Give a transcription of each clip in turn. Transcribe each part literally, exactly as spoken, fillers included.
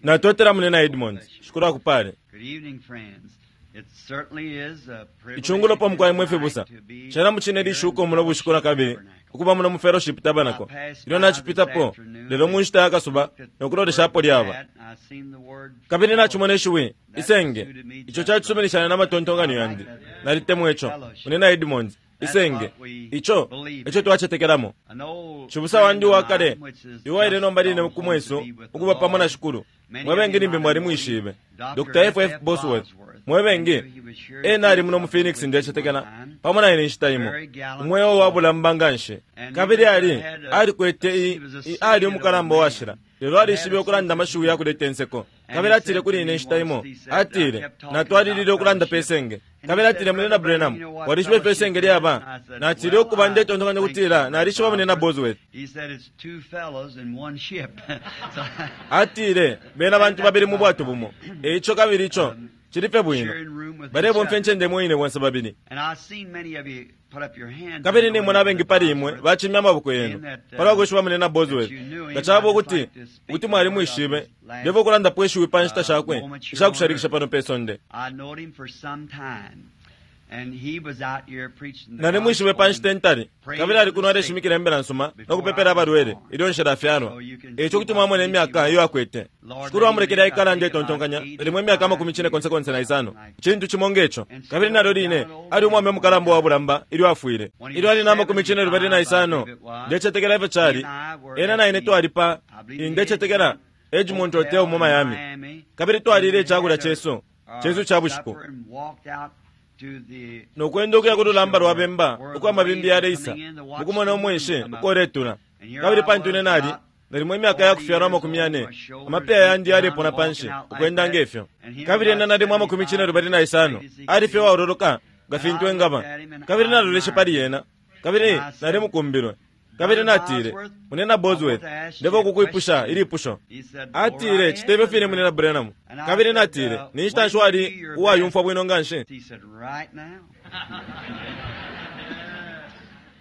Natotela munena Edmonds. Shukuru akupale. Good evening, friends. It certainly is a privilege Ichungulo pa mukwai mwe fibusa. tonight to be Chena muchine lishuko muno bushiku na kabili. Ukuba muno mu fellowship tabernacle. Ilyo nachipitapo, lelo mu nshita yakasuba nokuloleshapo lyaba. I've seen the word Kabili nachimona ishiwi, isenge. Icho chachisuminishana n'amatontonganyo yandi. Nalitemwa icho. Munena Edmonds, isenge. Icho, icho twachetekelamo. an old Chibusa wandi friend of wakale, mine, which is iwaile just nomba line gone ku home mwesu, to be with the ukuba pamo na Lord. shukuru. Many Mwebengi of you nimbi mwali might know mwishibe. him, Doctor F F Bosworth. Mwebengi, ena ali muno mu Phoenix ndechetekela, pamo na ine nshita imo. Umweo wabulamba nganshi. Kabili ali, alikwete i, i ali umukalamba washila. Lelo alishibe ukulanda amashiwi yakuleta inseko. Kabili atile kuli ine nshita imo, atile, natwalilile ukulanda pe senge. Kabili atile munena Branham, walishibe pe senge lyaba. Natile ukuba ndetontonkanya kutila, nalishiba munena Bosworth. He said it's two fellows in one ship. So, Atile, bena bantu babili mu bwato bumo. Eicho kabili icho, chilife bwino. sharing room with each Balebomfya other. incende mwine bonse babili. And I've seen many of you put up your hands. Kabili and nimwe knowing nabengi pali imwe Bosworth. bachimya amaboko yenu palwa kwishiba munena Bosworth. Nga chaba ukuti kuti mwali mwishibe, ndeva ukulandapo ishiwi pa nshita shakwe ishakushalikisha pano pe sonde. I knowed him for some time. And he was out here preaching the Nali mwishibe pa nshita gospel. entali, kabili ali kuno aleshimikila imbila nsuma no kupepela abalwele ilyo nshila afyalwa. Eicho kuti mwamona imyaka iyo akwete. Shukuru amulekele aikala ndetontonkanya, limwe imyaka amakumi cine konse konse na isano. Chintu chimo ngecho. Kabili nalyo line, ali umwame umukalamba wa bulamba ilyo afwile. Ilyo ali na amakumi cine lubali na isano, ndechetekela ifyo chali. Ena na ine twali pa, ndechetekela Edgemont Hotel mu Miami. Kabili twalile ichakulya chesu, chesu cha bushiku. Nokwenda ukuya ku lulamba lwa bemba uko amabimbi yaleisa mukumona umwenshi ukoletula. Kabili pantu ine nali nalimo imyaka yakufyalwa amakumi yane, amapeya yandi yalepona panshi ukwenda ngefyo. Kabili ena nalimo amakumi cine lubali na isano, ali fye waololoka nga fintu engaba. Kabili naloleshe pali yena, kabili nalimukumbilwe. Kabili natile, munena Bosworth, ndeva ukukwipusha ilipusho. Atile, chitebe fine munena Branham. Kabili natile, ni nshita nshi wali uwayumfwa bwino nganshi? He said, right now.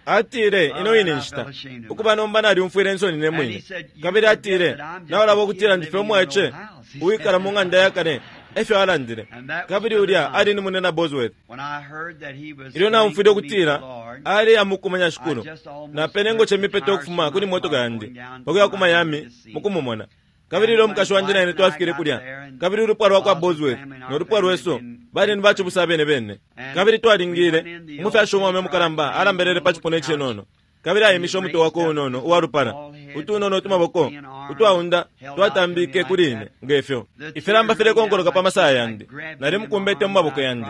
Atile, ino ine nshita. Ukuba nomba nalyumfwile insoni ne mwine. Kabili atile, naulaba ukutila ndife umwaice, uwikala mu ng'anda yakale, efyo alandile. Kabili ulya ali ni munena Bosworth. When I heard that he was Ilyo going naumfwile to meet ukutila, the Lord, ali amukumanya shukulu. Napene ngoche mipeto ukufuma kuli motoka yandi, pakuya ku Miami, mukumumona. Kabili ilyo umukashi wandi na ine twafikile kulya. Kabili ulupwa lwa kwa Bosworth no lupwa lwesu bali ni bachibusa bene bene. Kabili twalingile, umufyashi umwaume mukalamba alambelele pa chipuna icinono. Kabili ayimishe umutwe wakwe unono uwalupala, utunono utumaboko utwaunda twatambike kuli ine ngefyo. Ifilamba filekonkoloka pa masaya yandi, nalimukumbete mu maboko yandi.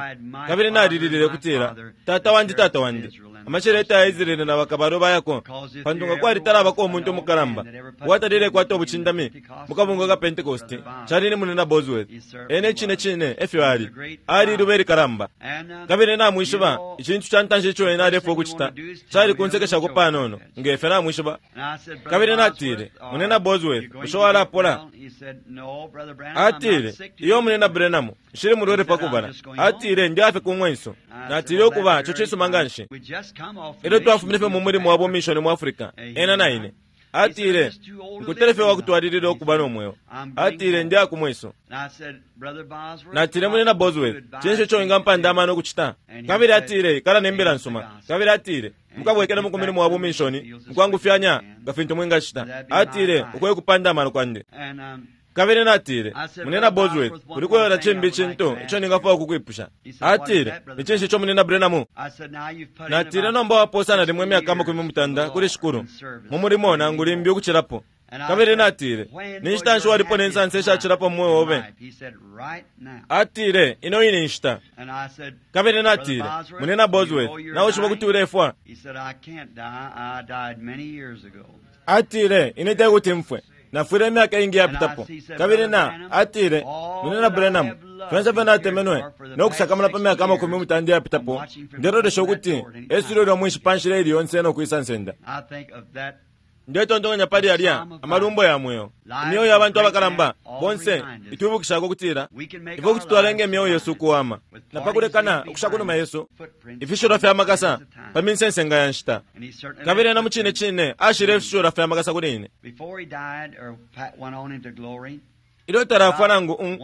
Kabili nalililile kutila, tata wandi, tata wandi, amasheleta ya Israeli na bakabalo bayako, pantu nga kwalitalabako umuntu umukalamba uwatalile kwata ubuchindami mu kabungwe ka Pentecost, chali ni munena Bosworth. Ene chine chine efyo ali, ali iluba ilikalamba. and, uh, Kabili namwishiba, ichintu cha ntanshi icho ena alefwa ukuchita, chali kunsekeshako panono, ngefe namwishiba. and I said, Brother Kabili natile, Bosworth, uh, munena Bosworth, you going bushe to walapola? get well? He said, no, Brother Branham, I'm not Atile, sick to iyo be munena Branham, nshili mulwele pakubala. Atile, ndi afe kumwenso. Natile ukuba icho chisuma nganshi. We just come off the Ilyo mission twafumine fye mu mulimo wa bumishoni mu Africa, ena na ine. Atile, nkutele fye wakutwalilila ukuba no mweo. Atile, ndi akumwenso. And I said, Brother Bosworth, Natile munena Bosworth, chinshi icho ingampanda amano okuchita? Kabili atile, ikala nembila nsuma. Kabili atile, mukabwekele mu mulimo wa bumishoni, mukwangufyanya nga fintu mwingachita. Atile, ukwe kupanda amano kwandi. And um, Kabili natile, munena Bosworth, ulikuyola chimbi chintu icho ningafwaya ukukwipusha. Atile, ni chinshi icho munena Branham? I said, now you've put in Natile about nomba waposa nalimwe sixty imyaka amakumi years mutanda to the kuli Lord shukuru in service. mu mulimo nangu limbi ukuchilapo. And I Kabili said, natile, when ni was nshita nshi your walipo ne happiest nsansa ishachilapo mu mweo time obe? in life? He said, right now. Atile, ino ine nshita. And I said, Kabili Brother natile, Bosworth, munena you Bosworth, know you're nawishiba dying? kuti ulefwa. He said, I can't die. I died many years ago. Atile, ine tekuti mfwe. Nafwile imyaka ingi yapitapo. Kabili na, atile, munena Branham, fyonse fye natemenwe, no kusakamana pa myaka amakumi mutanda yapitapo, ndelolesha ukuti, eswilo lya mwishi pa nshila ili yonse no kwisa nsenda. I think of that Ndetontonkanya pali alya amalumbo ya mweo. Imyoyo ya bantu abakalamba bonse itwibukishako kutila we can make ifwe our kuti twalenga lives imyoyo yesu ukuwama with na pakulekana parties ukusha kunuma yesu footprints ifishilwa fya makasa of time. pa minsensenga ya nshita. And he certainly Kabili left ena mu chine chine ashile ifishilwa fya makasa kuli ine. Before he died or went on into glory, Ilyo talafwa nangu un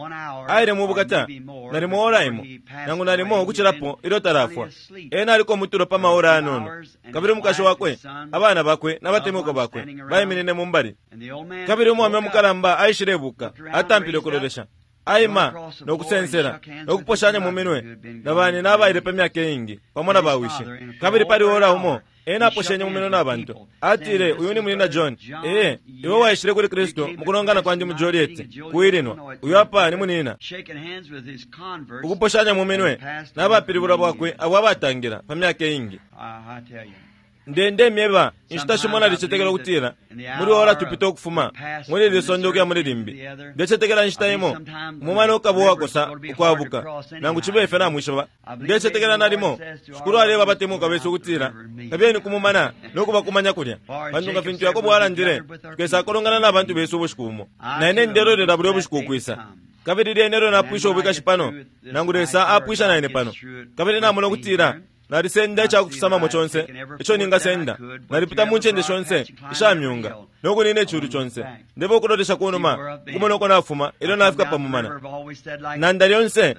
aile mu bukata nalimo ora imo nangu nalimo ukucilapo ilyo talafwa. Ena aliko mutulo pa maora anono, kabili umukashi wakwe, abana bakwe n'abatemwikwa bakwe baiminine mu mbali. Kabili umwame umukalamba aishilebuka, atampile ukulolesha, aima nokusensela nokuposhanya mu minwe na bani n'abaile pa myaka iingi pamo na bawishi. Kabili pali ora umo ena aposhenye mu minwe n'abantu, atile, uyu ni munina John. Ee, iwe waishile kuli Kristo mukulongana kwandi mu Joliet ku Illinois. Uyu apa ni munina. Ukuposhanya mu minwe n'abapilibulwa bwakwe abo abatangira pa myaka iingi. Ndende myeba inshita shimo nalicetekela ukutila muri ora tupita ukufuma muri iri sonde ukuya muri limbi. Ndecetekela inshita imo umumana ukaba uwakosa ukwabuka nangu cibe ife namwishiba. Ndecetekela nalimo shikulu aleba abatemuka besu ukutila kabiyeni kumumana nokubakumanya kulya, pantu nga fintu Yakobo alandile tukesa kulongana n'abantu besu ubushiku bumo. Naine ndelolela bulya ubushiku ukwisa. Kabili lyene lyo napwisha ubwikashi pano nangu Lesa apwisha naine pano. Kabili namona ukutila nalisenda icakufisamamo conse ico ningasenda, nalipita mu ncende shonse ishamyunga nokunina iculu conse. Ndeba ukulolesha kunuma ukumona uko nafuma ilyo nafika pamumana. Nanda lyonse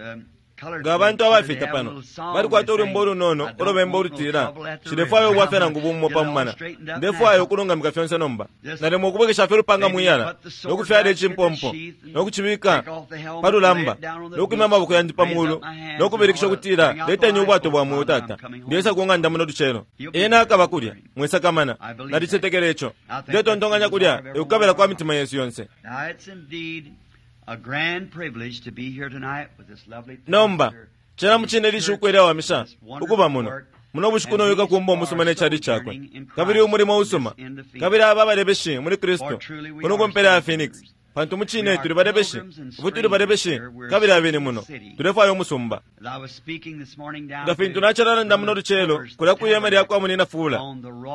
nga abantu abafita pano balikwata ulwimbo ulunono ulubemba ulutila nshilefwaya ubwafya nangu bumo pamumana, ndefwaya ukulungamika fyonse nomba. Nalimo ukubwekesha fye ulupanga mwiyala nokufyala icimpompo nokucibika pa lulamba nokwimya amaboko yandi pa mulu nokubilikisha ukutila leteni ubwato bwa mweo tata, ndiyesa ku ng'anda muno lucelo. Ena akaba kulya mwisakamana, nalicetekela ico. Ndetontonkanya kulya ekukabila kwa mitima yesu yonse. Nomba cena mucine lishuku ilyawamisha ukuba muno muno bushiku noyuka kumba umusuma n'ecali cakwe kabili umulimo usuma, kabili aba balebeshi muli Kristo kuno kumpela ya Phoenix, pantu mucine tuli balebeshi ubu tuli balebeshi kabili abene muno tulefwaya umusumba. Nga fintu nacalalanda muno lucelo kulya kwihema lya kwa munina Fula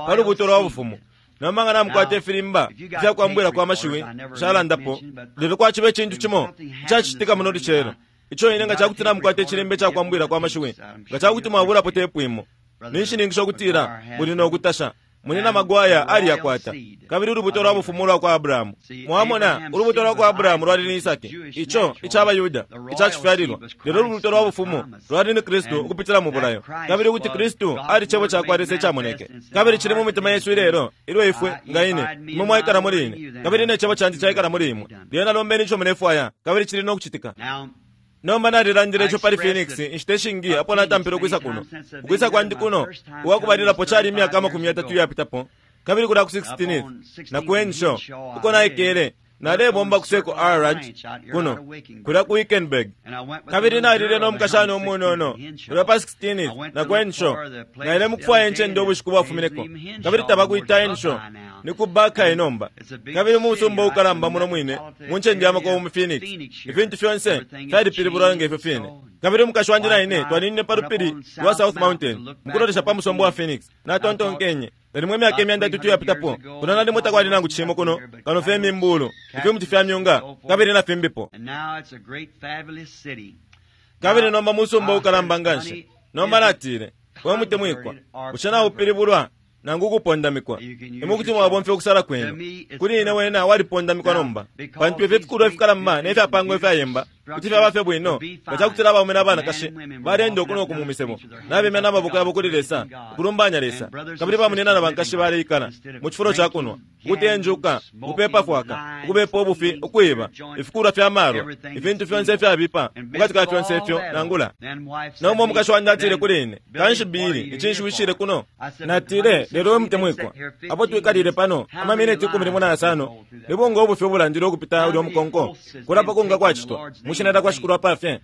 pa lubuto lwa bufumu. Nomba nga namukwata ifilimba ifyakwambwila kwa mashiwi nshalandapo, lelo kwaciba icintu cimo icacitika muno lucelo ico ine nga cakuti namukwata icilimba icakwambwila kwa mashiwi, nga cakuti mwabulapo tepu imo, ninshininkisha ukutila muli nokutasha. Munina Magwaya aliyakwata kabili ulubuto lwa bufumu lwa kwa Abrahamu. Mwamona ulubuto lwa kwa Abrahamu lwali ni Isaki, ico ic'Abayuda icacifyalilwa, lelo ulubuto lwa bufumu lwali ni Kristu ukupitila mu bulayo, kabili ukuti Kristu ali cebo ca kwa Lesa icamoneke kabili cili mu mitima yesu ilelo ilyo ifwe nga ine imwe mwaikala muli ine kabili ne cebo candi caikala muli imwe. Lyena lombeni ico mulefwaya kabili cili nokucitika. Nomba nalilandile ico pali Phoenix inshita ishingi apo natampile ukwisa kuno. Ukwisa kwandi kuno uwakubalilapo cali imyaka amakumi yatatu iyapitapo, kabili kulya ku sixteenth na ku Henshaw uko naikele nalebomba ku Circle R Ranch kuno kulya ku Wickenburg. Kabili nalile no mukashana umunono kulya pa sixteenth na ku Henshaw, naile mukufwaya incende ubushiku bwafumineko, kabili tabakuita Henshaw ni ku Buckeye nomba, kabili mu musumba ukalamba muno mwine mu ncende ya makobo mu Phoenix. Ifintu fyonse fyalipilibulwa ngefyo fine. Kabili umukashi wandi na ine twaninine pa lupili lwa South Mountain mukulolesha pa musumba wa Phoenix. Natontonkenye nalimwe imyaka imyanda itatu iyapitapo kuno nalimo takwali nangu cimo kuno kano fye imimbulu, ifimuti fya myunga kabili na fimbipo. Kabili nomba musumba ukalamba nganshi. Nomba natile, we mutemwikwa, bushe naupilibulwa nangu ukupondamikwa? Imwe kuti mwabomfya ukusala kwenu. Kuli ine wena walipondamikwa nomba, pantu ifyo ifikulwa ifikalamba nefyapangwa ifyayemba kuti fyaba fye bwino nga cakutila abaume n'abanakashi balenda uku noku mu misebo nabemya n'amaboko yabo kuli Lesa ukulumbanya Lesa, kabili bamunina na bankashi baleikala mu cifulo ca kunwa, ukutenjuka, ukupepa fwaka, ukubepa ubufi, ukwiba, ifikulwa fya malwa, ifintu fyonse ifyabipa mukati ka fyonse ifyo nangula. Nomba umukashi wandi atile kuli ine, kanshi Bili icinshi wishile kuno? Natile, lelo we mutemwikwa, apo twikalile pano amamineti ikumi limo na yasano libunga ubufi ubulandile ukupita ulya mukonko kulapa kunga kwacitwa mushinada kwa shikulu apafye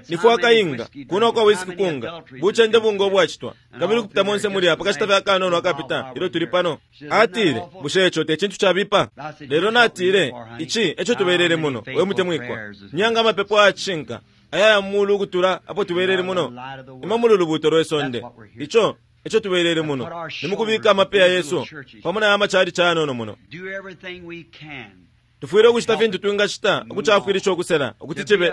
nifwaka inga kuno kwa whisky kunga buchende bunga obwacitwa kabili kupita monse muli apa kashita fya kanono akapita ilyo tuli pano. Atile, bushe ico te cintu cabipa? Lelo natile, ici eco tubelele muno we mutemwikwa, nyanga amapepo ayacishinka ayaya mulu ukutula apo tubelele muno imwe muli ulubuto lwe sonde. Ico eco tubelele muno nimukubika amapeya yesu pamo na amachali canono muno. Tufwile ukucita fintu twingacita ukucafwilisha ukusela ukuti cibe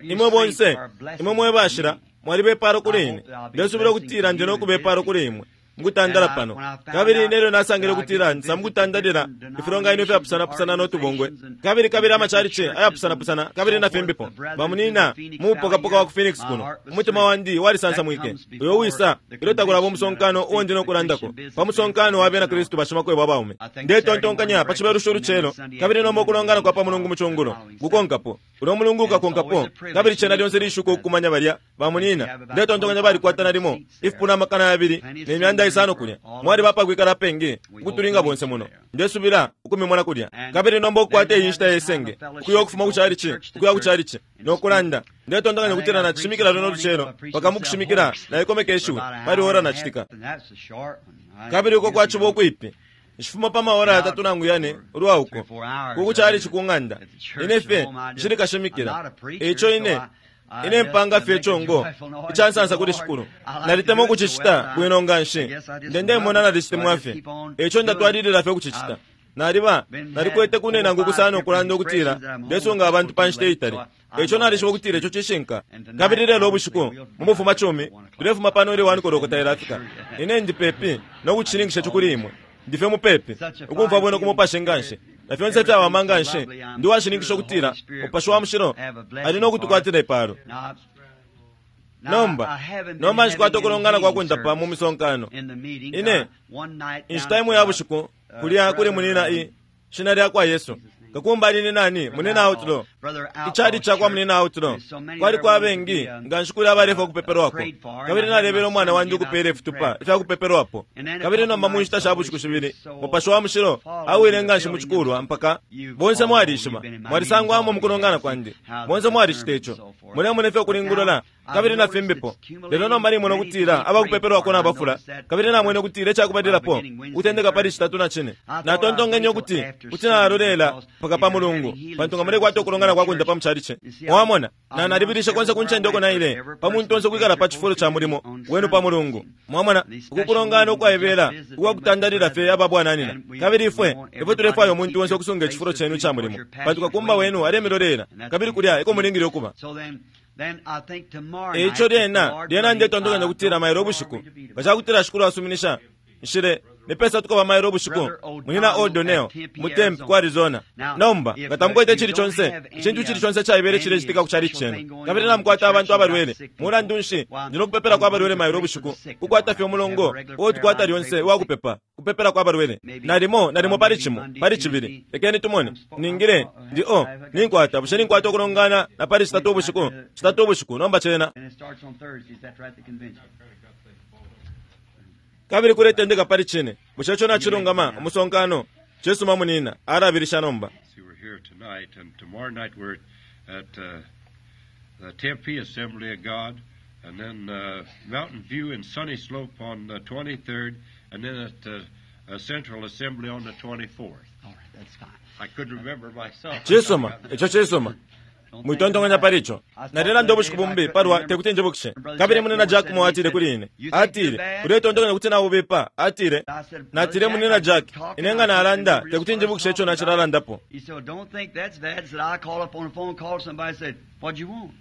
imwe bonse imwe mwe bashila mwalibe ipalo kuli ine. Ndesubila ukutila ndi nokuba ipalo kuli imwe mukutandala pano. Kabili nelyo nasangile ukutila nsa mukutandalila ifilonganino ifyapusanapusana no tubungwe, kabili kabili amachalichi ayapusanapusana kabili na fimbipo. Bamunina mu mupokapoka wa ku Phoenix kuno, umutima wandi walisansamwike. Uyo wisa ilyo takulaba umusonkano uo ndi nokulandako pa musonkano wa bena Kristu bashimakwebo abaume. Ndetontonkanya pa chibelusho ulucelo, kabili nomba ukulongana kwa pa mulungu mucungulo kukonkapo, ulo mulungu ukakonkapo, kabili cena lyonse lishuko ukukumanya balya bamunina. Ndetontonkanya balikwata nalimo ifipuna amakana yabili ne myanda isano kulya, mwali bapakwikala pengi ukutulinga bonse muno. Ndesubila ukumimona kulya. Kabili nomba ukukwata iyi nshita yesenge ukuya ukufuma ku chalichi ukuya ku chalichi nokulanda. Ndetontonkanya kutila nachishimikila luno lucelo paka mukushimikila naikomeka ishiwi pali ora nachitika. Kabili uko kwachiba ukwipi nshifuma pa maora yatatu nangu yane ulwa uko kuku chalichi ku ng'anda. Ine fye nshili kashimikila, eico ine ine mpanga fye chongo ichansansa kuli shikulu. Nalitemwa ukuchichita bwino nga nshi, ndendemona nalichitemwa fye, eico ndatwalilila fye ukuchichita. Naliba nalikwete kune nangu kusana okulanda ukutila ndesunga abantu pa nshita itali, eico nalishiba ukutila ico cishinka. Kabili lelo ubushiku mu bufuma cumi tulefuma pano ili wani kolokota ilafika. Ine ndi pepi nokuchilingisha kuli imwe, ndife mupepi ukumva bwino kumupashi nganshi na fyonse fyawama nganshi. Ndi washininkisha ukutila mupashi wa mushilo ali nokutukwatila ipalo. Nomba nomba nshikwata ukulongana kwa kuntapa mu misonkano. Ine inshita imwe ya bushiku kulya kuli munina i shina lya kwa Yesu kakumba alini nani munina outlaw, ichali cha kwa munina outlaw kwali kwa bengi nganshi kuli abalefa okupeperwako. Kabili nalebela umwana wandi ukupela ifitupa ifyakupeperwapo. Kabili nomba mu nshita sha bushiku shibili mupashi wa mushilo awile nganshi muchikulwa mpaka bonse mwalishiba mwalisangwamo mukulongana kwandi, bonse mwalishita ico mulemona ifyo kulingulula kabili na fimbipo. Lelo nomba nimwene ukutila abakupeperwako nabafula, kabili namwene ukutila icakubalilapo ukutendeka pali chitatu na chine. Natontonkenye ukuti kuti nalolela paka pa mulungu pantu nga mulekwata ukulongana kwa kundapa muchalichi. Mwamona na nalibilisha konse kunchende uko naile pa muntu onse kwikala pa chifulo cha mulimo wenu pa mulungu. Mwamona ukukulongana ukwaebela ukwakutandalila fye ababwananina. Kabili ifwe ifwe tulefwaya umuntu onse okusunga echifulo chenu cha mulimo pantu kakumba wenu alemilolera, kabili kulya eko mulingile okuba. Eico lyena lyena ndetontonkanya kutila mailo ubushiku bachakutila shikulu asuminisha nshile nipesa tukaba mailo ubushiku munina O'Donnell mu Tempe ku Arizona. Nomba nga tamukwete chili chonse ichintu chili chonse chaibele chilechitika ku chalichi chenu, kabili namukwata abantu abalwele mulandu nshi ndino kupepela kwa abalwele mailo ubushiku kukwata fye umulongo uwo tukwata lyonse uwakupepa kupepela kwa abalwele. Nalimo nalimo pali chimo pali chibili lekeni tumone ningile ndi o ninkwata bushe ninkwata okulongana na pali chitatu ubushiku chitatu ubushiku nomba chena. Kabili kuletendeka pali chine bushe ico nachilungama umusonkano chisuma munina alabilisha nomba. We're here tonight, and tomorrow night we're at uh, the Tempe Assembly of God, and then uh, Mountain View and Sunny Slope on the twenty-third, and then at the uh, Central Assembly on the twenty-fourth. All right, that's fine. I couldn't remember myself. Chisuma icho chisuma mwitontonkanya palicho. Nalilanda ubushiku bumbi palwa tekuti njibukishe. Kabili munina Jack Moore atile kuli ine, atile uletontonkanya kuti naubipa. Atile natile munina Jack ine nga nalanda tekuti njibukishe icho nachilalandapo. He said, don't think that's bad. Said, I called up on the phone, called somebody, said, what'd you want?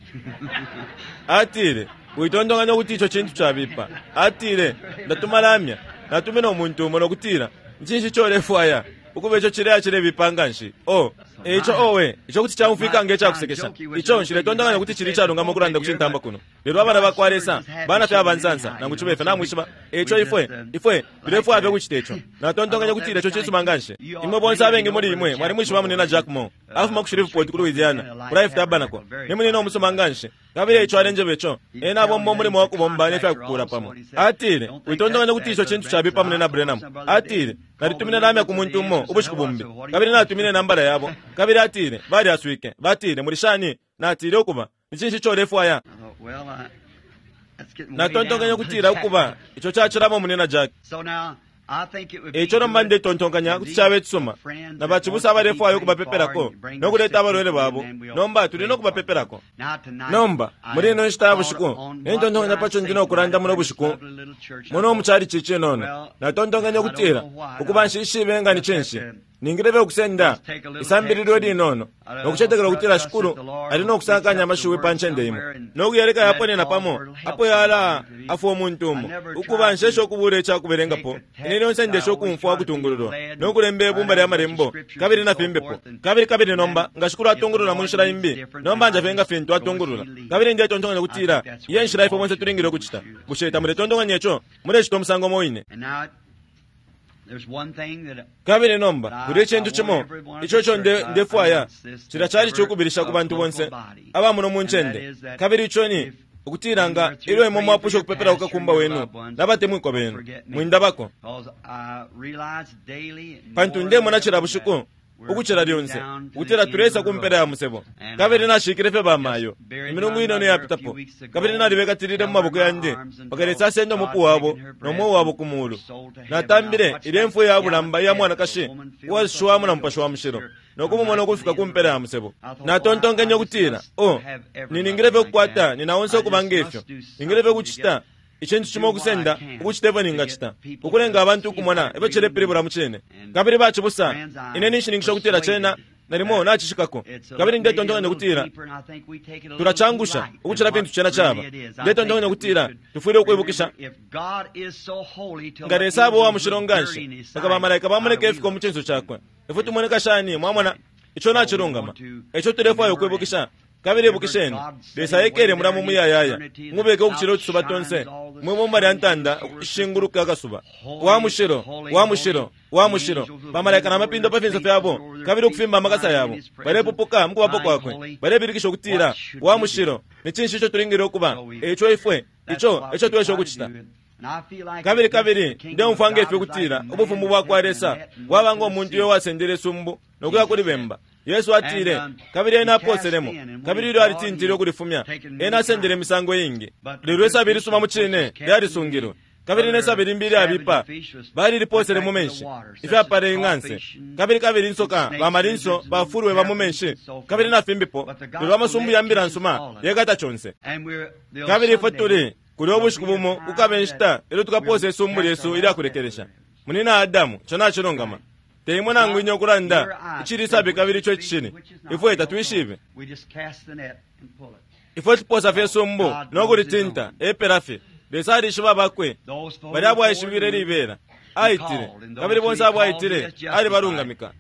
Atile witontonkanya kuti icho chintu chabipa. Atile ndatuma lamya natumina umuntu umo nokutila nchinshi cholefwaya ukuba icho chileya chilebipa nganshi. O icho owe icho kuti chaumfika ngechakusekesha icho nshiletontokanya kuti chili chalungama okulanda kuchintamba kuno. Lelo abana bakwalesa bana fye abansansa nangu chibefe namwishiba icho ifwe ifwe tulefwaya fye kuchita icho. Natontokanya kuti icho chisuma nganshi. Imwe bonse abengi muli imwe mwali mwishiba munina Jack Moore afuma ku Shreveport ku Louisiana ku Life Tabernacle ni munina omusuma nganshi. Kabili icho alenjeba icho ena abomba omulimo wakubomba nefyakukula pamo. Atile witontokanya kuti icho chintu chabipa munina Branham. Atile nalitumine lamya ku muntu umo ubushiku bumbi, kabili natumine nambala yabo. Kabili atile balyaswike batile muli shani. Natile ukuba nichinshi cholefwaya. Natontonkanya kutila ukuba icho chachilamo munina Jack. Eico nomba ndetontonkanya kuti chabe chisuma na bachibusa abalefwaya okubapepelako nokuleta abalwele babo. Nomba tuli nokubapepelako. Nomba muli ino nshita ya bushiku nentontonkanya pacho ndi nokulanda muno bushiku muno muchalichi chinono. Natontonkanya kutila ukuba nshishibe nga ni chinshi Ningile ukusenda isambililo linono nokucetekela ukutila Shikulu ali nokusakanya amashiwi pa ncende imo nokuyaleka yaponena pamo apo yala afwa umuntu umo ukuba nshesha ukubula icakubelengapo. Ine lyonse ndesha ukumfwa ukutungululwa nokulemba ibumba lya malembo kabili na fimbipo kabili kabili nomba nga Shikulu atungulula mu nshila imbi, nomba njafye nga fintu atungulula. Kabili ndetontonkanya ukutila iye nshila ifwe bonse tulingile ukucita. Bushe tamuletontonkanya ico? Mulecita umusango umo wine. Kabili nomba kuli icintu cimo ico ico ndefwaya cilya cali cukubilisha ku bantu bonse abamuno mu ncende, kabili ico ni ukutila nga ilyo imwe mwapusha ukupepela kukakumba wenu nabatemwikwa benu, mwindabako. Pantu ndemona cila bushiku ukucila lyonse ukutila tulesa ku mpela ya musebo. Kabili nashikile fye bamayo imilungu inono yapitapo, kabili nalibekatilile mu maboko yandi mpaka Lesa asenda umupu wabo no mweo wabo ku mulu. Natambile ilyo imfwa ya bulamba iya mwanakashi uwashuwamo na Mupashi wa Mushilo nokumumona ukufika ku mpela ya musebo. Natontonkenye ukutila, oh, niningile fye ukukwata nina onse ukuba ngefyo. Ningile fye ukucita icintu cimo ukusenda ukucita ifyo ningacita ukulenga abantu ukumona ifyo cilepilibula mu cine. Kabili bacibusa, ine ninshininkisha ukutila cena nalimo nacishikako. Kabili ndetontonkanya ukutila tulacangusha ukucila fintu cena caba. Ndetontonkanya ukutila tufwile ukwibukisha nga Lesa aba uwa mushilo nganshi mpaka bamalaika bamoneka ifiko mu cinso cakwe, ifwe tumoneka shani? Mwamona, ico nacilungama. Ico tulefwaya ukwibukisha. Kabili ibukisheni, Lesa ekele mulamu muyayaya, mubeke ukucila utusuba tonse mwibumba lya ntanda ishinguluka akasuba. Wa mushilo, wa mushilo, wa mushilo. Bamalaika na mapindo pa finso fyabo kabili ukufimba amakasa yabo, balepupuka mukubapo kwakwe, balebilikisha ukutila wa mushilo. Ni cinshi ico tulingile ukuba? Ico ifwe, ico ico twesha ukucita. Kabili kabili ndeumfwa ngefyo ukutila ubufumu bwa kwa Lesa bwaba ngo muntu uyo wasendele isumbu nokuya kuli bemba. Yesu atile, kabili ena aposelemo, kabili ilyo alitintile ukulifumya, ena asendele imisango iingi. Lelo isabi ilisuma mu cine lyalisungilwe, kabili nesabi limbi ilyabipa baliliposele mu menshi ifyapala ing'anse. Kabili kabili insoka bamalinso bafulwe ba mu menshi kabili na fimbipo. Lelo amasumbu ya mbila nsuma yekata conse. Kabili ifwe tuli kuli ubushiku bumo kukaba inshita ilyo tukaposa isumbu lyesu ilyakulekelesha. Munina Adamu, ico nacilungama. Teimwe nangu inye ukulanda icili isabi kabili ico icishili. Ifwe tatwishibe. Ifwe tuposa fye isumbu nokulitinta epela fye. Lesa alishiba abakwe bali abo aishibile libela aitile, kabili bonse abo aitile alibalungamika,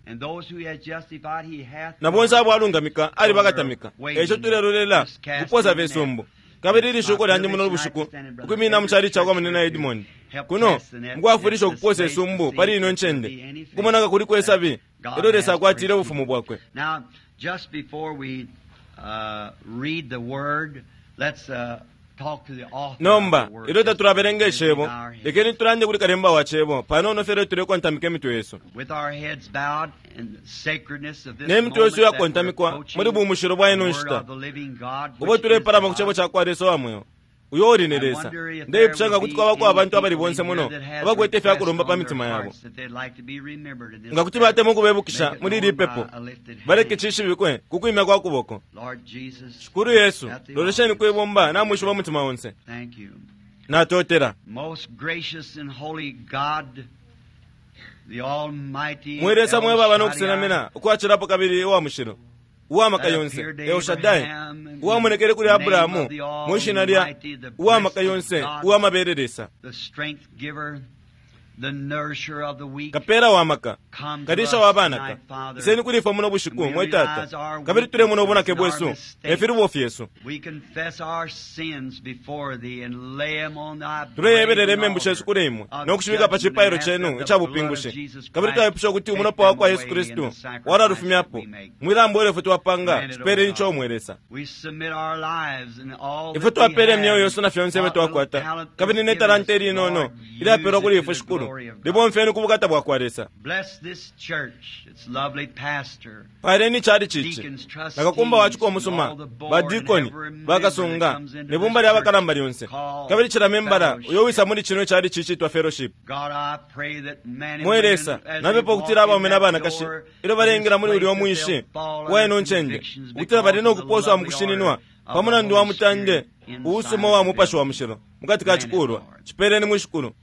na bonse abo alungamika alibakatamika. Eco tulelolela kuposa fye isumbu. Kabili ilishuko lyandi muno bushiku ukwimina mu cali cakwa munina Edmond kuno mukwafwilisha ukuposa isumbu pali ino ncende kumonaka kuli kwesabi elyo Lesa akwatile ubufumu bwakwe. Nomba ilyo tatulabelenga icebo, lekeni tulande kuli kalemba wa cebo panono fye tulekontamika imitwe yesu. Ne mitwe yesu yakontamikwa muli bumushilo bwa ino nshita ubo tulepalama ku cebo ca kwa Lesa wa mweo uyo uli ni Lesa. Ndeipusha nga kuti kwabako abantu abali bonse muno abakwete ifyakulomba pa mitima yabo, nga kuti batemwa ukubebukisha muli ili pepo, baleke cishibikwe ku kwimya kwa kuboko. Shikulu Yesu, lolesheni kwibumba namwishiba umutima onse. Natotela. Mwe Lesa mwe baba nokusenamina ukwacilapo kabili uwa mushilo uwamaka yonse El Shaddai, uwamonekele kuli Abrahamu mwishina lya uwamaka yonse uwamabele Lesa, kapela wa maka, kalisha wa banaka, iseni kuli ifwe muno bushiku mwe Tata, kabili tulemona ubunake bwesu nefilubo fyesu. Tuleyebelela imembu shesu kuli imwe nokushibika pa cipailo cenu icabupingushi, kabili twaipusha ukuti umulopa wa kwa Yesu Kristu walalufumyapo mwilambo ilyo ifwe twapanga. Cipeleni ico mwe Lesa. Ifwe twapele imyeo yesu na fyonse ifyo twakwata, kabili ne talanta ilinono ilyapelwa kuli ifwe Shikulu, libomfeni ku bukata bwa kwa Lesa. Paleni cali cici nakakumba waciko umusuma, badikoni bakasunga nebumba lya bakalamba lyonse, kabili cila membala uyo wisa muli cino cali cici twa fellowship. Mwe Lesa, napepa ukutila abaume na banakashi ilyo balengela muli ulya umwinshi wa ino ncende, ukutila bali nokuposwa mu kushininwa pa mulandu wa mutande uusuma wa Mupashi wa Mushilo mukati ka cikulwa. Cipeleni mwishikulu.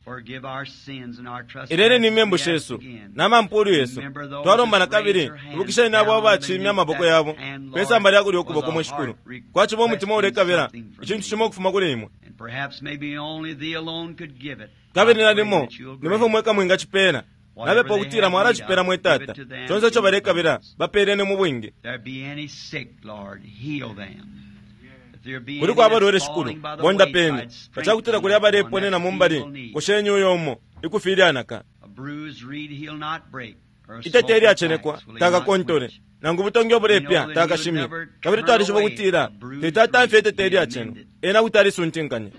Ileleni imembu shesu na mampulu yesu. Twalomba na kabili ibukisheni abo abacimya amaboko yabo pesamba lya kulya ukuboko mwishikulu. Kwaciba umutima ulekabila icintu cimo ukufuma kuli imwe. Kabili nalimo nimwe mweka mwingacipela. Nabepo ukutila mwalacipela mwe Tata. Conse ico balekabila bapeleni mu bwingi. Kuliko abalwele shikulu bondapeni. Pacakutila kuli abaleponena mumbali kosheni uyo umo ikufilyanaka. Itete ilyacenekwa takakontole nangu butongi obulepya takashimye. Kabili twalishiba ukutila tetatamfya itete ilyaceno ena kuti alisuntinkanya.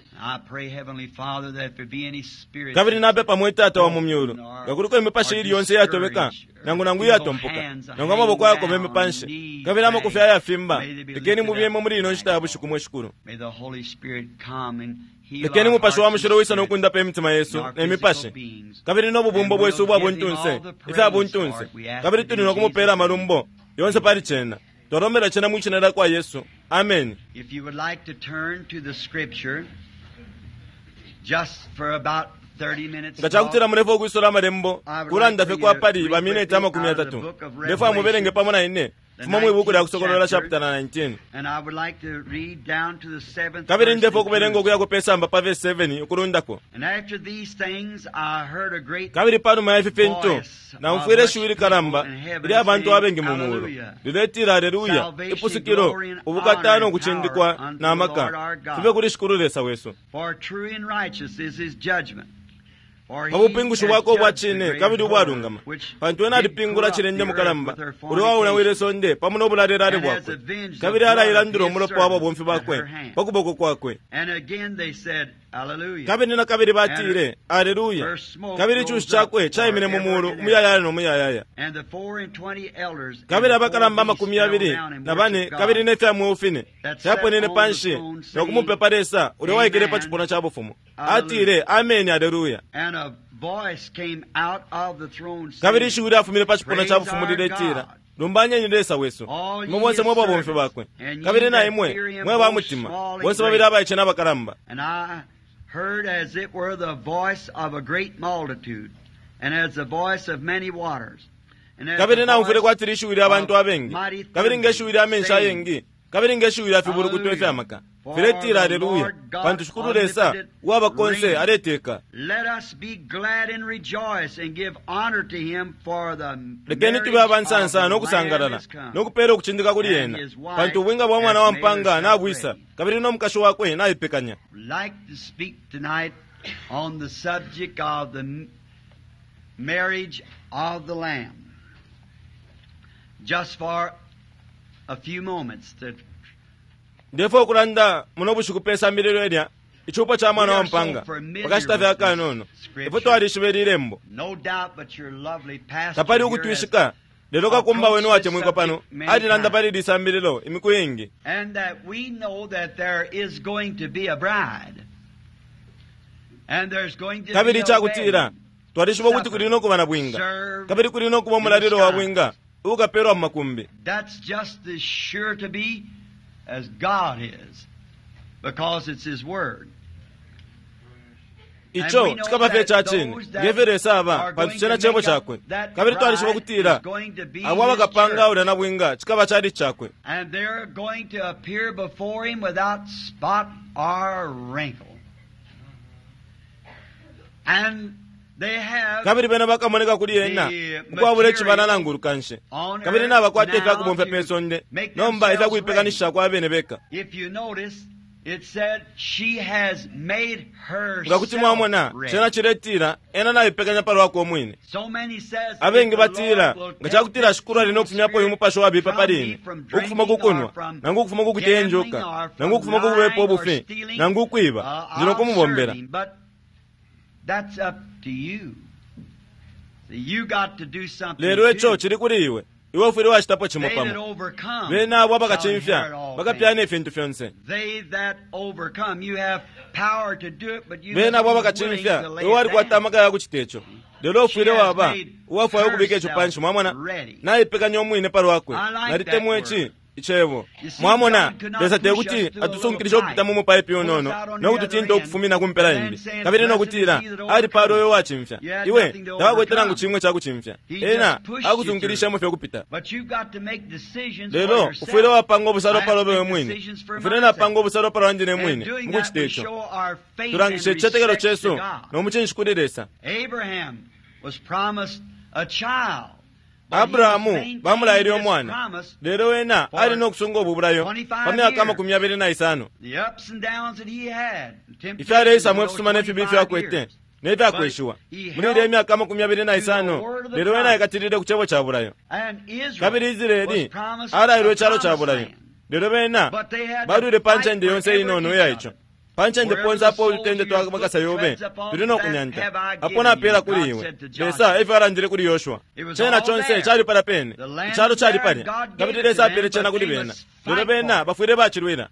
Kabili napepa mwe Tata wa mu myulu nga kuliko imipashi ili yonse iyatobeka nangu nangu iyatompoka nangu amaboko ayakobeme panshi kabili amakufi ayafimba, lekeni mubiyemo muli ino nshita ya bushiku mwe shikulu. Lekeni Mupashi wa Mushilo wisa nokundapa imitima yesu ne mipashi kabili nobubumbo bwesu ubwa buntunse ifya buntunse, kabili tuli nokumupela amalumbo yonse pali cena. Twalombela cena mwishina lya kwa Yesu. Amen. If you would like to turn to the scripture just for about thirty minutes. Nga cakutila mulefo ukwisola amalembo kulanda fye kwa pali ba minute amakumi atatu, ndefo amubelenge pamo na ine fuma mwibuku lya Kusokolola chapter nineteen. And I would like to read down to the seventh. Kabili ndefo ukubelenga ukuya ku pesamba pa verse seven ukulundako. And after these things I heard a great Kabili panuma ya ifi fintu naumfwile ishiwi likalamba ilya bantu abengi mu mulu liletila, Aleluya, ipusukilo, ubukata no kucindikwa na maka fibe kuli Shikulu Lesa wesu. For true and righteous is his judgment. Pa bupingushi bwakwe ubwa cine kabili ubwalungama, pantu ena alipingula cilende mukalamba uli waulawile sonde pamo no bulalelale bwakwe, kabili alailandula umulopa wa babomfi bakwe pa kuboko kwakwe. Kabili na kabili batile, Aleluya, kabili icushi cakwe caimine mu mulu umuyayaya no muyayaya. Kabili abakalamba amakumi yabili na bane kabili ne fya mweo fine fyaponene panshi no kumupepa Lesa uli waikele pa cipuna ca bufumu. Atile, Ameni, Aleluya. Kabili ishiwi lyafumine pa cipuna ca bufumu liletila, lumbanyeni Lesa wesu, imwe bonse mwe babomfi bakwe, kabili na imwe mwe ba mutima, bonse babili abaice n'abakalamba. And I heard as it were the voice of a great multitude, and as the voice of many waters. Kabili naumfwile kwati lishiwi lya bantu abengi, kabili ngeshiwi lya menshi ayengi, kabili ngeshiwi lya fibulukuto ifya maka filetila, Aleluya, pantu Shikulu Lesa uwaba konse aleteka. Let us be glad and rejoice and give honor to him for the Lekeni tube abansansa no kusangalala no kupela ukucindika kuli ena, pantu ubwinga bwa mwana wa mpanga nabwisa, kabili no mukashi wakwe naipekanya. Like to speak tonight on the subject of the marriage of the Lamb. Just for a few moments to Ndefo ukulanda muno bushiku pe sambililo ilya icupo ca mwana wa mpanga pakashita fye akanono. Ifwe twalishiba ili lembo, No doubt but your lovely pastor tapali here ukutwishika, lelo kakumba wenu watemwikwa pano alilanda pali ili sambililo imiku ingi, and that we know that there is going to be a bride. And there's going to kabili be a icakutila wedding. twalishiba ukuti kuli nokuba na bwinga, kabili kuli nokuba umulalilo wa bwinga ukapelwa mu makumbi. That's just as sure to be as God is, because it's His Word. Ico cikaba fye ca cine ngefyo Lesa aba, pantu cena cebo cakwe. Kabili twalishiba ukutila abo abakapanga ulya na bwinga cikaba cali cakwe, And they're going to appear before Him without spot or wrinkle. And they have kabili bena bakamoneka kuli ena ukwabula icibala nangu ulukanshi, kabili nabakwata ifyakubomfya pe sonde nomba ifyakuipekanishisha kwa bene beka. If you notice, it said she has made Nga kuti mwamona herself ready. cena ciletila ena naipekanya palwakwe umwine. So many says, Abengi if the batila Lord will nga cakutila take Shikulu ali no kufumyapo uyu mupashi wabipa from pali me ine, from ukufuma ku drinking kunwa or from nangu ukufuma ku kuteya gambling injuka or from nangu ukufuma ku kubepa lying or ubufi stealing, nangu ukwiba, uh, ndi no I'll kumubombela. serve him, but that's up to you. See, you got to do something Lelo ico too. cili kuli iwe, iwe ufwile wacitapo cimo They that pamo. overcome Bena abo shall abakacimfya inherit all bakapyana things. ifintu fyonse. They that overcome, you have power to do it, but you Bena abo must be willing abakacimfya to lay iwe it walikwata down. amaka ya kucita ico, lelo ufwile waba uwafwaya ukubika ico panshi. Mwamona, naipekanya umwine palwakwe. I like Nalitemwa that ici word. Icebo. Mwamona, Lesa tekuti atusunkilishe ukupita mu mupaipi unono no kututinta ukufumina ku mpela imbi, kabili no kutila alipala uyo wacimfya. Iwe tawakwete nangu chimwe chakucimfya. Ena akusunkilisha fye kupita. Lelo ufwile wapanga obusalo palobe we mwine, ufwile napanga obusalo palo wandi ne mwine. Mukuchita ico tulangishe ichichetekelo chesu nomuchinshi kuli Lesa. Abrahamu bamulayile omwana, lelo wena ali nokusunga obubulayo pa myaka amakumi abili na isano. Ifyaleisamo ifisuma nefibi ifyakwete nefyakweshiwa muli ilya imyaka amakumi abili na isano, lelo wena aikatilile ku cebo ca bulayo. Kabili Israeli alayilwe icalo ca bulayo, lelo bena balwile pa ncende yonse inono iya ico. Pa ncende ponse apo ulutende twa makasa yobe tuli nokunyanta, apo napela kuli iwe. Lesa efyo alandile kuli Yoshua. Chena chonse chali pala pene, icalo chali palya, kabili Lesa apele chena kuli bena, lelo bena bafwile bachilwila.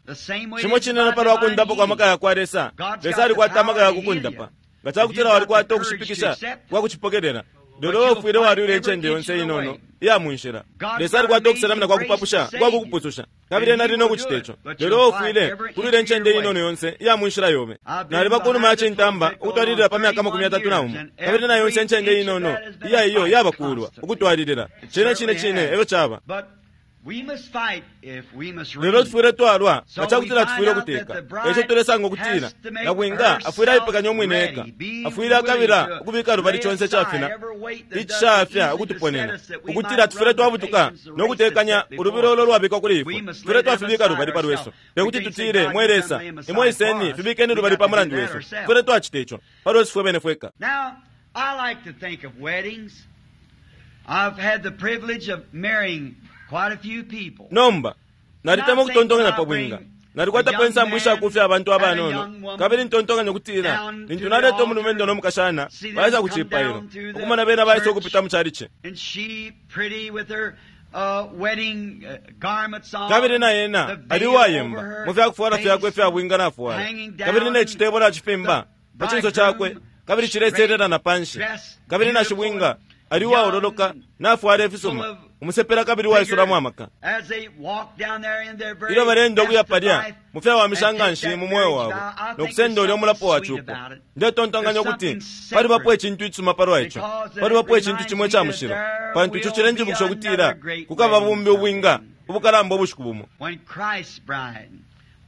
Chimo chineno palwa kundapa kwa maka yakwa Lesa. Lesa alikwata amaka yakukundapa nga chakutila walikwata okushipikisha kwa kuchipokelela, lelo ufwile walwila incende yonse inono iya munshila. Lesa alikwata okuselamina kwa kupapusha kwa kukupususha, kabili ena ali nokuchita ico, lelo ufwile kulwila incende inono yonse iya munshila yobe. Naliba kunuma ya chintamba ukutwalilila pa myaka amakumi atatu na umo, kabili na yonse incende inono iya iyo yabakulwa ukutwalilila. Chine chine chine efyo chaba. Lelo tufwile twalwa nga chakutila tufwile ukuteka. Eco tulesanga ukutila nabwinga afwile aipekanya umwine eka, afwile akabila ukubika lubali chonse chafina ichishafya ukutuponena, ukutila tufwile twabutuka nokutekanya ulubilo ulo lwabikwa kuli ifwe. Tufwile twafibika lubali pa lwesu, tekuti tutile mwe Lesa imwe iseni fibikeni lubali pa mulandu wesu. Tufwile twachita ico pa lwesu fwe bene fweka. Now, I like to think of weddings. I've had the privilege of marrying quite a few people. Nomba nalitema ukutontonganya pa bwinga, nalikwatapo ensambu ishakufya abantu abanono, kabili ntontonganya ukutila lintu naleta omulumendo nomukashana baisa ku cipailo, ukumona bena baisa ukupita mu chalichi, And she pretty with her uh, wedding uh, garments on, kabili na yena the ali veil uwayemba over her mu fyakufwala fyakwe face, ifya bwinga nafwala, hanging down, kabili necitebo nacifimba pa cinso chakwe, bridegroom kabili cileselela na panshi, dressed kabili na beautiful, shibwinga ali uwaololoka nafwala ifisuma, full of umusepela kabili waisulamo amaka. As they walk down there in their very Ilyo balenda ukuya best of palya life mu fyawamisha and take nganshi that mu mweo marriage wabo vow, I think nokusenda there's ulya omulapo wa something sweet cupo, about it. ndetontonkanya There's ukuti something palibapo sacred icintu icisuma palwa ico, because it palibapo icintu reminds chimwe me ica that mushilo, there pantu ico will cilenjibukisha be ukutila another great kukaba wedding bumbi ubwinga someday. ubukalamba ubushiku bumo. When Christ's bride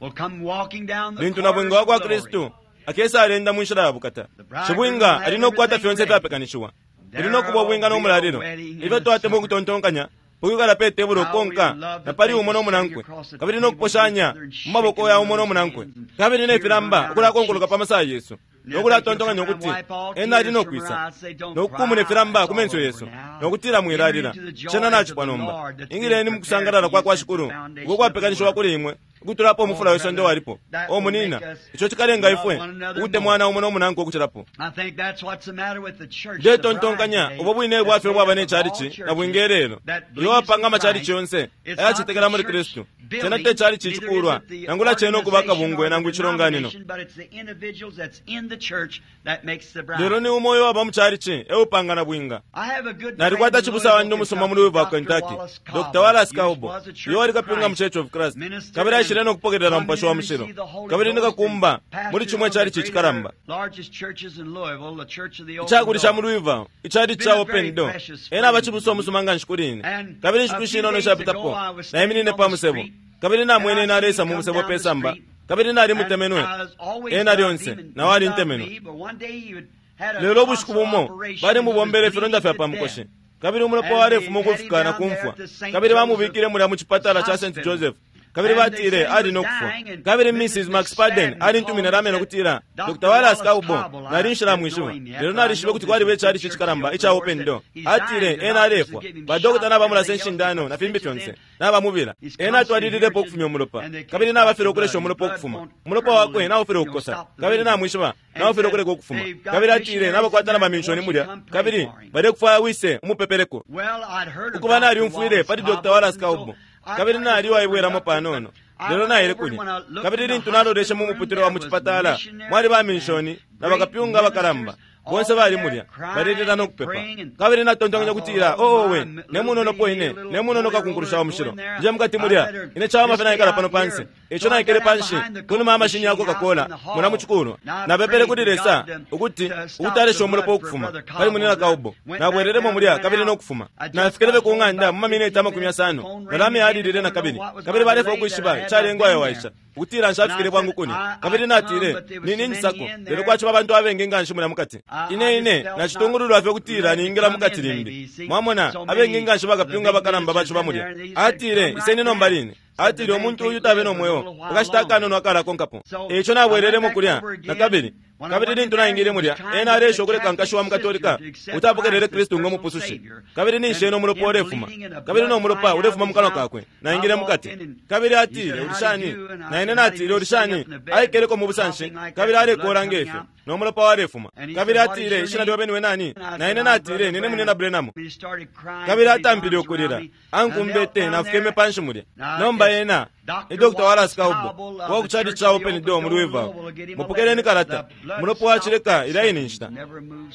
will come walking down the Lintu nabwinga corridors wa of kwa glory, Kristu akesa alenda mu nshila ya bukata, shibwinga ali nokukwata fyonse ifyapekanishiwa, ili nokuba ubwinga n'omulalilo. Ifyo twatemwa ukutontonkanya ukwikala pe tebulo ukonka na pali umo n'omunankwe, kabili nokuposhanya mu maboko ya umo n'omunankwe, kabili nefilamba ukulakonkoloka pa masaya yesu, nokulatontonkanya ukuti ena ali nokwisa nokukumuna ifilamba ku menso yesu, nokutila mwilalila cena nacipwa nomba. Ingileni mukusangalala kwa kwa Shikulu uko kwapekanishiwa kuli imwe ukutulapo omufula wesonde walipo. O munina, ico chikalenga ifwe ukutemwana umo n'omunankwe ukucilapo. I think that's what's the matter with the church, the Ndetontonkanya bride ubwo today, bwine bwafye that's bwaba made up of all nechalichi churches na bwinga elelo that iyo believes wapanga in amachalichi Christ. yonse It's not ayachetekela the muli church Kristu. building, Chena te chalichi neither is chikulwa it the nangula chena okuba organization akabungwe or the nangu ichilonganino, denomination, but it's the individuals that's in the church that makes the bride. lelo ni umo uyo waba mu chalichi eupanga na bwinga. I have a good Nalikwata friend in chibusa wandi Louisville, umusuma muli Kentucky, Louisville, Doctor Kentucky, Wallace Doctor Cauble. Wallace He Cauble, was a Church iyo wali of kapyunga mu Christ Church of Christ, minister kabili aishile and nokupokelela come mupashi in wa and mushilo, receive the Holy kabili Ghost nikakumba and muli pastor chimwe one of the chalichi greater, chikalamba largest churches in Louisville, the Church of the Open ichakulisha mu Door. Louisville, ichalichi Been cha a Open very Door. precious Ena friend abachibusa to me. omusuma nganshi kuli ine, And kabili a inshiku few ishinono days ishapitapo ago, I was standing naiminine on pa the musebo, street, kabili and I namwene seen him nalesa mu come musebo down pe the samba, street, kabili and nalimutemenwe I was always ena loved lyonse him, and nawe he loved alintemenwe. me, but one day he would had a Lelo ubushiku tonsil bumo operation bali and he was mubombele ifilonda bleeding fya to pa death. mukoshi, kabili umulopa And they walefuma had him ukufika na down there kumfwa, at the Saint kabili Joseph bamubikile mulya mu chipatala cha Saint Hospital. Joseph, kabili And they batile said he ali was nokufwa. dying, and Kabili Missus Missus McSpadden McSpadden alintumine called and lamene said, ukutila Doctor Doctor Wallace Wallace Cauble Cauble, I nali didn't know nshilamwishiba, him yet, lelo but I nalishibe know kuti this kwaliba is the ichalichi church of chikalamba the icha Lord Open said, Door. he's Atile dying. The ena doctors alefwa, have given him badokota shots and nabamulasa everything else, inshindano put na fimbi stitches fyonse in. nabamubila. He's Ena constantly atwalililepo hemorrhaging, ukufumya umulopa, and they can't kabili stop the nabafile blood. ukulesha His umulopa blood ukufuma, won't umulopa curdle wakwe and, nawufile you know, ukukosa, stop the kabili bleeding. namwishiba And he nawufile said, ukuleka ukufuma. they've got Kabili atile missionaries in nabakwata there na that bamishoni want you to mulya, come pray kabili for him. balekufwaya wise umupepeleko. Well, I'd heard of Ukuba Doctor nalyumfwile Wallace pali Doctor Cauble, Wallace and so Cauble, I kabili kind of nali opened waibwelamo up to it, but panono, I lelo went naile over and kulya. when I looked Kabili in the lintu naloleshe hospital mu room, muputule wa there mu was chipatala, mwali missionaries bamishoni and na great bakapyunga abakalamba ministers Bonse bali mulya balelila no kupepa. Kabili natontonkanya kutila, oo we, ne munono po ine, ne munono kakunkulusha wa mushilo, nje mukati mulya ine chawama fye naikala pano pansi. Ico naikele panshi kunuma amashini ya Coca-Cola muna muchikulwa. Napepele kuli Lesa ukuti ukutalesha umulopa ukufuma pali munina Kaubo. Nabwelelemo mulya kabili no kufuma. Nafikele ku ng'anda mu mamineti amakumi yasano, nalame yalilile na kabili. Kabili balefa ukwishiba icalengwa ayo waisha ukutila nshafikile bwangu kuni. Kabili natile, nini njisako, lelo kwachiba abantu abengi nga nshi mulya mukati. Ine ine nachitungululwa fye ukutila ningila mukati limbi. Mwamona, abengi nga nshi bakapyunga bakalamba bachiba mulya. Atile, iseni nomba line. Atile, umuntu uyu tabe no mweo ukashita akanono akalakonkapo. Eico nabwelelemo kulya na kabili. Kabili lintu naingile mulya, ena alesha ukuleka nkashi wa mukatolika utapokelele Kristu ngo mupusushi. Kabili ninshi ena umulopa ulefuma, kabili no mulopa ulefuma mu kanwa kakwe. Naingile mukati. Kabili atile, ulishani? Na ine natile, ulishani? Aikeleko mu busanshi, kabili alekola ngefyo, no mulopa walefuma. Kabili atile, ishina lyobe niwe nani? Na ine natile, nine munina Branham. Kabili atampile ukulila, ankumbete nafukeme panshi mulya. Nomba ena ni Doctor Wallace Kaubo wa ku church cha Open Door mu Louisville. Mupokeleni kalata. Mulopo wachileka ila ine nshita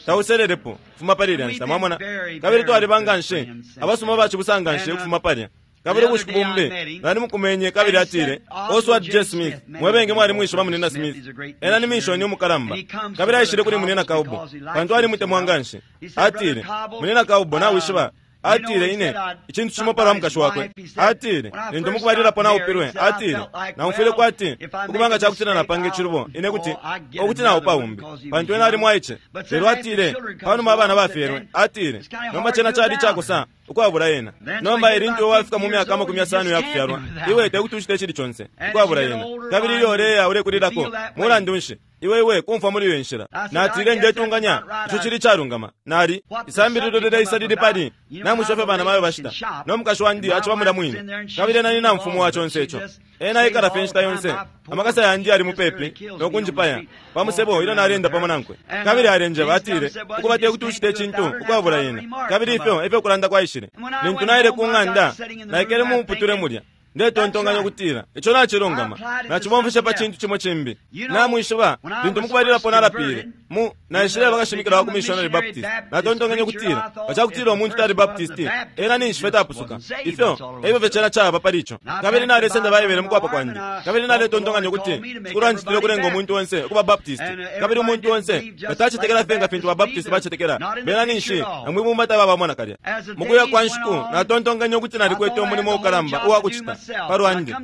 tauselelepo fuma pali ilya nshita, mwamona. Kabili twaliba nga nshi abasuma bachibusa nshi ukufuma palya. Kabili ubushiku bumbi nali mukumenye, kabili atile, Oswald J. Smith, mwebenge mwali mwishiba munina Smith, ena ni mishoni umukalamba. Kabili aishile kuli munina Kaubo pantu alimutemwa nga nshi. Atile, munina Kaubo, nawishiba, atile, ine icintu cimo palwa mukashi wakwe. Atile, lintu mukubalilapo naupilwe, atile, naumfwile kwati ukubanga cakutila napanga icilubo ine kuti okuti naupa umbi pantu ena ali mwaice. Lelo atile, panuma abana bafyelwe, atile, nomba cena cali cakosa ukwabula ena. Nomba ilintu wafika mu myaka amakumi yasano yakufyalwa, iwe tekuti ucite icili conse ukwabula ena. Kabili ilyo uleya ulekulilako, mulandu nshi iwe iwe kumfwa muli iyo nshila. Natile, ndetunganya ico cili calungama. Nali isambililo lileisa lili pali namwishiba fye bana mayo bashita, no mukashi wandi aciba mulya mwine. Kabili ena ni namfumu wa conse ico. Ena aikala fye inshita yonse, amakasa yandi ali mupepi nokunjipaya pamusebo ilyo nalenda pamo nankwe. Kabili alenjeba, atile, ukuba tekuti ucite icintu ukwabula ena. Kabili ifyo efyo kulanda kwaishile. Lintu naile ku ng'anda, naikele mu muputule mulya ndetontonkanya ukutila ico nacilungama, nacibomfeshe pa cintu cimo cimbi. Namwishiba, lintu mukubalilapo nalapile mu naishile bakashimikila wa ku Missionary Baptist. Natontonkanya ukutila bacakutila umuntu tali Baptist, ena ninshi fye tapusuka. Ifyo efyo fye cena caba pali ico. Kabili nalesenda Baibele mukwapa kwandi, kabili naletontonkanya ukuti Shikulu ancitile ukulenga umuntu onse ukuba Baptist. Kabili umuntu onse batacetekela fye nga fintu ba Baptist bacetekela, bena ninshi namwibumba tababamona kalya. Mukuya kwa nshiku natontonkanya ukuti nalikwete umulimo ukalamba uwakucita palwandi.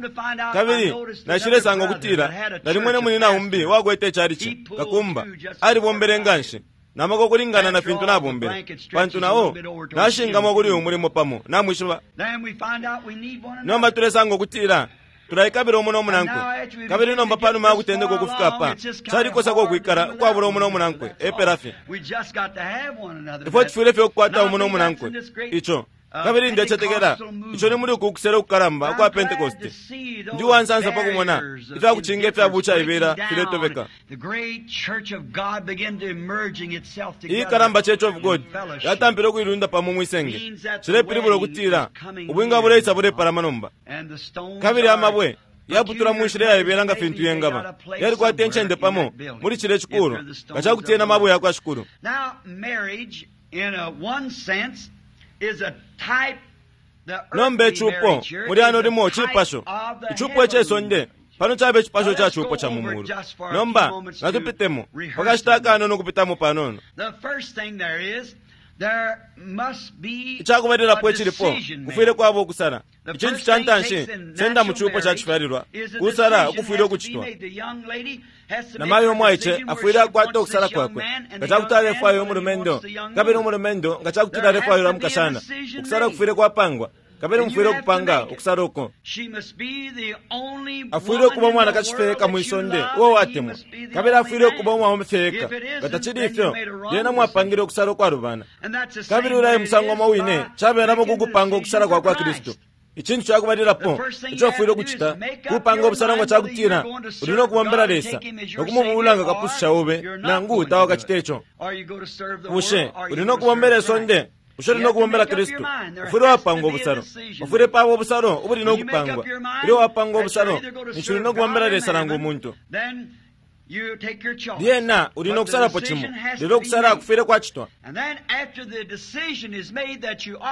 Kabili nashilesanga ukutila nalimwene munina umbi wakwete icalici kakumba alibombele nga nshi namaka ukulingana na fintu nabombele, pantu nao nashingamwa kuli uyu mulimo pamo namwishiba. Nomba tulesanga ukutila tulaikabila umu nomunankwe. Kabili nomba panuma yakutendeka ukufika apa, calikosako ukwikala ukwabula umu nomunankwe epela fye. Ifwe tufwile fye ukukwata umu nomunankwe ico. Kabili ndecetekela ico ni muli uku kusela ukukalamba ukwa Pentecost. Ndi uwansansa pakumona ifyakucinga ifya bucaibela filetobeka. Iyikalamba Church of God yatampile ukuilunda pamo mwisenge. Cilepilibula ukutila ubwinga buleisa bulepalama nomba. Kabili amabwe yaputula mu nshila yaibela nga fintu yengaba, yalikwata incende pamo muli cile cikulu nga cakuti ena mabwe yakwa Shikulu. Nomba icupo muli ano limo cipasho, icupo icesonde pano cabe icipasho ca cupo ca mu mulu. Nomba natupitemo pakashita akanono ukupitamo panono. Icakubalilapo icilipo kufwile kwaba ukusala. Icintu ca ntanshi senda mu cupo ca cifyalilwa kusala ukufwile ukucitwa. Namayo umwaice afwile akwata ukusala kwakwe nga cakuti alefwaya umulumendo, kabili umulumendo nga cakuti alefwaya umukashana. Ukusala kufwile kwapangwa, kabili mufwile ukupanga ukusala uko. Afwile ukuba umwanakashi fye eka mwisonde uo watemwa, kabili afwile ukuba umwaume fye eka. Nga tacili ifyo, lyena mwapangile ukusala ukwalubana. Kabili ulaye musango umo wine cabelamo kukupanga ukusala kwa kwa Kristu. Icintu cakubalilapo ico ufwile ukucita kupanga ubusalo nga cakutila uli no kubombela Lesa nokumubula nga kapususha ube, nangu tawakacite ico. Bushe uli no kubombela isonde? Bushe uli no kubombela Kristu? Ufwile wapanga ubusalo. Ufwile paba ubusalo ubuli no kupangwa. Ilyo wapanga ubusalo, ninshi uli no kubombela Lesa nangu umuntu. Lyena uli no kusalapo cimo, lelo ukusala kufwile kwacitwa.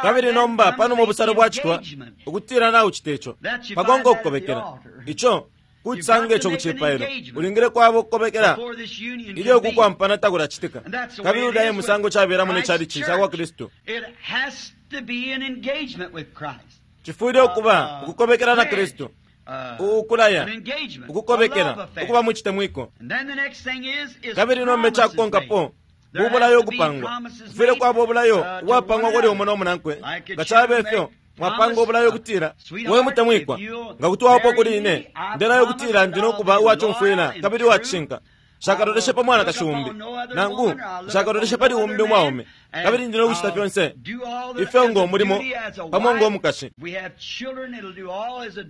Kabili nomba panuma ubusalo bwacitwa ukutila naucita ico, pakonka ukukobekela ico kucisanga ico kucipailo, ulingile kwaba ukukobekela ilyo kukwampana takulacitika. Kabili ulya e musango cabelamo ne chalichi ca kwa Kristu. Cifwile ukuba ukukobekela na Kristu, ukulaya, ukukobekela, ukuba mucitemwiko. Kabili nomba icakukonkapo bubulayo ukupangwa. Kufwile kwaba ubulayo ubwapangwa kuli umo no munankwe. Nga cabe fyo mwapanga ubulayo ukutila, we mutemwikwa, nga kuti waopo kuli ine, ndelayo ukutila ndi nokuba uwacumfwila kabili uwacishinka. Nshakatoleshe pa mwanakashi umbi, nangu nshakatoleshe pali umbi umwaume, kabili ndi nokucita fyonse ifyo ngo mulimo pamo ngo mukashi.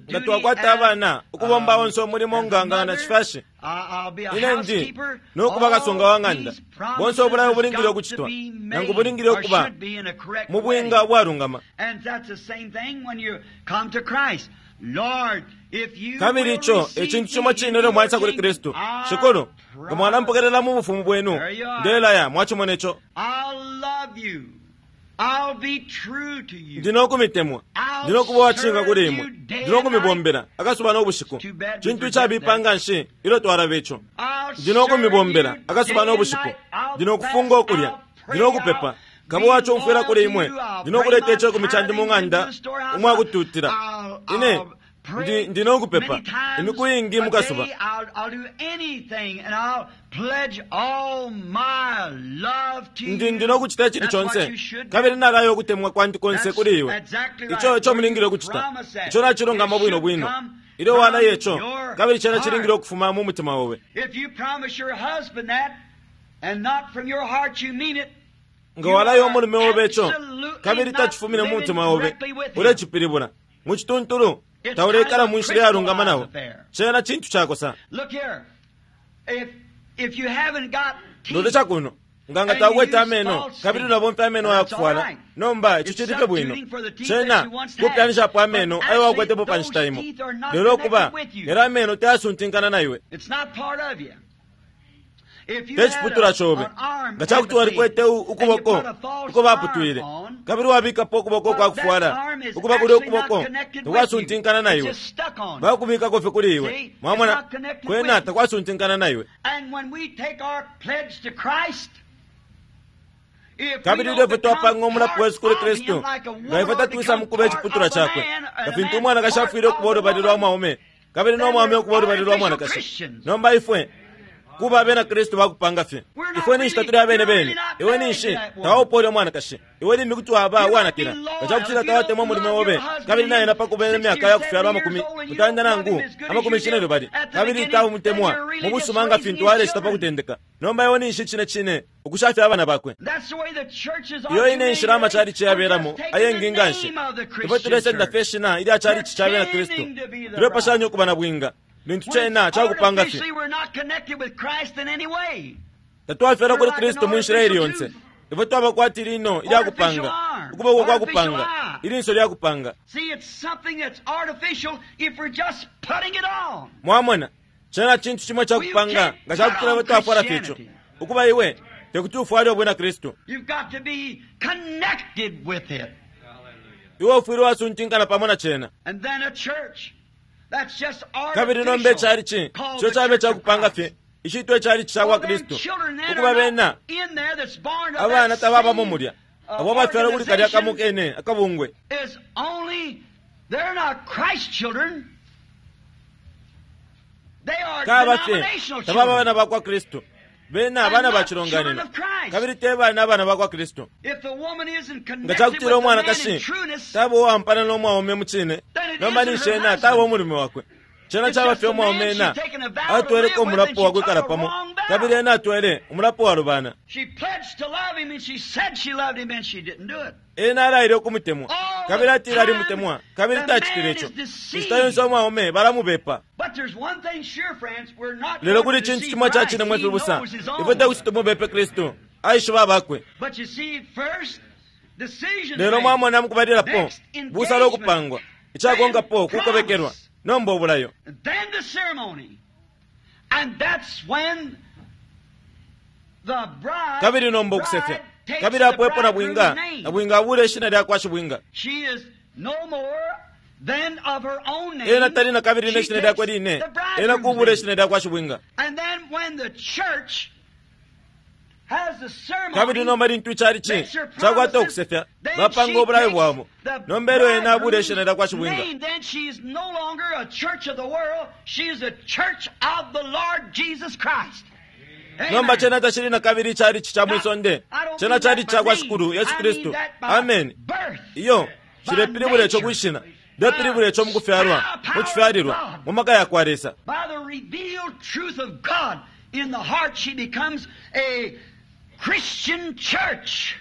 Nga twakwata abana, ukubomba onse umulimo nga nga na chifashi, ine ndi nokuba kasunga wa ng'anda. Bonse ubulayo bulingile ukucitwa, nangu bulingile ukuba mu bwinga ubwalungama. Kabili ico ecintu cimo cine ilyo mwaisa kuli Kristu. Shikulu, nga mwalampokelela mu bufumu bwenu, ndelaya mwacimona ico. Ndi nokumitemwa, ndi nokuba uwacishinka kuli imwe, ndi nokumibombela akasuba no bushiku. Cintu icabipa nga nshi ilyo twalaba ico. Ndi nokumibombela akasuba no bushiku, ndi nokufunga ukulya, ndi nokupepa, nkaba uwacumfwila kuli imwe, ndi nokuleta icekumi candi mu ng'anda umwakututila. Ine ndi ndi nokupepa imiku iingi mukasuba. Ndi ndi nokucita icili conse, kabili nalayo ukutemwa kwandi konse kuli iwe. Ico ico mulingile ukucita, ico nacilungama bwino bwino. Ilyo walaya ico, kabili cena cilingile ukufuma mu mutima obe. Nga walaya umulume obe ico, kabili tacifumine mu mutima obe, ulecipilibula mucituntulu taulekala mu nshila iyalungama nabo. Cena cintu cakosa. Lolesha kuno, nga nga taukwete ameno kabili ulabomfya ameno ayakufwala, nomba ico cili fye bwino. Cena kupyanishapo ameno ayo wakwetepo pa nshita imo, lelo ukuba lelo ameno tayasuntinkana na iwe, te ciputula cobe. Nga cakuti walikwete ukuboko uko baputwile, kabili wabikapo ukuboko kwa kufwala, ukuba kuli ukuboko takwasuntinkana na iwe, bakubikako fye kuli iwe. Mwamona, kwena takwasuntinkana na iwe. Kabili ilyo fye twapanga umulapo wesu kuli Kristu, nga ifwe tatwisa mukuba iciputula cakwe, nga fintu umwanakashi afwile ukuba ulubali lwa mwaume, kabili no mwaume ukuba ulubali lwa mwanakashi, nomba ifwe kuba abena Kristu bakupanga fye. Ifwe ninshi tatuli abene bene. Iwe ninshi tawaupa ulya mwanakashi. Iwe limbi kuti waba uwanakila nga cakutila tawatemwa umulume obe, kabili naena pakuba imyaka yakufyalwa amakumi mutanda nangu amakumi cine lubali, kabili taumutemwa mu busuma nga fintu walecita pa kutendeka. Nomba iwe ninshi cine cine ukushafya abana bakwe. Iyo ine nshila amachalichi yabelamo ayengi nga nshi. Ifwe tulesenda fye ishina ilya chalichi ca bena Kristu, tulepashanya ukuba na bwinga lintu cena cakupanga fye. Tatwafyalwa kuli Kristu mu nshila ili yonse. Ifwe twaba kwati lino ilyakupanga, ukuboko kwa kupanga, ilinso lyakupanga. Mwamona, cena cintu cimo cakupanga nga cakutila ifwe twafwala fye ico. Ukuba iwe tekuti ufwale ubwina Kristu, iwe ufwile wasuntinkana pamo na cena. Kabili nomba icalichi ico cabe cakupanga fye, icitwa icalichi ca kwa Kristu, ukuba bena abana tababamo mulya, abo bafyalwa kuli kalya kamo kene akabungwe. Kaba fye tababa abana ba kwa Kristu, bena abana ba cilonganino, kabili te bana abana ba kwa Kristu. Nga cakutila umwanakashi taba uwampana no mwaume mu cine, nomba ninshi ena taba umulume wakwe. Cena caba fye umwaume ena atweleko umulapo wakwikala pamo, kabili ena atwele umulapo walubana. Ena alaile ukumutemwa, kabili atile alimutemwa, kabili tacitile ico. Inshita yonse umwaume balamubepa. Lelo kuli cintu cimo ca cine mwe fibusa, ifwe tekuti tumubepe Kristu, aishiba abakwe. Lelo mwamona mukubalilapo busalo ukupangwa, icakonkapo kukobekelwa, nomba ubulayo. And that's when the bride, Kabili nomba ukusefya bride takes kabili the apo epo bridegroom's nabwinga name. nabwinga abula ishina lya kwa shibwinga. She is no more than of her own name. Ena tali na kabili She ne shina takes lyakwe line, the ena bridegroom's kubula name. ishina lya kwa shibwinga. And then when the church has the ceremony, Kabili nomba lintu ichalichi makes her chakwata promises, ukusefya then bapanga she obulayo takes bwabo the nomba elyo ena abula bridegroom's ishina lya kwa shibwinga. name. Then she's no longer a church of the world. She's a church of the Lord Jesus Christ. Amen. Nomba chena tachili na kabili ichalichi cha mwisonde, I don't chena mean chali that cha by kwa name. shikulu Yesu I mean Kristu. that by Amen. birth. Iyo chilepilibula echo kwishina ndepilibula echo mukufyalwa muchifyalilwa mu maka ya kwa Lesa. By the revealed truth of God in the heart, she becomes a Christian church.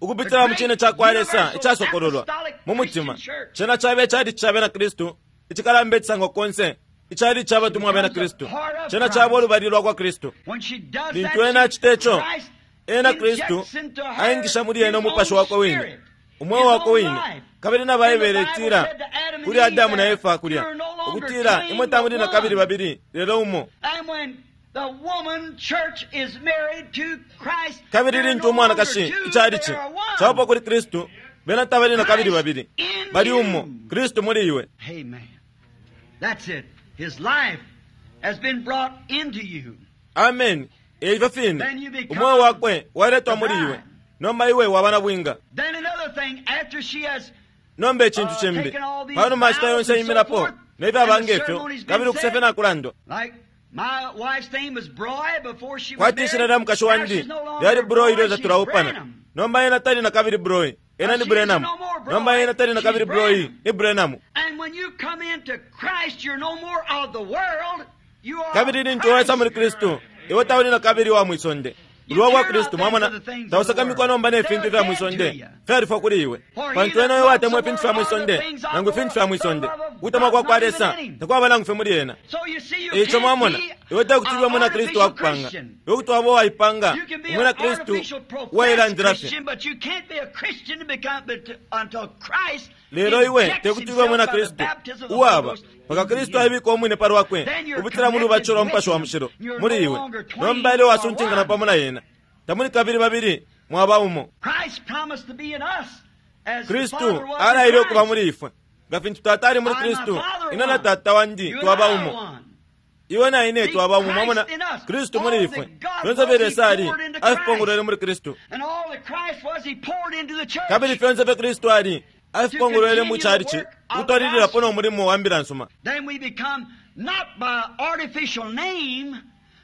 Ukupitila mu chine cha kwa Lesa ichasokololwa mu mutima chena chabe chali cha bena Kristu ichikalamba ichisango konse ichali cha batumwa bena Kristu chena chaba olubali lwa kwa Kristu. When she does Lintu that, ena she, achita echo Christ ena Kristu injects into her aingisha muli ena his umupashi own wakwe wine spirit, umweo his wakwe own wine. life. Kabili na And the Baibele Bible itila said to Adam and kuli Eve Adamu na there, Efa kulya "You're no longer ukutila twain, imwe tamuli but na kabili one." babili lelo umo. And when the woman church is married to Christ, Kabili they're lintu no longer umwanakashi two, ichalichi they are one. chaupa kuli Kristu bena tabali na kabili babili in bali you. umo Kristu muli iwe. Amen. That's it. His life has been brought into you. Amen. Eifyo fine Then you become umweo wakwe waletwa muli the iwe bride. nomba iwe waba na bwinga. Then another thing, after she has Nomba echintu uh, chimbi taken all these panuma ashita vows yonse and so imilapo forth, nefyo and the abanga efyo ceremony's been kabili ukusefya said, nakulandwa like my wife's name was Broy before she was kwati ishina married. lya mukashi Now wandi she's no longer lyali Broy Broy, ilyo she's tatulaupana Branham. nomba ena tali na kabili Broy ena Now ni she is Branham. no more Broy, Nomba ena tali na she's kabili Broy Branham. ni Branham. And when you come into Christ, you're no more of the world. You are Kabili lintu waisa muli Christ. Kristu iwe tauli na kabili wa mwisonde You ulwa kwa care Kristu not mwamona then for the things of the tausakamikwa world. nomba ne They fintu are vya dead to mwisonde you. fyalifwa kuli iwe For he pantu that ena loves the watemwa ifintu fya world or the mwisonde things of nangu the ifintu fya world, the mwisonde love of kutemwa God kwa kwa not even Lesa in him. takwaba nangu fye muli ena. So you see, you Eico can't mwamona be iwe tekutulwa an mwina Kristu artificial wakupanga Christian. iwe kuti waba waipanga You can be umwina an Kristu artificial professed wailandila fye. Christian, but you can't be a Christian to become, but to, until Christ Lelo iwe injects tekutulwa himself mwina by the Kristu baptism of the Holy uwaba Ghost paka into Kristu you. aibika omwine palwakwe Then you're kupitila mu lubatisho connected lwa with mupashi wa him. mushilo You're muli no iwe longer twain, nomba elyo you are wasuntingana one. pamo na yena tamuli kabili babili mwaba umo. Christ promised to be in us as the Kristu Father was in alaile ukuba Christ. muli ifwe nga fintu tata ali muli I and my Kristu Father ine na one. tata wandi You and twaba I are umo one. iwe na ine See, twaba umo mwamona Christ in us. Kristu muli All ifwe that God fyonse was, fye he Lesa ali poured into afipongolwele Christ. muli Kristu And all that Christ was, he poured into the church. kabili fyonse fye Kristu ali To afipongolwele mu continue the chalichi work of the ukutwalililapo gospel. no mulimo wa mbila nsuma. Then we become not by artificial name,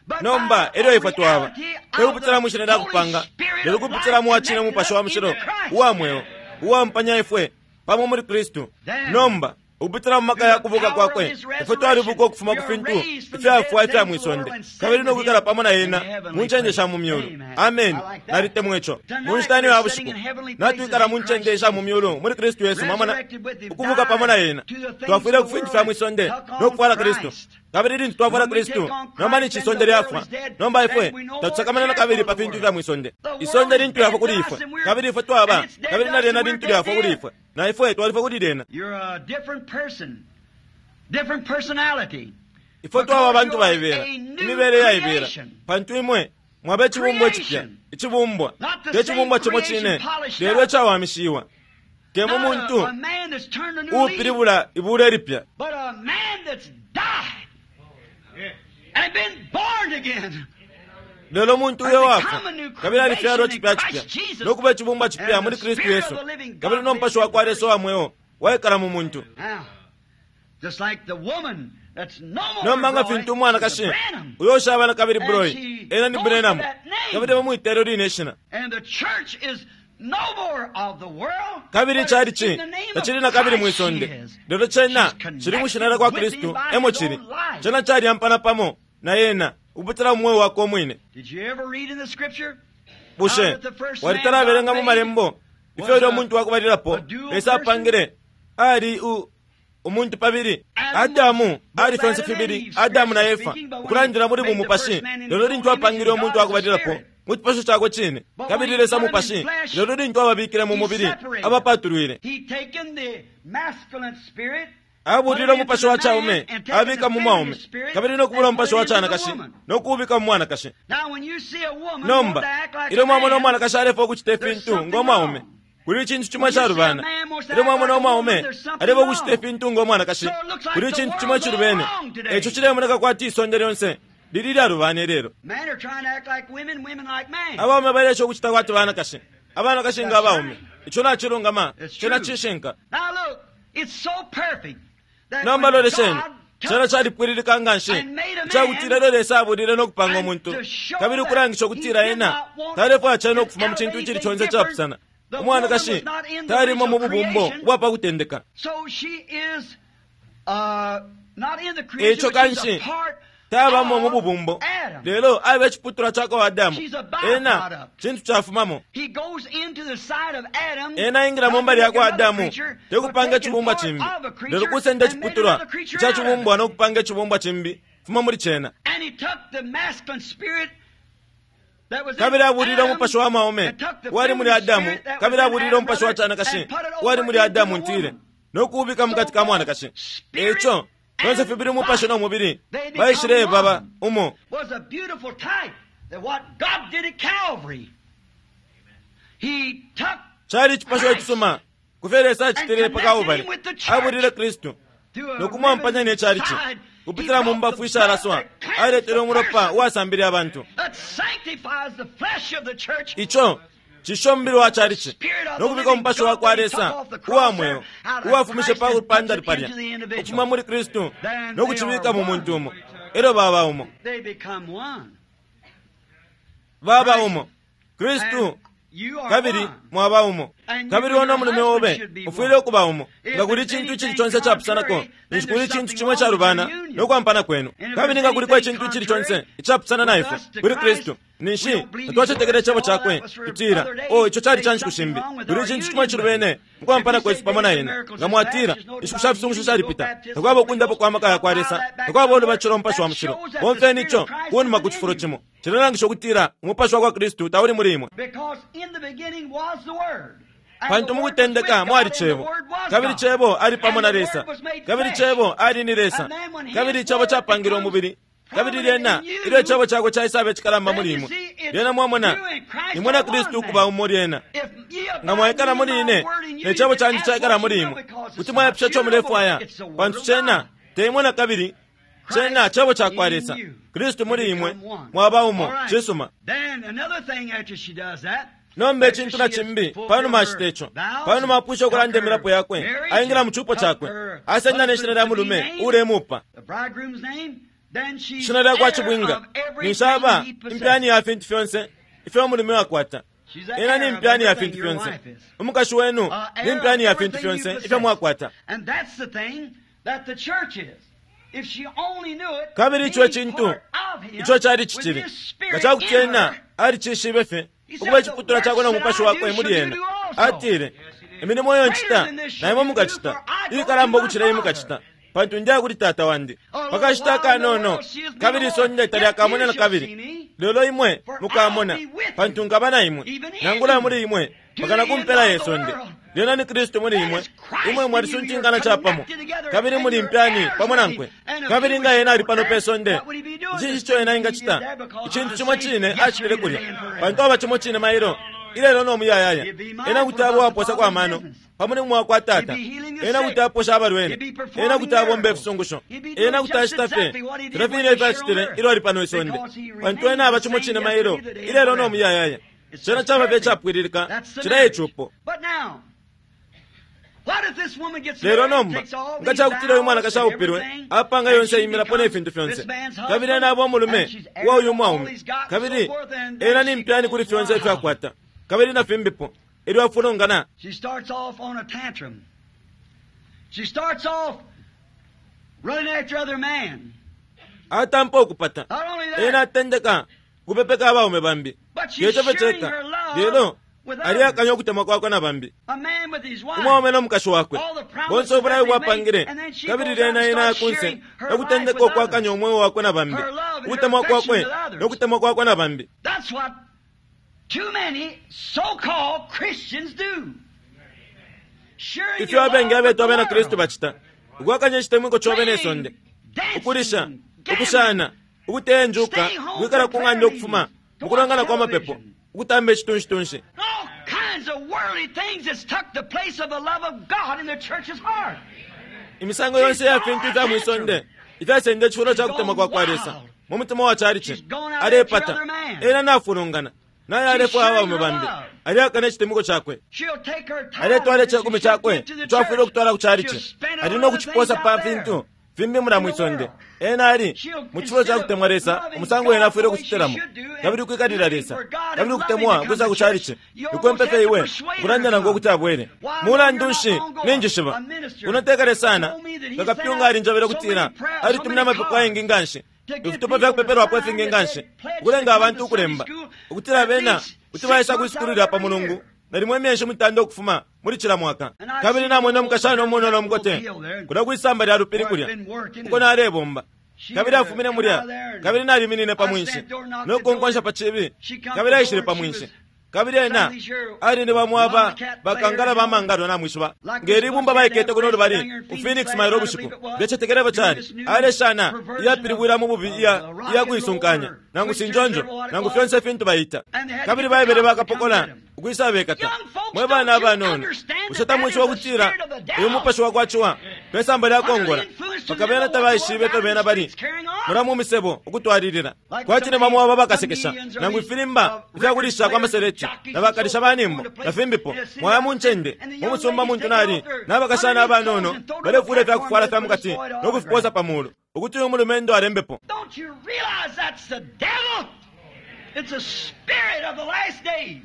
but Nomba by elyo a ifwe twaba reality of tekupitila the mu shina lya Holy kupanga Spirit lelo of kupitila life mu wacine connected mupashi wa up mushilo into Christ. uwa mweo uwampanya ifwe pamo muli Kristu. Then, Nomba ukupitila mu maka through ya the kubuka power of kwakwe his ifwe resurrection, twalibuka ukufuma we ku are fintu raised from the ifyafwa dead ifya things of the mwisonde world and kabili set no with kwikala him pamo na in ena the mu heavenly ncende sha places. mu myulu. Amen. Amen. I like that. Nalitemwa ico. Tonight Mu nshita ino ya we're sitting bushiku in heavenly natwikala places mu in ncende Christ sha mu Jesus. myulu muli Kristu Yesu mwamona Resurrected with him, ukubuka pamo na died ena to the things twafwile of ku the fintu world fya and mwisonde took no on kufwala Kristu. Christ. Kabili lintu twafwala When we Kristu take on nomba Christ, ninshi then isonde the world lyafwa is dead. nomba ifwe Then we no more tatusakamana na care kabili for pa the fintu world. fya mwisonde. The world Isonde is lintu dead lyafwa to kuli us ifwe and we're kabili ifwe twaba and it's dead kabili to na us lyena and we're lintu dead lyafwa to kuli it. ifwe na ifwe twalifwa kuli lyena. You're a different person, different personality. Ifwe twaba Because abantu you are baibela a new imibele yaibela creation. pantu imwe mwaba ichibumbwa chipya Creation. ichibumbwa Not the te chibumbwa same chimo creation chine polished lelo up. echawamishiwa temo Not a, muntu a man that's turned a new leaf, uupilibula ibula elipya but a man that's died and been born again. lelo muntu And uyo become wafwa a new kabili alifyalwa creation in chipya chipya Christ Jesus. nokuba ichibumbwa chipya And muli the Kristu Spirit Yesu of the living God kabili nomupashi lives in wa kwa the Lesa wa mweo waikala mu muntu. Now, just like the woman that's no more Nomba nga Broy, fintu is a umwanakashi Branham. uyo ushaba na kabili And Broy she ena ni goes to Branham that name. kabili bamwitelo line ishina And the church is no more of the world, kabili but it's ichalichi in the name of tachili na kabili Christ she mwisonde is. lelo chena She's chili mwishina lya kwa connected with Kristu him by emo his chili own life. chena chalyampana pamo na yena ukupitila mu mweo wakwe omwine. Did you ever read in the scripture Bushe how that the first man walitalabelenga God mu made malembo ifyo was ulyo a, muntu wakubalilapo a dual Lesa person? apangile ali u umuntu pabili. Adam was Adamu both ali fyonse Adam and fibili Eve, Adamu na spiritually Efa speaking, but when he ukulandila muli made the bumupashi first man in lelo his lintu own image apangile and umuntu God as a wakubalilapo spirit. mu chipasho chakwe chine But when kabili he Lesa put him in mupashi flesh, lelo lintu ababikile mu he mubili separated them. abapatulwile. He taken the masculine spirit Abulile umupashi wa chaume abika mu mwaume, kabili nokubula umupashi wa chanakashi nokuubika mu mwanakashi. Nomba ilyo mwamona umwanakashi alefwa ukucita ifintu ngo mwaume, kuli icintu chimwe chalubana. Ilyo mwamona umwaume alefwa ukucita ifintu ngo mwanakashi, kuli icintu chimwe chilubene. Echo chilemoneka kwati isonde lyonse lili lyalubana lelo. Abaume balesha ukucita kwati banakashi, abanakashi nga abaume. Icho nachilungama, chena chishinka. Nomba lolesheni, chena chalipwililika nganshi ichakutila lelo Lesa abulile nokupanga umuntu, kabili ukulangisha ukutila ena talefwaya chena ukufuma mu chintu ichili chonse chapusana. Umwanakashi talimo mu bubumbo ubwa pakutendeka. Echo kanshi tabamo mu bubumbo, lelo abe echiputula chakwa Adamu. Ena chintu chafumamo. Ena ingila mu mbali yakwa Adamu tekupanga echibumbwa chimbi, lelo kusenda echiputulwa icha chibumbwa nokupanga echibumbwa chimbi fuma muli chena. Kabili abulile umupashi wa mwaume wali muli Adamu, kabili abulile umupashi wa chanakashi wali muli Adamu ntile, nokuubika mukati ka mwanakashi. Echo bonse fibili umupashi no mubili baishile baba umo. Chali chipasho echisuma kufyo Lesa achitile pa Kalvari. Abulile Kristu nokumwampanya ne chalichi kupitila mu mbafu ishalaswa, aletele umulopa uwasambile abantu. Icho chisho mubili wa chalichi nokubika umupashi wa kwa Lesa uwa mweo uwafumishe pa lupanda palya ukufuma muli Kristu nokuchibika mu muntu umo. Elyo baba umo, baba umo Kristu, kabili mwaba umo. Kabili ono mulume obe ufwile ukuba umo. Nga kuli chintu ichili chonse chapusanako, ninshi kuli chintu chimwe chalubana nokwampana kwenu. Kabili nga kuliko ichintu ichili chonse ichapusana na ifwe kuli Kristu, ninshi tatwachetekele icebo chakwe tutila, o icho chali cha nshiku shimbi. Kuli chintu chimwe chilubene mukwampana kwesu pamo na ena. Nga mwatila inshiku sha fisungusho shalipita, takwaba ukundapo kwa maka ya kwa Lesa, takwaba ulubatilo umupashi wa mushilo. Bomfeni icho kunuma ku chifulo chimo chilelangisha ukutila umupashi wa kwa Kristu tauli muli imwe. Pantu mukutendeka mwali Cebo, kabili Cebo ali pamo na Lesa, kabili Cebo ali ni Lesa, kabili Icebo chapangile umubili. Kabili lyena ilyo icebo chakwe chaisaba echikalamba muli imwe, lyena mwamona imwe na Kristu ukuba umo. Lyena nga mwaikala muli ine ne cebo chandi chaikala muli imwe, kuti mwayapisha ico mulefwaya, pantu chena teimwe na kabili, chena cebo chakwa Lesa. Kristu muli imwe, mwaba umo. Chisuma. Nomba echintu na chimbi panuma achita icho, panuma apwisha ukulanda emilapo yakwe, aingila mu chupo chakwe, asenda ne shina lya mulume ulemupa, shina lya kwa chibwinga. Ninshi impyani ya fintu fyonse ifyo mulume wakwata. Ena ni impyani ya fintu fyonse. Umukashi wenu ni impyani ya fintu fyonse ifyo mwakwata. Kabili icho echintu icho chali chichili nga chakuti ena alichishibe fye ukuba echiputula chakwe no mupashi wakwe muli ena. Atile, imilimo iyo nchita naimwe mukachita, ilikalamba ukuchila iyi mukachita, pantu ndiya kuli tata wandi. Pakashita akanono kabili isonde talyakamona na kabili, lelo imwe mukamona, pantu nkaba na imwe nangula muli imwe mpaka kumpela yesonde. Lyena ni Kristu muli imwe, imwe mwalisuntinkana chapamo, kabili muli mpyani pamo nankwe. Kabili nga ena ali pano pe sonde, icinshi icho ena ingachita? Ichintu chimwe chine achitile kulya, pantu aba chimwe chine mailo ilelo no muyayaya. Ena kuti abo aposa kwa mano pamo ni mwa kwa tata, ena kuti aposha abalwele, ena kuti abomba ifisungusho, ena kuti achita fye filya fine ifyo achitile ilyo ali pano isonde, pantu ena aba chimo chine mailo ilelo no muyayaya. Chena chaba fye chapwililika chila echupo. Lelo nomba nga chakutila uyu mwanakashi aupilwe apanga yonse imilapo ne fintu fyonse, kabili ena aba umulume wa uyu mwaume, kabili ena ni mpyani kuli fyonse ifyo akwata, kabili na fimbipo, elyo afulungana. She starts off on a tantrum. She starts off running after other men. Atampa ukupata. Ena atendeka kupepeka abaume bambi. Yecho cheka. Lelo aliyakanya okutemwa kwakwe na bambi. Umwaume nomukashi wakwe bonse obulayo bwapangile, kabili lyena ena akunse nokutendeka okwakanya omwoyo wakwe na bambi, ukutemwa kwakwe nokutemwa kwakwe na bambi. That's what too many so-called Christians do. Ifyo abengi abetu abena Kristu bachita Ukwakanya icitemwiko cobe ne sonde, ukulisha, ukushana, ukutenjuka, ukwikala ku ng'anda ukufuma mukulongana kwa mapepo, ukutamba icitunshi-tunshi. All kinds of worldly things that's took the place of the love of God in the church's heart. Imisango yonse ya fintu ifya mwisonde ifyasenda icifulo ca kutemwa kwa kwa Lesa mu mutima wa chalichi. Alepata ena nafulungana naye alefwaya abaume bambi, aliakana icitemwiko cakwe. She'll take her tithe Aletwala that she icekumi should cakwe give to the ico afwile church. ukutwala ku chalichi, She'll spend it ali on no other kuciposa things pa out there. fintu fimbi mula mwisonde. Ena ali mu cifulo ca kutemwa Lesa umusango ena afwile ukucitilamo, kabili ukwikalila Lesa kabili ukutemwa ukwisa ku chalichi. Ikwempefe iwe ukulanda nangu ukuti abwele. Mulandu nshi ninjishiba unotekale sana kakapyunga alinjobele ukutila alitumina amapepo ayengi nganshi, ifitupa fya kupepelwapo ifingi nganshi, ukulenga abantu ukulemba ukutila bena kuti baisa kwisukulila pa mulungu nalimo imyeshi mutanda ukufuma muli cila mwaka. Kabili namwene umukashana umunono umukote kulya kwisamba lya lupili kulya uko nalebomba, kabili afumine mulya, kabili naliminine pa mwinshi no kukonkwasha pa chibi, kabili aishile pa mwinshi, kabili ena ali ni bamwaba bakangala bamangalo namwishiba ngeli ibumba baikete kuno lubali ku Phoenix mailo bushiku ndecetekeleko cali aleshana iyapilibwila mu bubi iya iya kuisunkanya nangu sinjonjo nangu fyonse ifintu bayita, kabili baibele bakapokola ukwisa bekata. Mwe bana abanono, bushe tamwishiba ukutila uyu mupashi wa kwaciwa pesamba lya kongola paka bena tabaishibe ifyo bena bali mula mu misebo ukutwalilila kwati ne bamwe aba bakasekesha nangu ifilimba ifyakulisha kwa maseleti na bakalisha banimbo na fimbipo. Mwaya mu ncende mu musumba muntu nali n'abakashana abanono balefula ifyakufwala fya mukati no kufiposa pa mulu ukuti uyu mulumendo alembepo. Don't you realize that's the devil? It's a spirit of the last days.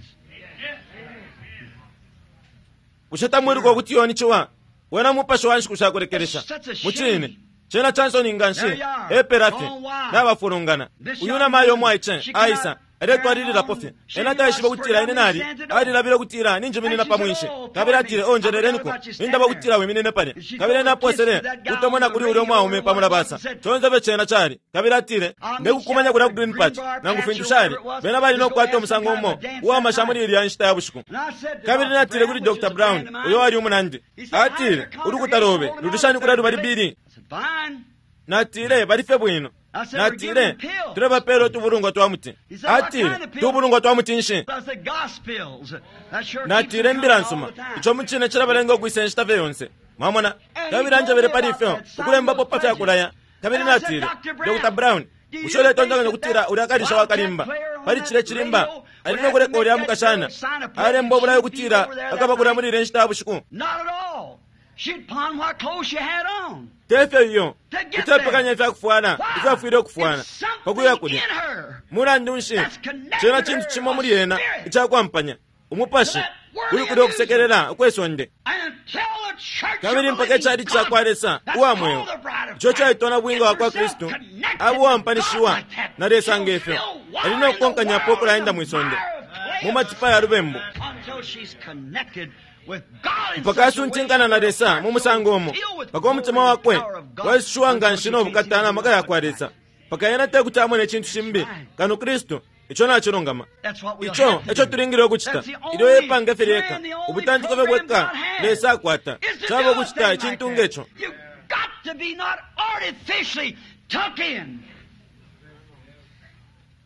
Bushe tamwiluka ukuti yoni ciwa wena mupashi wa nshiku shakulekelesha? Mucine cena cansoni nganshi epela fye nabafulungana. Uyu namayo omwaice aisa aletwalililapo fye, ena taishiba ukutila ine nali alilabile ukutila ninjiminina pa mwinshi, kabili atile, o njeleleniko nindaba ukutila wiminine palya. Kabili ena aposele kutomona kuli ulya umwaume pa mulabasa conse fye cena cali, kabili atile, ndekukumanya kulya ku Green Patch nangu fintu shali bena bali nokukwata umusango umo uwamasha muli ilya nshita ya bushiku. And I said to Kabili Doctor natile Brown, kuli which is Doctor a Brown friend of mine, uyo ali umunandi, he said, atile, "How's the ulukuta lobe congregation lulishani kulya lubali bili? I said, "Fine." Natile bali fye bwino. I said, "We're Natile giving pills." tulebapela utubulungwa twa muti. He said, "What Atile kind of pills?" tubulungwa twa muti nshi? I said, "Gospels." That sure keeps Natile them imbila coming all nsuma the time. ico mucine cilabalenga ukwisa inshita fye yonse. Mwamona? And he Kabili told anjebele me pali about ifyo that sign ukulembapo of pa fya kulaya. Kabili And I said, natile, "Doctor Brown, Doctor Brown, do you bushe uletontonkanya think ukutila that ulya kalisha wildcat wakalimba player on pali that cile cilimba radio would ali have no to kuleka make ulya that mukashana girl sign a pledge alemba obulayo she'd be ukutila over there that akaba kulya night? muli ile nshita ya bushiku? Not at all. She'd pawn what clothes she had on. Tefyo iyo To get kutepekanya there. ifyakufwala Why? ifyo afwile ukufwala It's something pakuya kulya. in her Mulandu nshi that's connected cena to cintu her, cimo a muli ena spirit. icakwampanya umupashi To that worldly uli kulya ukusekelela ukwesonde. And until the church Kabili of the mpaka living icali ca God, kwa Lesa that's uwa mweo called the bride of ico Christ, caitona bwinga wa kwa gets herself Kristu connected abo to uwampanishiwa God like that, na Lesa she'll ngefyo feel ali water no in the kukonkanyapo world, ukulaenda in the mwisonde mire of clay mu matipa ya lubembu until she's connected with God in mpaka such a way asuntinkana na Lesa mu musango umo Deal with mpaka umutima glory and wakwe power of God waishiwa until nganshi she no can't bukata see na maka ya kwa nothing but Lesa mpaka ena tekuti amone icintu shimbi kano Kristu ico nacilungama. That's what we'll Ico have to eco do. tulingile ukucita That's the ilyo only epanga fye lyeka plan, the only ubutantiko fye program bweka God has Lesa akwata is to caba do a ukucita thing like icintu that. ngeco. You've got to be not artificially tucked in.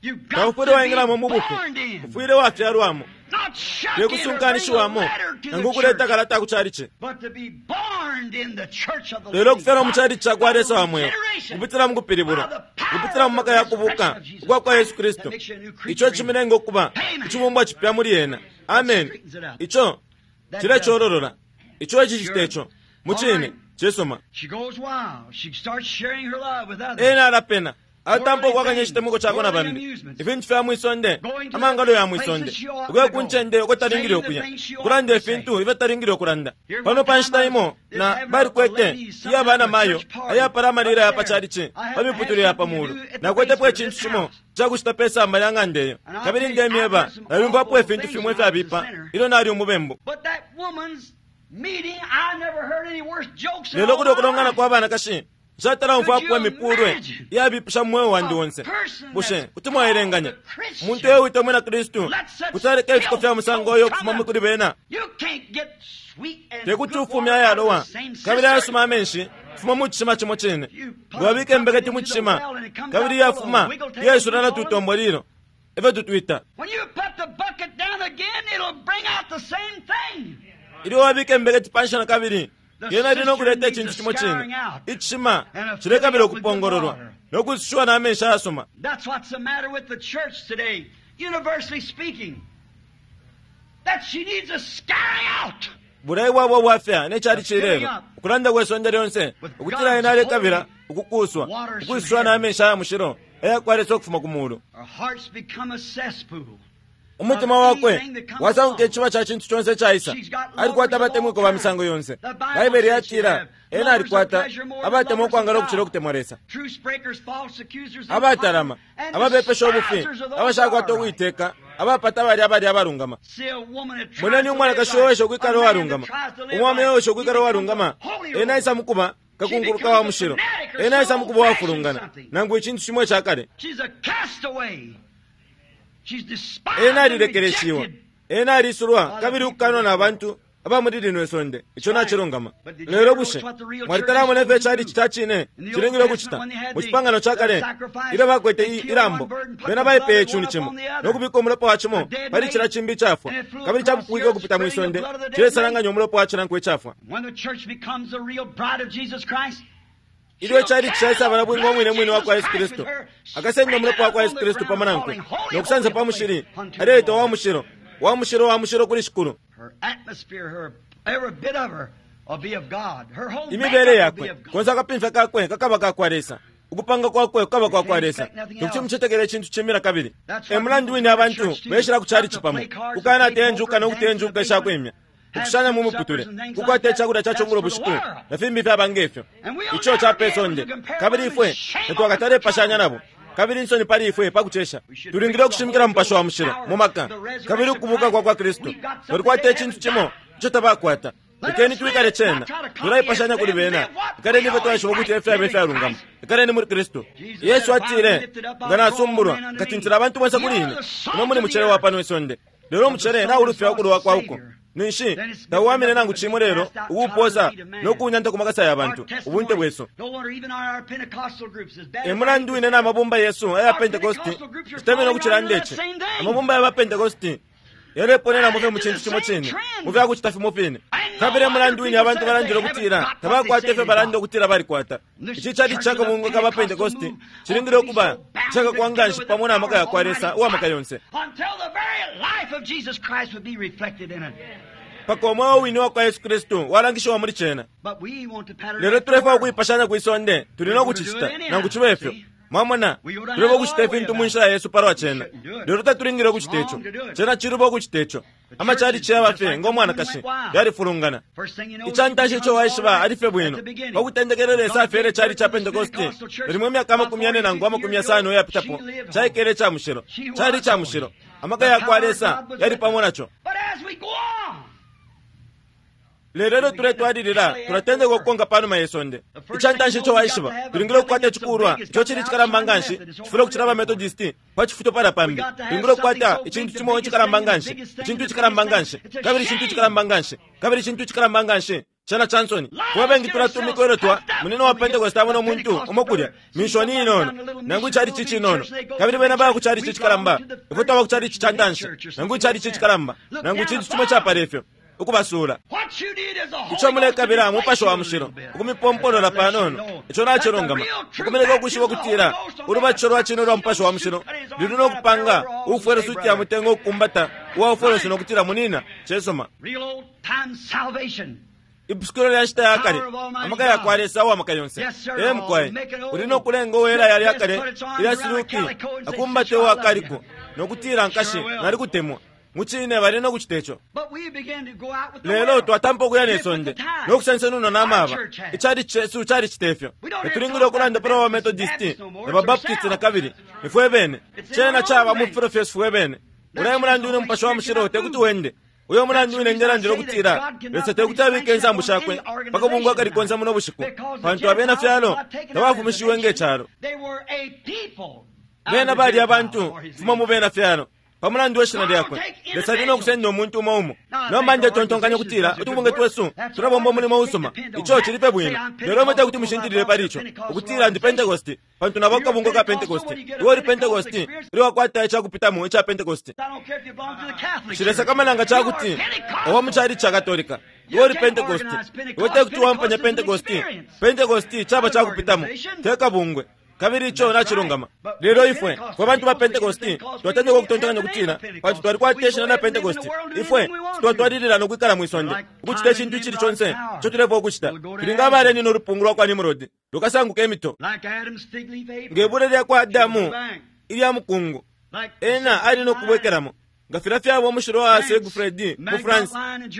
You've got Taufwile to be waingilamo mu bufi born in, ufwile wafyalwamo not shuck in or bring a tekusunkanishiwamo letter to nangu the ukuleta church, kalata ku chalichi but to be born in the church of the lelo living ukufyalwa mu God chalichi ca kwa by Lesa wa mweo regeneration, kupitila mu kupilibulwa by the power kupitila mu of maka the ya kubuka resurrection of Jesus ukwa kwa Yesu Christ Kristu that makes you a new creature ico in cimilenga ukuba Amen. icibumbwa cipya muli ena. Amen. Straightens it up. Ico That cilecololola ico ecicita Sure. ico mucine All right. cisuma. She goes wild. She starts sharing her love with others. Ena alapena atampa ukwakanya icitemwiko cakwe na bambi ifintu fya mwisonde amangalo ya mwisonde ukuya ku ncende uko talingile ukuya ukulanda ifintu ifyo talingile ukulanda. Pano pa nshita imo na balikwete iya bana mayo ayapala amalila ya pa chalichi pa miputule ya pa mulu nakwetepo icintu cimo cakucita pe samba lya ng'anda eyo, kabili ndemyeba nalyumvapo ifintu fimwe ifyabipa ilyo nali umubembu. But that woman's meeting, I never heard any worse jokes in Lelo all kuli my ukulongana life. kwa banakashi nshatala umfwapo imipulwe iyabipisha mu mweo wandi wonse. Bushe kuti mwaelenganya umuntu ewita umwina Kristu kuti aleka ifiko fya musango oyo ukufuma kuli bena? You can't get sweet and Tekuti good ufumye water out of ayalowa the same kabili cistern. ayasuma amenshi Fuma mu cishima cimo cine. Nga imbeketi mu cishima kabili yafuma yaisula na tutombo lilo efyo tutwita. When you put the bucket down again, it'll bring out the same thing. Ilyo wabika imbeketi panshi na kabili yena ili nokuleta icintu cimo cine. Icishima cilekabila ukupongololwa nokusushiwa n'amenshi ayasuma. That's what's the matter with the church today, universally speaking. That she needs a scouring out. Bulai bwabo bwafya nekyali cilelo ukulanda kwe sonde lyonse ukutila ena alekabila ukukuswa ukusushiwa n'amenshi aya mushilo ayakwalesa ukufuma ku mulu. Our hearts become a cesspool. Umutima wakwe wasanguka iciba ca cintu conse caisa. Alikwata abatemwiko ba misango yonse. Baibele yatila ena alikwata abatemwa ukwangala ukucila ukutemwa Lesa, Truce breakers, false accusers, abatalama, and ababepesha ubufi, despisers of those abashakwata who are right. ukuiteka, abapata bali abali abalungama. See a woman that tries Moneni to live umwanakashi right, owesha ukwikala a man uwalungama, that tries to live umwame right, owesha he ukwikala becomes uwalungama, a holy ena roller. aisa mukuba kakunkuluka wa mushilo, ena aisa mukuba uwafulungana nangu icintu cimo icakale. She's a castaway. She's despised Ena and alilekeleshiwa, rejected. ena alisulwa kabili ukukanwa na bantu aba muli lino isonde. Ico nacilungama. Lelo bushe mwalitalamona ifyo icali cita cine cilingile ukucita mu cipangano ca kale ilyo bakwete i- ilambo? Bena baipeye icuni cimo nokubika umulopa wa cimo pali cila cimbi icafwa, kabili capupwike ukupita mwi sonde cilesalanganya umulopa wa cinankwe icafwa. When the church becomes the real bride of Jesus Christ, Ilyo icali cishaisaba bwinga umwine mwine wa kwa Yesu Kristu, akasenda umulopa wa kwa Yesu Kristu pamo nankwe nokusansa pa mushili, aleita wa mushilo, wa mushilo, wa mushilo kuli Shikulu. her atmosphere, her every bit of her will be of God. Her whole Imibele makeup will be yakwe of God. konse akapimfya kakwe kakaba ka kwa Lesa, ukupanga kwakwe kukaba kwa kwa Lesa. Tekuti mucetekele icintu cimbi kabili. E mulandu wine abantu beshila ku cali cipamo kukanateya njuka nokuteya njuka ishakwimya, ukushanya mu muputule, kukwata icakulya ca cungulo bushiku na fimbi fyaba ngefyo. Ico ca pe sonde, kabili ifwe tetwakatalepashanya nabo. Kabili insoni pali ifwe pakucesha. Tulingile ukushimikila mupashi wa mushilo mu maka kabili ukubuka kwa kwa Kristu. Twalikwata icintu cimo ico tabakwata. Lekeni twikale cena, tulaipashanya kuli bena. Ikaleni ifwe twaishiba ukuti efyaba ifyalungama. Ikaleni muli Kristu. Yesu atile, nga nasumbulwa nkatintila abantu bonse kuli ine. Ino muli mucele wa pano isonde, lelo umucele naulufya ukulowa kwa uko. Ninshi tawamine nangu cimo lelo ukuuposa nokuunyanta ku makasa ya bantu. Ubunte bwesu. No wonder even our Pentecostal groups, as bad E as mulandu wine na mabumba yesu aya Pentecosti citemene ukucilanda ici. Amabumba ya ba Pentecosti yaleponenamo fye mu cintu cimo cine, mu fyakucita fimo fine. Kabili e mulandu wine abantu balandile ukutila tabakwata ifyo balanda ukutila balikwata. Ici cali cakabungwe ka ba Pentecosti cilingile ukuba icakakwa nganshi pamo na maka ya kwa Lesa uwa maka yonse, until the very life of Jesus Christ would be reflected in it. paka umweo wine wa kwa Yesu Kristu walangishiwa muli cena. But we want to pattern Lelo after the tulefwaya world. ukuipashanya kwi sonde, tuli nokucicita nangu cibe ifyo. Mwamona, tulefwaya ukucita ifintu mu nshila yesu palwa cena, lelo tatulingile ukucita ico. Cena ciluba ukucita ico. Amacalici yaba fye ngo mwanakashi yalifulungana. First thing you know, Icantanshi ico waishiba ali fye bwino. Pakutendekelera Lesa afyele cali ca Pentecosti limo imyaka amakumi yane nangu amakumi yasano iyapitapo, caikele ica mushilo, cali ica mushilo. Amaka ya kwa Lesa yali pamo naco. But as we go on, Lelo ilyo tuletwalilila tulatendeka ukukonka panuma ye sonde. Icantanshi ico waishiba, tulingile ukukwata icikulwa ico cili icikalamba nganshi, cifwile ukucila ba Methodisti pa cifuto pala pambi. Tulingile ukukwata icintu cimo icikalamba nganshi, icintu icikalamba nganshi, kabili icintu icikalamba nganshi, kabili icintu icikalamba nganshi. Cena ca nsoni. Kuba bengi tulatumika ilyo twa munene wa Pentecost abona umuntu umo kulya minshoni inono nangu icali ci cinono, kabili bena baya ku cali ci cikalamba, ifwe twaba ku cali ci ca ntanshi nangu icali ci cikalamba nangu icintu cimo capala ifyo, ukubasuula. what you need is a Holy Ico Ghost to mulekabila replace mupashi you wa a mushilo little bit. ukumipompolola panono. Ico nacilungama. Ukumeleka ukwishiba ukutila ulubatisho lwa cine ulwa mupashi wa mushilo lili nokupanga ukufwela suti ya mutengo ukukumbata uwaufwela nokutila munina cesoma. Real old time salvation. Ipusukilo lya nshita ya kale, amaka ya kwa Lesa uwa maka yonse. Ee mukwai, uli nokulenga uwela yali akale ilya siluki akumbate uwakaliko nokutila nkashi nalikutemwa. Mucine bali nokucita ico. But we begin to go out with the Lelo world. twatampa ukuya ne sonde nokusansanuna n'amaba. Icali cesu calicita ifyo. Tetulingile ukulanda pali ba Methodisti na ba Baptisti na kabili nifwe bene. Cena caba mu fifilo fyesu fwe bene. Ulaye mulandu wine umupashi wa mushilo tekuti wende. Uyo mulandu wine ndelandila ukutila Lesa tekuti abike insambu shakwe paka bungwe akalikonse muno bushiku, pantu abena fyalo tabafumishiwe nge calo. They were a people out Bena of the bali Gentiles abantu for his fuma mu name. bena fyalo Pamulandu we shina lyakwe Lesa ali nokusenda umuntu umo umo. Nomba ndetontonkanya ukutila utubungwe twesu tulabomba umulimo usuma, ico cili bwino, lelo imwe tekuti mushintilile pali ico ukutila ndi Pentecost pantu nabo akabungwe ka Pentecost. Iwe uli Pentecost ilyo wakwata icakupitamo ica Pentecost. Nshilesakamana nga cakuti owa mu chalichi ca Katolika, iwe uli Pentecost, iwe tekuti wampanya Pentecost. Pentecost caba cakupitamo te kabungwe, kabili ico nacilungama. Lelo ifwe fwe bantu ba Pentecost twatendeka ukutontonkanya ukutila pantu twalikwata ishina lya Pentecost ifwe twatwalilila nokwikala mwisonde ukucita icintu icili conse ico tulefwaya ukucita. Tuli nga abalenina ulupungu lwa kwa Nimrod lukasanguka imito nge bule lya kwa Adamu ilya mukungu, ena ali nokubwekelamo nga filya fyaba umushilo wa Siegfried mu France,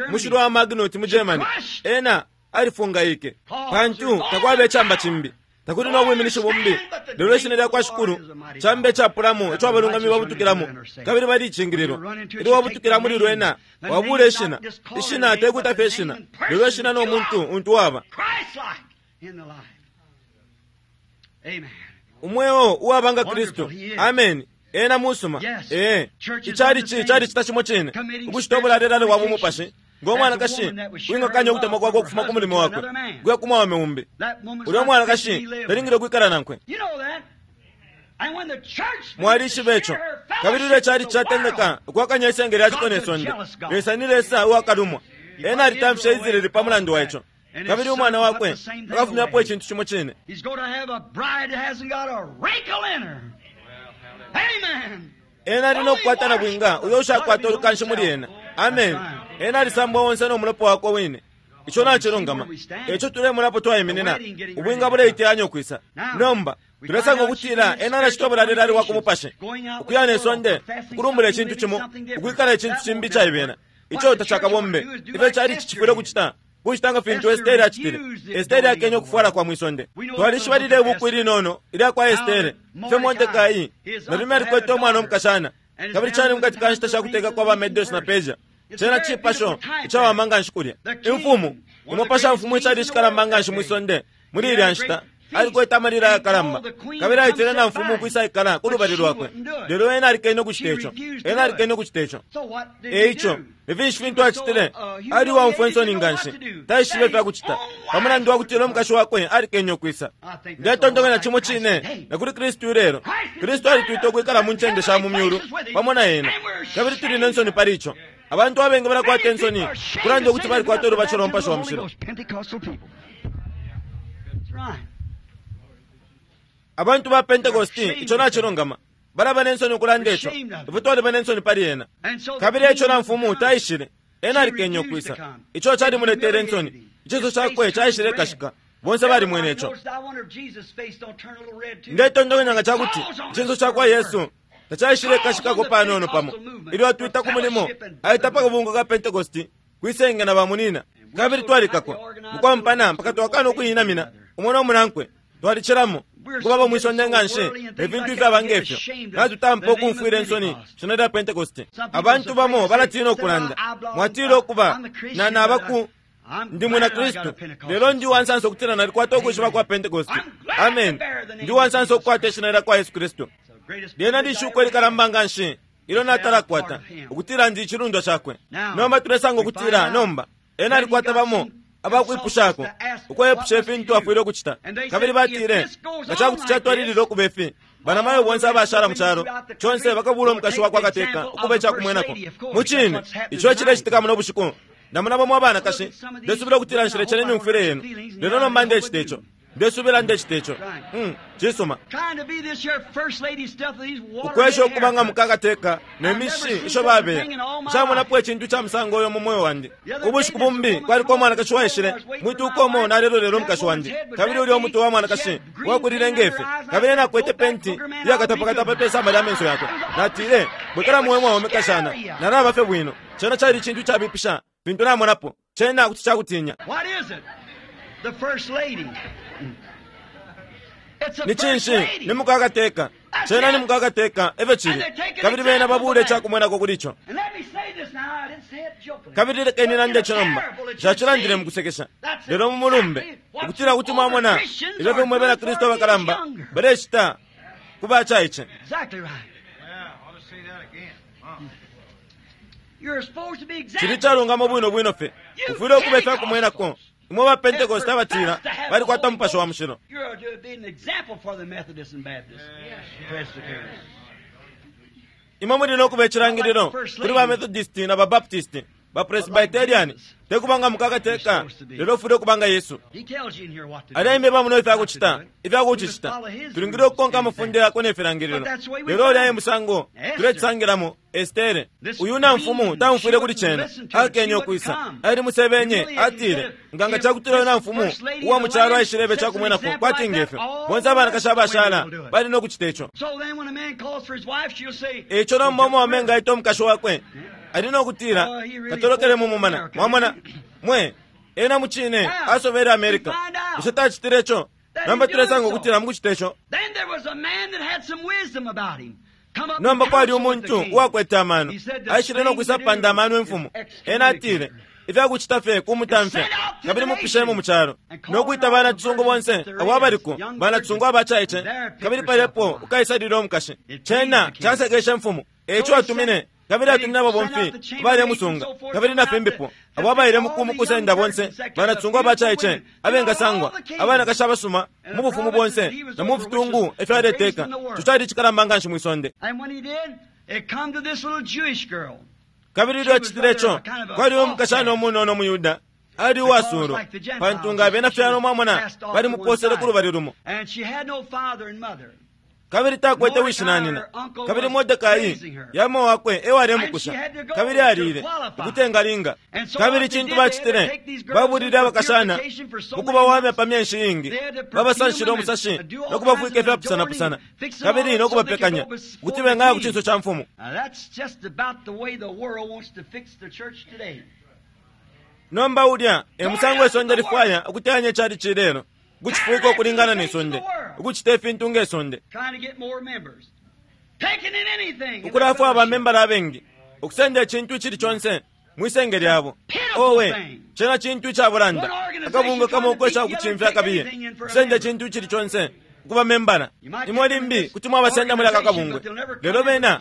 umushilo wa Magnot mu Germany. Ena alifungaike pantu takwaba icamba cimbi, takuli nobwiminishi bumbi, lelo ishina lya kwa Shikulu cambe icapulamo ico abalungami babutukilamo kabili balicingililwa. Ilyo wabutukila muli lwena wabula ishina, ishina tekuta fye ishina, lelo ishina no muntu untu waba umweo uwaba nga Kristu. Amen. Ena musuma. Ee, ichalichi chalicita cimo cine ukucita ubulalelale bwa bumupashi ngo mwanakashi wingakanya ukutemwa kwakwe ukufuma ku mulimo wakwe kuya ku mwaume umbi. Ulya mwanakashi talingile ukwikala nankwe. Mwalishiba ico. Kabili ilyo ichalichi catendeka ukwakanya isenge lya ciko ne sonde, Lesa ni Lesa uwakalumwa. Ena alitamfishe Israeli pa mulandu wa ico, kabili umwana wakwe akafumyapo icintu cimo cine. Ena ali nokukwata na bwinga uyo ushakwata ulukanshi muli ena. Amen. Ena alisambwa onse no mulopa wakwe wine. Ico nacilungama. Eco tulemulapo twaiminina ubwinga buleiteyanya ukwisa. Nomba tulesanga ukutila ena anacita ubulalelale bwa ku mupashi, ukuya ne sonde, ukulumbula icintu cimo, ukwikala icintu cimbi icaibela. Ico tacakabombe. Ifyo chalichi cifwile ukucita kucita nga fintu Estere acitile. Estere akenye ukufwala kwa mwisonde. Twalishiba lile ibuku ilinono ilya kwa Estere ifyo Mordekai nalume alikwete umwana omukashana, kabili cali mukati ka nshita shakuteka kwa baMedos na Persia. Cena cipasho icawama nganshi kulya. Imfumu imo mfumu icali icikalamba nganshi mwisonde muli ilya nshita alikwete amalila ayakalamba, kabili aitile na mfumu ukwisa ikala ku lubali lwakwe, lelo ena alikene ukucita ico. Ena alikene ukucita ico. Eico ifinshi fintu acitile, ali uwaumfwa insoni nganshi, taishibe ifyakucita pamulandu wakutila umukashi wakwe alikenye ukwisa. Ndetontonkanya cimo cine na kuli Kristu ilelo. Kristu alitwita ukwikala mu ncende sha mu myulu pamo na ena, kabili tuli ne nsoni pali ico. Abantu abengi balakwata insoni kulanda ukuti balikwata ulubatisho lwa Mupashi wa Mushilo. Abantu ba Pentecost ico nacilungama balaba ne nsoni ukulanda ico, ifwe twaliba ne nsoni pali ena. Kabili eco na mfumu taishile, ena alikenye ukwisa. Ico calimuletele insoni, icinso cakwe caishile kashika, bonse balimwene ico. Ndetontonkanya nga cakuti icinso cakwa Yesu tacaishile kashikako panono pamo ilyo atwita ku mulimo aita pa kabungwe ka Pentecost kwisenge na bamunina, kabili twalikakwa mukwampana mpaka twakana ukuyinamina umo no munankwe. Twalicilamo kubaba mwisonde nganshi efintu ifyaba ngefyo natutampa ukumfwila insoni shina lya Pentecost. Abantu bamo balatina ukulanda, mwatila ukuba na nabaku ndi mwina Kristu, lelo ndi uwansansa ukutila nalikwata ukwishiba kwa Pentecost. Amen. Ndi uwansansa ukukwata ishina lya kwa Yesu Kristu. Lyena lishuko likalamba nganshi ilyo natalakwata ukutila ndi icilundwa cakwe. Nomba tulesanga ukutila nomba ena alikwata bamo abakwipushako ukwepusha ifintu afwile ukucita, kabili batile nga cakuti catwalilila ukuba ifi banamayo bonse abashala mu calo conse bakabula umukashi wakwa kateka ukuba icakumwenako. Mucine ico cilecitika muno bushiku. Namuna bamo abanakashi ndesubila ukutila nshilecene imyumfwile yenu, lelo nomba ndecita ico, ndesubila ndecita ico. Mm, cisuma ukwesha ukuba nga mukakateka ne mishi isho babeya. Nshamonapo icintu ca musango uyo mu moyo wandi. Ubushiku bumbi kwaliko umwanakashi waishile mwituka umo nalelolelo umukashi wandi, kabili ulya umutwe wa mwanakashi wakulile ngefe, kabili ena akwete penti iyakatapakatapa pe samba lya menso yakwe. Natile, bwekela muwe mwaume kashana, nalaba fye bwino. Cena cali icintu cabipisha fintu namonapo, cena kuti cakutinya. Ni cinshi ni mukakateka, cena ni mukakateka efyo cili, kabili bena babule icakumwenako kuli ico. Kabili lekeni nande ico nomba, nshacilandile mukusekesha, lelo mu mulumbe ukutila kuti mwamona ifyo fimwe bena Kristu abakalamba balecita ku bacaice. You're supposed to be Cili exactly. calungama bwino bwino fye ufwile ukuba ifyakumwenako imwe ba Pentecost abatila balikwata Mupashi wa Mushilo. You're to be an example for the Methodists and Baptists, Presbyterians. Imwe muli nokuba icilangililo kuli ba Methodist na ba Baptist, ba Presbyterian, tekubanga mukakateka, lelo ufwile ukubanga Yesu. He tells you in here what to do. Alaimbe bamuno ifyakucita, ifyakucicita. Tulingile ukukonka amafunde yakwe ne filangililo. Lelo ulya e musango tulecisangilamo Estere. Uyu namfumu taumfwile kuli cena, akenye ukwisa. Ali musebenye, atile, nganga cakutila uyu namfumu uwa mu calo aishilebe cakumwenako kwati ngefyo. Bonse abanakashi abashala bali nokucita ico. So then when a man calls for his wife, she'll say, Eco nomba umwaume nga aita umukashi wakwe ali nokutila katolokele mu mumana. Mwamona mwe ena mucine asobele America. Bushe tacitile ico? Nomba tulesanga ukutila mukucita ico. Then there was a man that had some wisdom about him. Come up Nomba and kwali counsel with the umuntu king. uwakwete amano aishile nokwisa panda amano imfumu. Ena atile ifyakucita fye kumutamfya kabili mupishemo mu calo nokwita bana cisungu bonse abo abaliko bana cisungu abacaice kabili palepo ukaisalile umukashi. Cena casekeshe mfumu eco atumine kabili atumine ababomfi abalemusunga kabili na fimbipo abo abaile mukusenda bonse bana cisungu abacaice abengasangwa abanakashi abasuma mu bufumu bonse na mu fitungu efyaleteka. Ico cali icikalamba nganshi mwisonde. And when he did, it come to this little Jewish girl. Kabili ilyo acitile ico kwali umukashana umunono umuyuda ali uwasuulwa pantu nga abena fyalo mwamona balimuposele ku lubali lumo. And she had no father and mother. Kabili takwete wishi na nina. Kabili Mordekai yamo wakwe ewalemukusha kabili alile ukutengalinga. Kabili cintu bacitile babulile abakashana mukubawamya pa myenshi iingi, babasanshile umusashi nokubafwika ifyapusanapusana kabili nokubapekanya ukuti bengaya ku cinso ca mfumu. Now that's just about the way the world wants to fix the church today. Nomba ulya e musango isonde lifwaya ukuteyanya icali cilelo ukucifwika ukulingana ne sonde, ukucita ifintu nge sonde, Trying to get more members. Taking in anything in the ukulafwa fellowship. abamembala abengi ukusenda icintu icili conse mwisenge lyabo. Owe, cena cintu icabulanda akabungwe kamo ukwesha ukucimfya kabiye kusenda icintu icili conse ukuba membala. Imwe limbi kuti mwabasenda muli aka kabungwe, lelo bena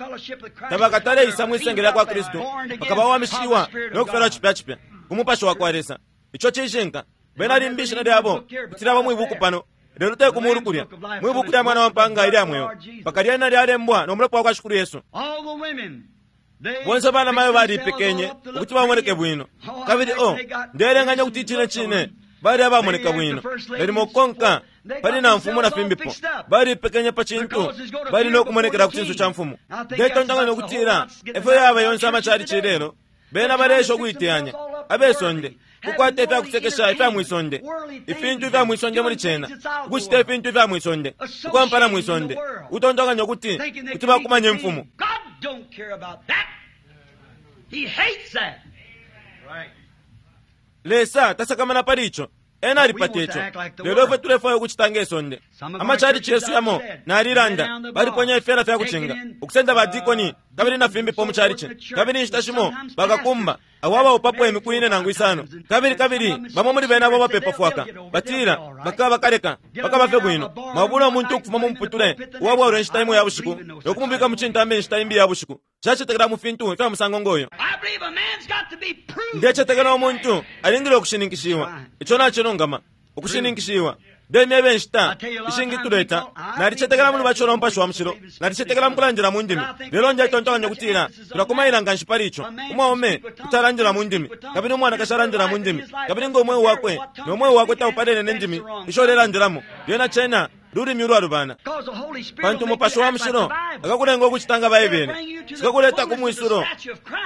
tabakataleisa mwisenge lya kwa Kristu bakabawamishiwa no kufyalwa cipya cipya ku Mupashi wa kwa Lesa. Ico cishinka. Bena limbi ishina lyabo kuti lyaba mwibuku pano, lelo te ku mulu kulya mwibuku lya mwana wa mpanga ilya mweo mpaka lyena lyalembwa no mulopa wa kwa Shikulu Yesu. All the women, they Bonse bana mayo fixed balipekenye themselves all up to look ukuti bamoneke pretty. bwino. Oh, I Kabili think o they got ndelenganya kuti icine cine bali abamoneka bwino. Nalimo kukonka pali na mfumu na fimbipo balipekenye pa cintu bali nokumonekela ku cinso ca mfumu. Ndetontonkanya ukutila efyo yaba yonse amacali cilelo bena balesha ukuiteyanya abesonde kukwata ifyakusekesha ifya mwisonde, ifintu ifya mwisonde muli cena, ukucita ifintu ifya mwisonde, ukwampana mwisonde, utontonkanya ukuti Thinking they kuti can meet bakumanya the imfumu. king. God don't care about that. He hates that. Lesa tasakamana pali ico. Ena alipata ico. Lelo ifwe tulefwaya ukucita nge sonde. Amacalici yesu yamo nalilanda baliponya ifyela fya kucinga ukusenda badikoni kabili na fimbipo mu calici kabili inshita shimo bakakumba abo abaupapo imiku ine nangu isano kabili kabili bamo muli bena abo bapepa fwaka batila bakaba bakaleka bakaba fye bwino. Mwabula umuntu ukufuma mu muputule uwabwalwa inshita imo ya bushiku nokumubika mu cintambi inshita imbi ya bushiku. Cacetekela mu fintu ifya musango ngoyo. I believe a man's got to be proved. Ndecetekela umuntu alingile ukushininkishiwa. Ico nacilungama ukushininkishiwa. Ndemyebe inshita ishingi tuleta nalicetekela muli bacola Mupashi wa Mushilo, nalicetekela mukulandila mu ndimi, lelo ndetontonkanya ukutila tulakumaila nganshi pali ico. Umwaume kuti alandila mu ndimi kabili umwanakashi alandila mu ndimi kabili ngo umweo wakwe no mweo wakwe taupalene ne ndimi isho ulelandilamo, lyena cena lulimi ulwalubana. Because the Holy Spirit Pantu will make Mupashi you wa act like Mushilo the Bible. akakulenga ukucita nga Baibele, sikakuleta ku mwisulo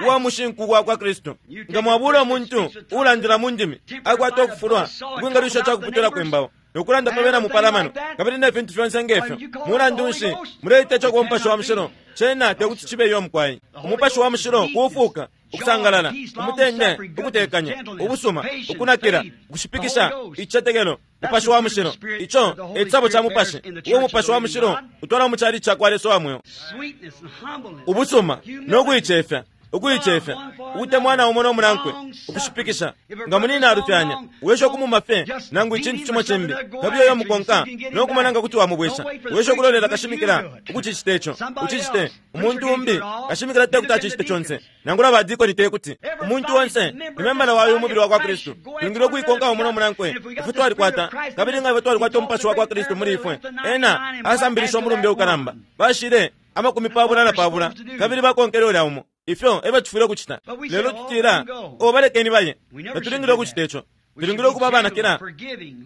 uwa mushinku wa kwa Kristu. Nga mwabula umuntu ulandila mu ndimi akwata ukufulwa ukwingalwisha cakuputula kwimbawo nokulanda pa bena mupalamano kabili ne fintu fyonse ngefyo. Mulandu nshi muleita ico ku Mupashi wa Mushilo? Cena tekuti cibe iyo mukwai. Umupashi wa Mushilo kufuuka, ukusangalala, umutende, ukutekanya, ubusuma, ukunakila, ukushipikisha, icicetekelo. Mupashi wa Mushilo ico e cisabo ca Mupashi uwo Mupashi wa Mushilo utwala mu cali ca kwa Lesa wa mweo. Sweetness and humbleness. Ubusuma no kuicefya Ukuicefya, ukutemwana umo no munankwe, ukushipikisha. Nga munina alufyanya, wesha ukumuma fye nangu icintu cimo cimbi, kabili uyo mukonka no kumona nga kuti wamubwesha. Wesha ukulolela kashimikila ukucicita ico, ucicite. Umuntu umbi kashimikila te kuti acicite conse, nangula badikoni te kuti. Umuntu onse ni membala wa uyu mubili wa kwa Kristu. Tulingile ukuikonka umo no munankwe. Ifwe twalikwata, kabili nga ifwe twalikwata umupashi wa kwa Kristu muli ifwe. Ena asambilisha umulumbe ukalamba. Bashile amakumi pabula na pabula, kabili bakonkele ulya umo. Ifyo eba tufwile ukucita. Lelo tutila, o balekeni baye. Tatulingile ukucita ico. Tulingile ukuba abanakila,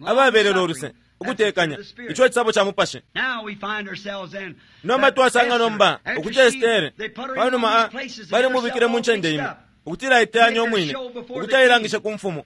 ababelela uluse, ukutekanya. Ico cisabo ca mupashi. Nomba twasanga nomba ukuti Estere panuma balimubikile mu ncende imo, ukutila aiteyanye umwine, ukuti ailangishe ku mfumu.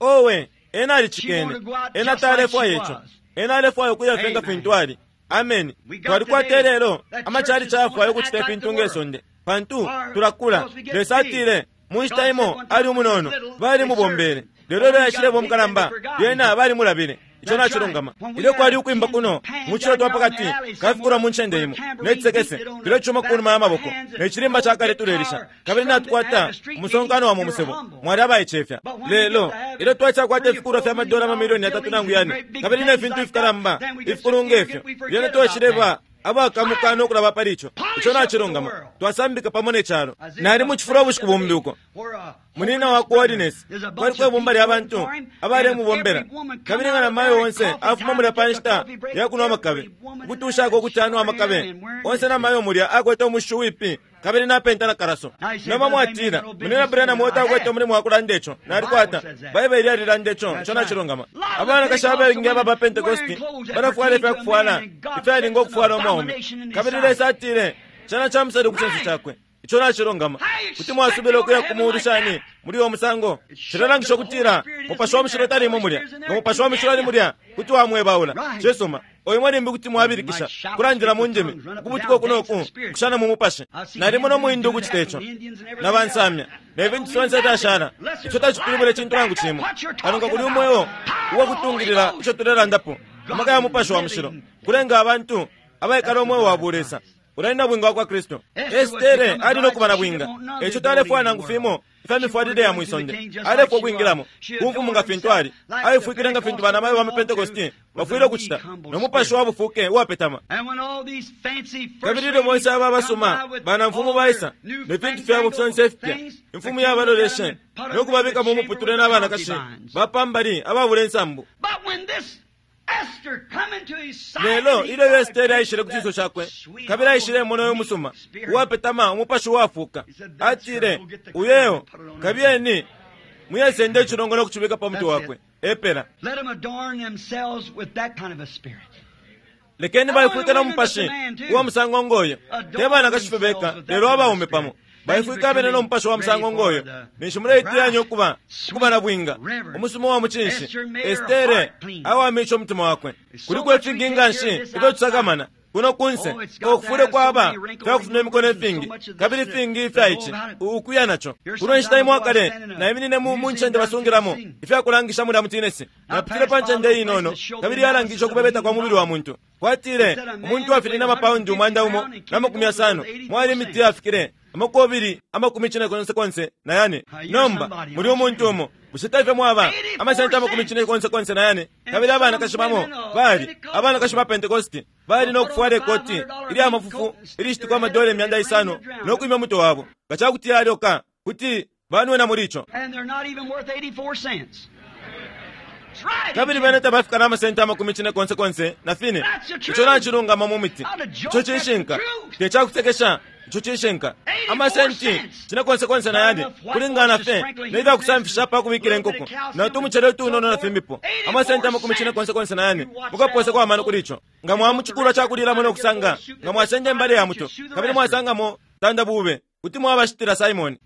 Owe, ena alicikene. Ena talefwaya ico. Ena alefwaya ukuya fye nga fintu ali. Ameni. Twalikwata lelo amachali chafwayo ukucita ifintu ngesonde, pantu tulakula. Lesa atile mu nshita imo ali umunono, balimubombele. Lelo ilyo aishileba umukalamba, lyena balimulabile. Ico nacilungama. Ilyo kwali ukwimba kuno mu cilo twa pakati kafikula mu ncende imo, ne cisekese tulecuma kunuma ya maboko, ne cilimba ca kale tulelisha, kabili natukwata umusonkano wa mu musebo. Mwali abaicefya. Lelo ilyo twacakwata ifikulwa fya madola amamilioni yatatu nangu yane, kabili ne fintu ifikalamba ifikulu ngefyo, lyena twashileba abakamuka no kulaba pali ico. Ico nacilungama. Twasambika pamo ne calo. Nali mu cifulo ubushiku bumbi uko munina wa coordinates kwali kwebumba lya bantu abalemubombela, kabili nga namayo onse afuma mulya pa nshita ya kunwa amakabe, ukutushako ukuti anwa amakabe onse. Namayo mulya akwete umushu wipi kabili napenta na karaso. Nomba mwatila, munina Branham otakwete umulimo wa kulanda ico. Nalikwata Baibele yalilanda ico. Ico nacilungama. Abanakashi abengi aba ba Pentecosti balafwala ifyakufwala ifyalinga ukufwala umwaume, kabili Lesa atile cana camusali ku cinso cakwe. Ico nacilungama. Kuti mwasubila ukuya ku muulu shani muli uwo musango? Cilalangisha ukutila mupashi wa mushilo talimo mulya. Nga mupashi wa mushilo ali mulya, kuti wamwebaula. Cisuma. Oyo limbi kuti mwabilikisha kulandila mu ndimi, ukubutuka uku noku, kushana mu mupashi. Nalimo no muhindu ukucita ico, na bansamya ne fintu fyonse fyashala. Ico tacipilibula icintu nangu cimo, kano nga kuli umweo uwakutungilila ico tulelandapo. Amaka ya mupashi wa mushilo kulenga abantu abaikala umweo wa bulesa ulali bwinga wa kwa Kristu. Estere ali no kuba na bwinga, eco talefwaya nangu fimo ifya mifwalile ya mwisonde. Alefwa ukwingilamo ku mfumu nga fintu ali, aifwikile nga fintu banamayo ba mu Pentekosti bafwile ukucita, no mupashi wa bufuke uwapetama. Kabili ilyo bonse aba basuma banamfumu baisa ne fintu fyabo fyonse ifipya, imfumu yabaloleshe no kubabika mu muputule n'abanakashi bapambali ababula insambu. Lelo ilyo Estere aishile ku cinso cakwe, kabili aishile mona uyo musuma uwapetama umupashi uwafuka, atile, uyeyo kabiyeni muyesende icilongo no kucibika pa mutwe wakwe. Epela lekeni baifwike no mupashi uwa musango ngoyo, te banakashi fye beka, lelo abaume pamo baifwika abene no mupashi wa musango ngoyo. Ninshi muleiteyanya ukuba ukuba na bwinga umusuma wa mucinshi. Estere awamisha umutima wakwe. Kuliko ifingi nganshi ifyo tusakamana kuno kunse, okufule kwaba fyakufuma imikono ifingi kabili ifingi ifya ici ukuya naco. Kuno nshita imo akale naiminine mu ncende basungilamo ifyakulangisha mulya mutinesi. Napitile pa ncende inono, kabili yalangisha ukubebeta kwa mubili wa muntu. Kwatile umuntu afiline amapaundi umwanda umo na makumi yasano, mwali imiti yafikile amakobili amakumi cine konse konse na yane. Nomba muli umuntu umo bushe taife mwaba amasenti amakumi cine konse konse na yane. Kabili abanakashi bamo bali abanakashi ba Pentekosti bali no kufwala ikoti ilya mafufu ilishitikwa amadola imyanda isano no kwimya umutwe wabo. Nga cakuti yalyoka kuti banwena muli ico. Kabili bene tabafika na amasenti amakumi cine konse konse na fine. Ico nacilungama mu miti. Ico cishinka, te cakusekesha. Ico cishinka. Amasenti cine konse konse na yane kulingana fye ne fyakusamfisha pa kubikila inkoko na tumucele utunono na fimbipo. Amasenti amakumi cine konse konse na yane mukaposeko amano kuli ico. Nga mwamucikulwa cakulilamo no kusanga, nga mwasenda imbale ya muto kabili mwasangamo tanda bube, kuti mwabashitila Simoni.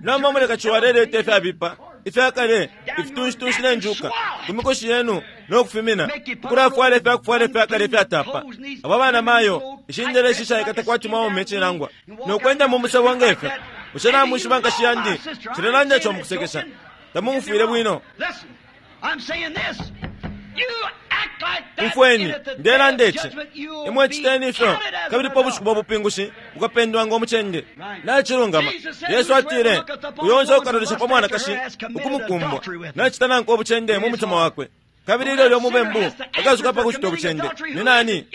Nomba muleka ciwaleleta ifyabipa ifyakale ifitunshi ne njuka ku mikoshi yenu no kufimina, ukulafwala ifyakufwala ifyakale ifyatapa. Abo bana mayo ishindele ishishaikata kwati mwaume cinangwa no kwenda mu musebo ngefyo. Bushe namwishiba nkashi yandi, cilelanda ico mukusekesha. Tamumfwile bwino. Umfweni, ndelanda ici. Imwe citeni ifyo, kabili pa bushiku bwa bupingushi ukapendwa ngo mucende. Nacilungama. Yesu atile, uyo onse ukalolesha pa mwanakashi ukumukumbwa, nacita nankwe ubucende mu mutima wakwe. Kabili ilyo lyo mubembu akasuka pa kucita ubucende. Ni nani?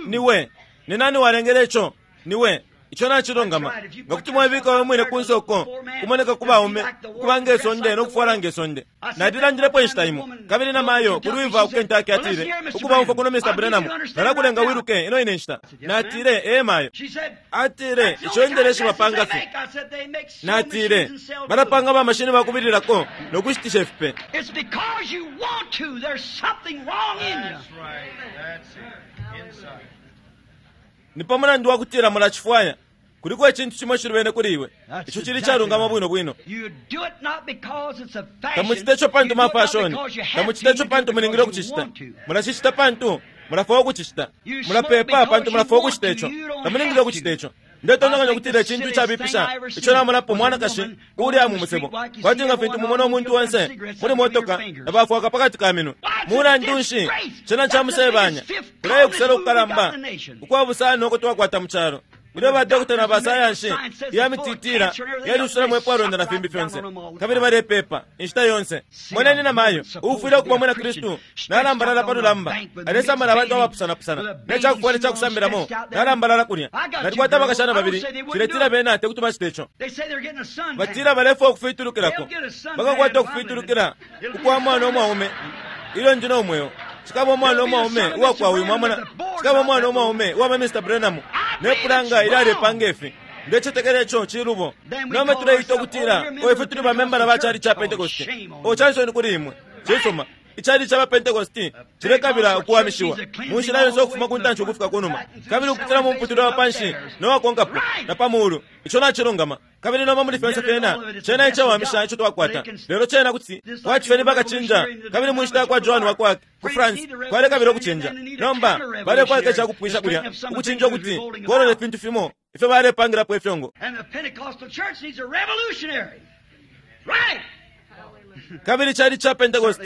Niwe. Ni nani walengele ico? Niwe. Ico nacilungama. Nga kuti mwabika we mwine ku nsoko, kumoneka ku baume, ukuba ngesonde nokufwala ngesonde. Nalilandilepo inshita imo, kabili na mayo ku Louisville ku Kentucky atile, ukuba umfwa kuno Mister Branham, nalakulenga wiluke ino ine nshita. Natile, ee mayo. Atile, ico indeleshi bapanga fye. Natile, balapanga ba mashini bakubililako nokushitisha ifipe. It's because you want to. There's something wrong in you. That's right. That's it. Inside. Ni pa mulandu wa kutila mulacifwaya. Kuliko icintu cimo cilubene kuli iwe. Ico cili calungama bwino bwino. You do it not because it's a fashion. Tamucita ico pantu You do it not mafashoni. because you have Tamucita to. ico You do pantu it mulingile because you ukucicita. want to. Mulacicita pantu mulafwaya ukucicita. You smoke Mulapepa because pantu you mulafwaya want ukucita to. ico. You don't Tamulingile have ukucita to. ico. Ndetontonkanya I think ukutila the icintu silliest icabipisha thing I ever ico seen namonapo was a mwanakashi woman uli going mu on the musebo. street like you Kwati see nga everyone fintu mumona on umuntu the onse cigarettes muli up through your motoka fingers. nabafwaka pakati ka minwe. Why, it's a Mulandu nshi disgrace. cena That's the camusebanya. biggest fifth Kuleye kusela communist move we got ukukalamba in the nation. ukwa busano uko twakwata mu calo. Ilyo ba doctor na ba sayansi ya mititira yaliusulamo epwalonda na fimbi fyonse. Kabili balepepa inshita yonse. Moneni na mayo uufwile ukuba mwina Kristu nalambalala pa lulamba. Alesamala abantu abapusanapusana. Ne cakufwala icakusambiramo nalambalala kulya. Nalikwata abakashana babili ciletila bena tekuti bacite ico. They say they're getting a suntan. Batila balefwa ukufitulukilako. Bakakwata ukufitulukila ukwa mwana umwaume. Ilyo ndi no mweo. Cikaba umwana umwaume uwakwa uyu mwamona. Cikaba umwana umwaume uwaba Mister Branham. Ne pulanga ilalepanga ifi. Ndecetekela ico cilubo. Nomba tuleita ukutila o ifwe tuli bamembala ba cali ca Pentecost. O cansoni kuli imwe. Cisuma. Icali ca Pentecost cilekabila ukuwamishiwa mu nshila yonse ukufuma ku ntanshi ukufika ku numa, kabili ukupitila mu mputilo wa panshi no wakonkapo na pa muulu. Ico nacilungama. Kabili nomba muli fyonse fyena cena icawamisha ico twakwata. Lelo cena kuti kwati ni bakacinja, kabili mu nshita ya kwa Joan wa kwake ku France kwalekabila ukucinja. Nomba balekwaka icakupwisha kulya ukucinja ukuti kolole fintu fimo ifyo balepangilapo ifyongo. And the Pentecostal church needs a revolutionary. Right. Kabili cali ca Pentecost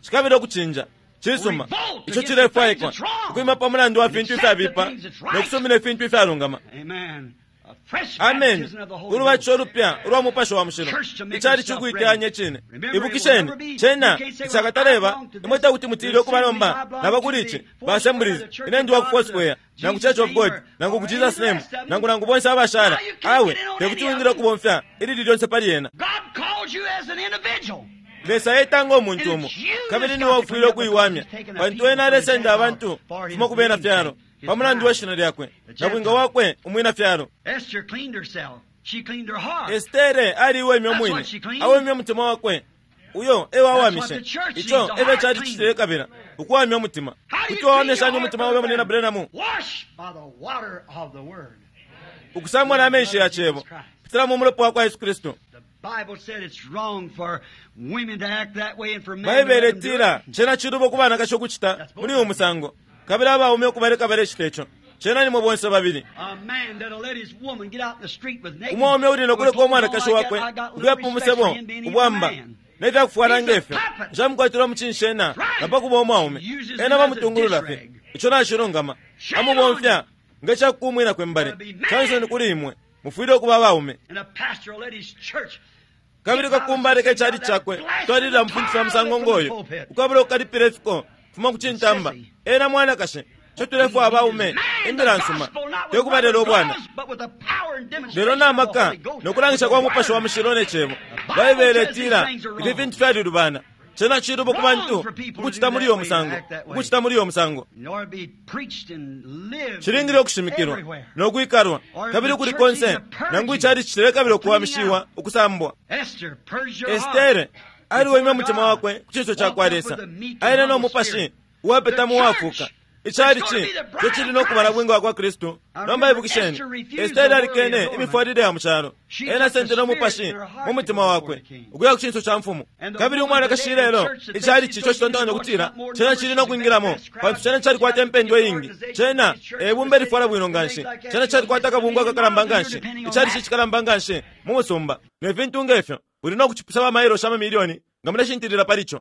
cikabila ukucinja. Cisuma. Ico cilefwaikwa ukwima pa mulandu wa fintu ifyabipa nokusumina ifintu ifyalungama. Amen. A fresh Amen. baptism of the Holy Ulubatisho Ghost. ulupya ulwa mupashi wa mushilo. Icali cikuiteyanya icine. Ibukisheni, cena icakataleba imwe takuti mutile ukuba nomba naba kuli ici ba Assemblies, ine ndi wa ku Foursquare, nangu Church of God, nangu ku Jesus Name, nangu nangu bonse abashala. Awe, tekuti wingile ukubomfya ilili lyonse pali yena. God calls you as an individual. Lesa etanga umuntu umo, kabili niwe ufwile ukuiwamya, pantu ena alesenda abantu fuma ku bena fyalo pa mulandu wa shina lyakwe na bwinga wakwe umwina fyalo. Esther cleaned herself. She cleaned her heart. Estere aliwemye umwine, awemye umutima wakwe. Uyo ewawamishe. Ico efyo cali cicilekabila ukuwamya umutima. How do you Kuti clean wawamya your shani heart, umutima wawe Brother munina Branham? Branham? Wash by the water of the Word. Ukusamwa na menshi ya cebo kupitila mu mulopa wa kwa Yesu Kristu. The Bible said it's wrong for women to act that way and for men to Baibele let them do itila it. cena cilubo ku banakashi ukucita muli uyu musango, kabili abaume ukubaleka balecita ico. Cena nimwe bonse babili. A man that'll let his woman get out in the street with naked. Umwaume uli nokuleka umwanakashi Like that, wakwe I got little ukuya pa respect musebo for him being even a ubwamba man. nefyakufwala ngefyo. Nshamukwatila umucinshi ena na pakuba umwaume. Ena bamutungulula fye. Ico nacilungama. Amubomfya ngecakukumwina kwembale. Cansoni kuli imwe. Mufwile ukuba abaume. And a pastor will let his church Kabili kakumba aleka icali cakwe twalilila mufintu fya musango ngoyo ukwabula ukukalipila ifiko fuma ku cintamba. Ena mwanakashi ico tulefwa abaume imbila nsuma tekubalela ubwana, lelo namaka nokulangisha kwa mupashi wa mushilo ne cebo. Baibele itila ifi fintu fyalilubana. Cena cilubo ku bantu ukucita muli uyo musango, ukucita muli uyo musango. Cilingile ukushimikilwa nokwikalwa kabili kuli konse, nangu icali cilekabila ukuwamishiwa ukusambwa. Esther purged her heart. Estere aliwemye umutima wakwe ku ciso ca kwa Lesa, aile no mupashi uwapetamo uwafuka. Icali ci co cili no kubala bwinga wa kwa Kristu. Nomba ibukisheni, Estere alikene imifwalile ya mu calo. Ena asendele umupashi mu mutima wakwe ukuya ku cinso ca mfumu. Kabili umwanakashi ilelo icali ci co citontonkanya ukutila cena cili no kwingilamo, pantu cena calikwata impendwa iingi, cena ebumba elifwala bwino nganshi, cena calikwata akabungwe akakalamba nganshi, icali ci cikalamba nganshi mu musumba ne fintu ngefyo. Uli no kucipusha bamailo sha mamilioni Nga muleshintilila pali co.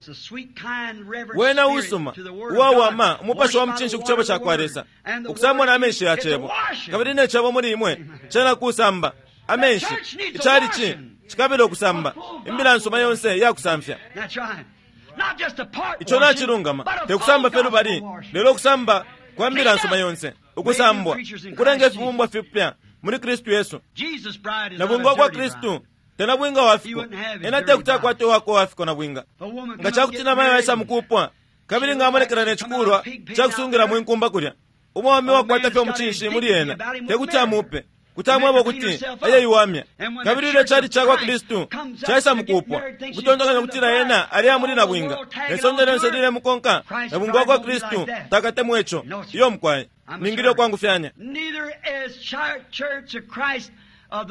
Wena usuma uwawama umupashi wa mucinshi ku cebo cakwa Lesa, ukusambwa na menshi ya cebo, kabili ne cebo muli imwe cena kusamba amenshi. Icalici cikabila ukusamba imbila nsuma yonse iyakusamfya. Ico nacilungama, tekusamba fye lubali, lelo kusamba kwa mbila nsuma yonse, ukusambwa ukulenga ifibumbwa fipya muli Kristu Yesu. Na bwinga kwa Kristu tena bwinga wafiko, ena tekuti akwate wako wafiko na bwinga. Nga cakuti namayo aisa mukupwa, kabili nga amonekela ne cikulwa cakusungira mwinkumba kulya, umwami wakwata fye omucinshi muli ena tekuti amupe, kuti amweba kuti ayeyiwamya. Kabili ilyo cali cakwa Kristu caisa mukupwa, ukutontokanya kutila ena ali amuli na bwinga, ne sonde lyonse lilemukonka, na bwinga wakwa Kristu takatemwe ico. Iyo mukwaye ningile okwangufyanya.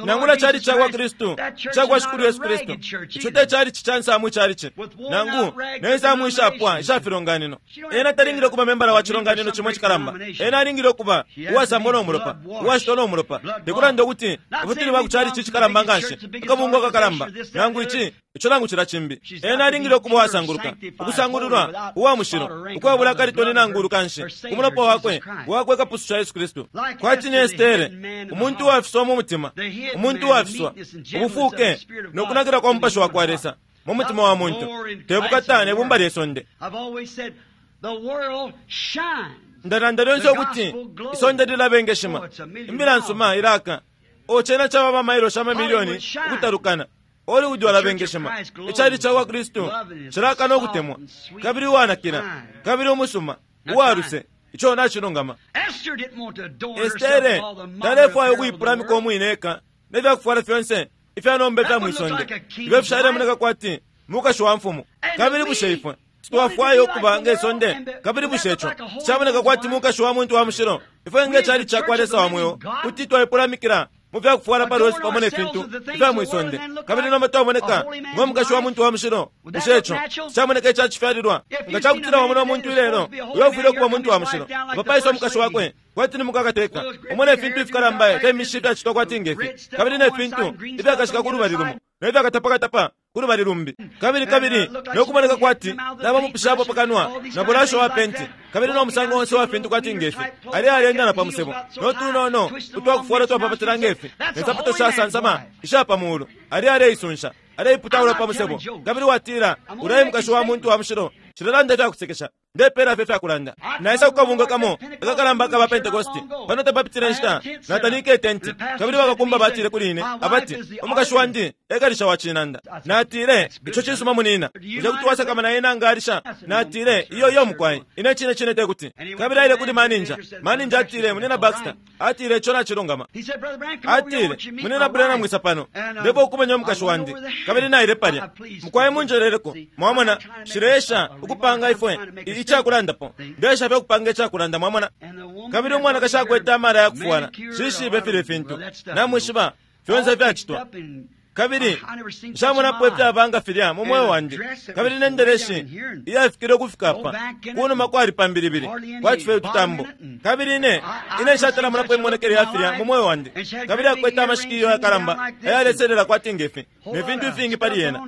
Nangula cali cakwa Kristu cakwa Shikulu Yesu Kristu, ico te cali cicansamu icalici nangu nensamu ishapwa ishafilonganino. Ena talingile okuba membala wa cilonganino cimwe cikalamba, ena alingile okuba uwasambwa n'omulopa, uwashitwa n'omulopa. Tekulanda ukuti ifwe tuli ba ku calici cikalamba nganshi, akabungwe akakalamba, nangu ici ico nangu cila cimbi. Ena alingile okuba uwasanguluka, ukusangululwa, uwa mushilo, ukwabula akalitoni nangu ulukanshi ku mulopa wakwe wakwe kapususha Yesu Kristu. Kwati ni Estere, umuntu uwafiswa mu mutima, umuntu uwafiswa ubufuke nokunakila kwa mupashi wa kwa Lesa mu mutima wa muntu, tebukata ne bumba lye sonde. Ndalanda lyonse ukuti isonde lilabengeshima, imbila nsuma ilaka ocena caba bamailo sha mamilioni ukutalukana. Hollywood walabengeshima, icali cakwa Kristu cilaka nokutemwa, kabili uwanakila, kabili umusuma, uwaluse. Ico nacilungama. Estere talefwaya ukuipulamika umwine eka nefyakufwala fyonse ifyanomba ifya mwisonde ifyo fishalemoneka kwati mukashi wa mfumu. Kabili bushe ifwe twafwaya ukuba nge sonde? Kabili bushe ico cishamoneka kwati mukashi wa muntu wa mushilo? Ifwe nge cali cakwa Lesa wa mweo kuti twaipulamikila mu fyakufwala palwesu pamo ne fintu ifya mwisonde, kabili nomba twamoneka ngo mukashi wa muntu wa mushilo. Bushe ico cishamoneka icacifyalilwa? Nga cakutila wamona umuntu ilelo uyo ufwile ukuba muntu wa mushilo, apapaisa umukashi wakwe kwati ni mukakateka, umone ifintu ifikalamba ifya mishi ifyacitwa kwati ngefi, kabili ne fintu ifyakashika ku lubali lumo ne fyakatapakatapa ku lubali lumbi, kabili kabili nokumoneka kwati nabamupishapo pakanwa na bulasho wa penti, kabili no musango onse wa fintu kwati ngefi. Ali alienda na pamusebo notunono utwakufwala twapapatila ngefi, ne nsapato shasansama isha pamuulu, ali aleisunsha aleiputaula pamusebo, kabili watila ulayi mukashi wa muntu wa mushilo. Cilalanda ifyakusekesha, ndepela fye ifyakulanda. Naisa kukabunga kamo akakalamba akaba Pentekosti pano tapapitile nshita, natanike itenti, kabili bakakumba batile kuli ine abati umukashi wandi ekalisha wa cinanda. Natile ico cisuma munina, bushe kuti wasakamana ena nga alisha? Natile iyo iyo mukwai, ine cine cine tekuti. Kabili aile kuli maninja, maninja atile munina Baxter, atile ico nacilungama. Atile munina Branham mwisa pano, ndipo ukumenya umukashi wandi. Kabili naile palya, mukwai munjeleleko. Mwamona shileesha ukupanga ifwe icakulandapo, ndesha fye ukupanga icakulanda, mwamona. Kabili umwanakashi akwete amala yakufwala, shishibe file fintu namwishiba fyonse ifyacitwa. Kabili nshamonapo ifyabanga filya mu mweo wandi. Kabili nendeleshi iyafikile ukufika apa kunuma kwali pambilibili kwati fye ututambo. Kabili ine ine nshatalamonapo imonekele ya filya mu mweo wandi. Kabili akwete amashikiyo yakalamba ayaleselela kwati ngefi ne fintu ifingi pali yena.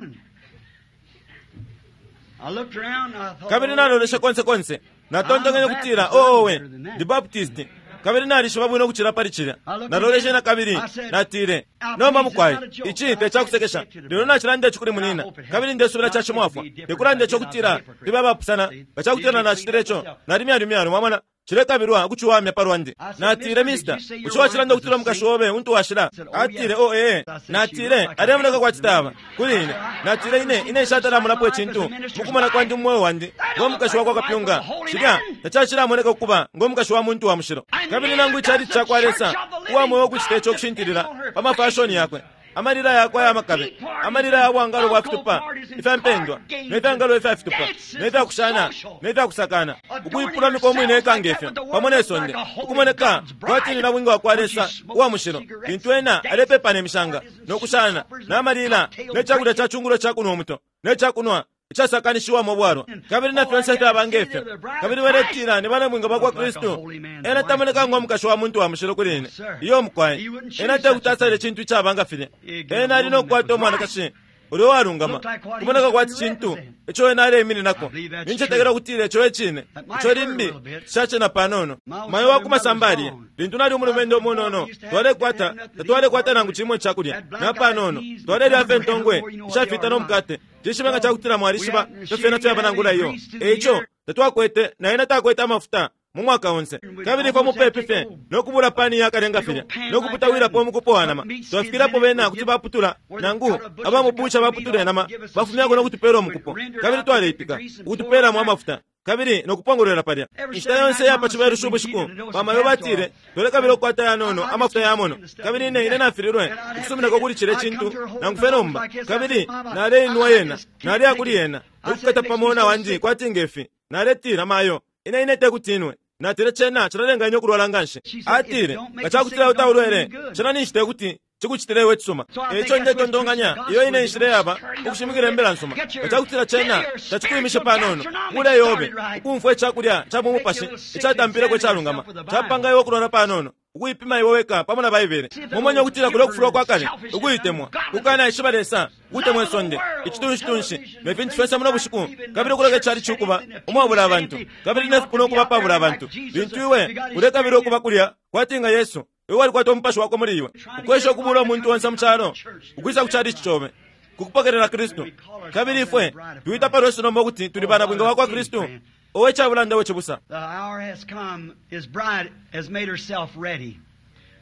Kabili nalolesha konse konse, natontonkanya kutila oowe ndi Baptist, kabili nalishiba bwino ukucila pali cilya. Naloleshe na kabili natile nomba mukwai, ici tecakusekesha, lelo nacilanda ici kuli munina, kabili ndesubila cacimwafwa. Tekulanda ico kutila libe abapusana, nga cakutila nacitile ico nali myalumyalu, mwamona cilekabilwa ukuciwamya palwandi. Natile mister, bushe wacilanda ukutila umukashi obe untu washila? Atile o ee. Natile alemoneka kwati taba kuli ine. Natile ine ine nshatalamulapo icintu mukumona kwandi mu mweo wandi ngo mukashi wakwa kapyunga, cilya tacacilamoneka ukuba ngo mukashi wa muntu wa mushilo. Kabili nangu icali cakwa Lesa uwa mweo ukucita ico kushintilila pa mafashoni yakwe, amalila yakwe aya makabe, amalila ya bwangalo bwa fitupa ifyampendwa ne fyangalo ifya fitupa ne fyakushana ne fyakusakana, ukuipulamika umwine eka ngefyo pamo ne sonde, ukumoneka kwati ni nabwinga wakwa Lesa uwa mushilo, lintu ena alepepa ne mishanga nokushana n'amalila ne cakulya ca cungulo cakunwa umuto ne cakunwa icasakanishiwamo bwalwa, kabili na fyonse fyaba ngefyo. Kabili baletila ni banabwinga bakwa Kristu. Ena tamoneka ngo mukashi wa muntu wa mushilo kuli ine. Iyo mukwai, ena tekuti asale icintu icaba nga filya. Ena ali nokukwata umwanakashi Ulyo walungama kumoneka kwati cintu ico ena aleimininako. Nincetekela ukutila ico ecine. Ico limbi cacena panono. Mayo wakumasamba aliye lintu nali umulumendo umunono, twalekwata tatwalekwata nangu cimo icakulya na panono, twalelya fye ntongwe ishafita no mukate. Cishibe nga cakutila mwalishiba ifyo fyena fyaba nangula iyo. Eico tatwakwete na ena takwete amafuta mu mwaka onse, kabili ifwe mupepi fye nokubula pani yakalenga filya nokuputawilapo umukupo wa nama. Twafikilapo bena kuti baputula nangu abamupusha baputula inama bafumyako nokutupela umukupo, kabili twaleipika ukutupelamo amafuta kabili nokupongolwela palya. Inshita yonse yapa cibelushi ubushiku bamayo batile twalekabila ukukwata yanono amafuta yamono, kabili ine ine nafililwe ukusuminako kuli cile cintu nangu fye nomba. Kabili naleinwa yena, naleya kuli yena nokukata pamo na wandi kwati ngefi. Naletila, mayo, ine ine tekutinwe. Natile, cena cilalenga ine ukulwala nganshi. Atile, nga cakutila utaulwele cena ninshi tekuti cikucitile iwe cisuma. Eico ndetontonkanya iyo ine inshila yaba ukushimikila imbila nsuma. Nga cakutila cena tacikwimishe panono kule yobe ukumfwa icakulya ca mu mupashi icatampileko icalungama capanga iwe ukulwala panono, ukuipima iwe weka pamo na Baibele. Mumanye ukutila kulyo kufulwa kwa kale, ukuitemwa, kukanaishiba Lesa, ukutemwa isonde, icitunshi-tunshi ne fintu fyonse muno bushiku, kabili ukuleka icali cukuba umwabula abantu, kabili ne fipuna ukuba pabula abantu. Lintu iwe ulekabila ukuba kulya kwati nga Yesu, iwe walikwata umupashi wakwe muli iwe, ukwesha ukubula umuntu onse mu calo ukwisa ku chalichi cobe kukupokelela Kristu. Kabili ifwe tuita palwesu nomba ukuti tuli bana bwinga wakwa Kristu. Owe cabulanda we cibusa. The hour has come. His bride has made herself ready.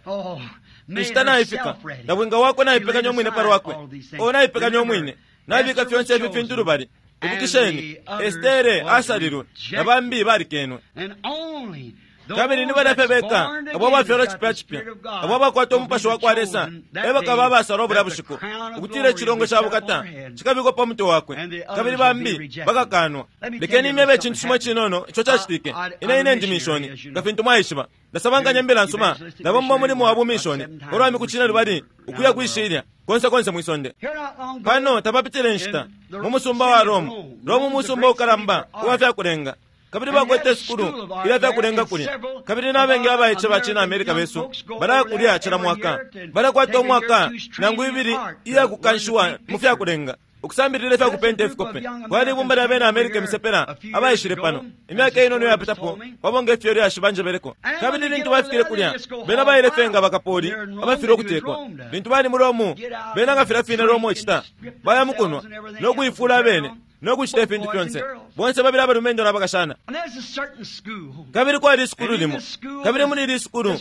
Oh, made Inshita naifika, herself ready. na bwinga wakwe naipekanya umwine pali wakwe. O naipekanya umwine, nabika fyonse ifi fintu lubali. Ibukisheni, Estere asalilwe na bambi balikenwe. And only those Kabili ni balya fye that's beka born abo again abafyalwa has got cipya the cipya, Spirit of God abo abakwata will be umupashi the wakwa Lesa, chosen that e bakaba day abasalwa bulya that the bushiku, crown of ukutila glory icilongo will be ca set upon bukata her head. cikabikwa pa mutwe wakwe, And the others kabili will be bambi rejected. bakakanwa. Let me tell Lekeni you imyebe something icintu cimo happened. cinono ico cacitike. I- I- Ine I'm ine a ndi missionary, mishoni, as you nga know. fintu mwaishiba. Ndasabankanya imbila nsuma, ndabomba umulimo wa bumishoni ulwa miku cine lubali ukuya kwishilya konse konse mwisonde. Here not long ago, Pano tapapitile inshita mu musumba wa Rome, Rome umusumba ukalamba uwa fyakulenga, kabili bakwete sukulu ilya fyakulenga kulya, kabili n'abengi abaice ba cina Amerika besu balaya kulya cila mwaka, balakwata umwaka nangu ibili iya kukanshiwa mu fyakulenga, ukusambilila ifya kupenta ifikope. Kwali ibumba lya bena Amerika imisepela abaishile pano imyaka inono iyapitapo, pamo nge fyo lyashi banjebeleko. Kabili lintu bafikile kulya, bena baile fye nga bakapoli abafilwe ukutekwa. Lintu bali mu Romu, bena nga filya fine Romu icita, baya mu kunwa no kuifula abene no kucita ifintu fyonse, bonse babili abalumendo n'abakashana. And there's a certain school. Kabili kwali isukulu limo, kabili muli ili isukulu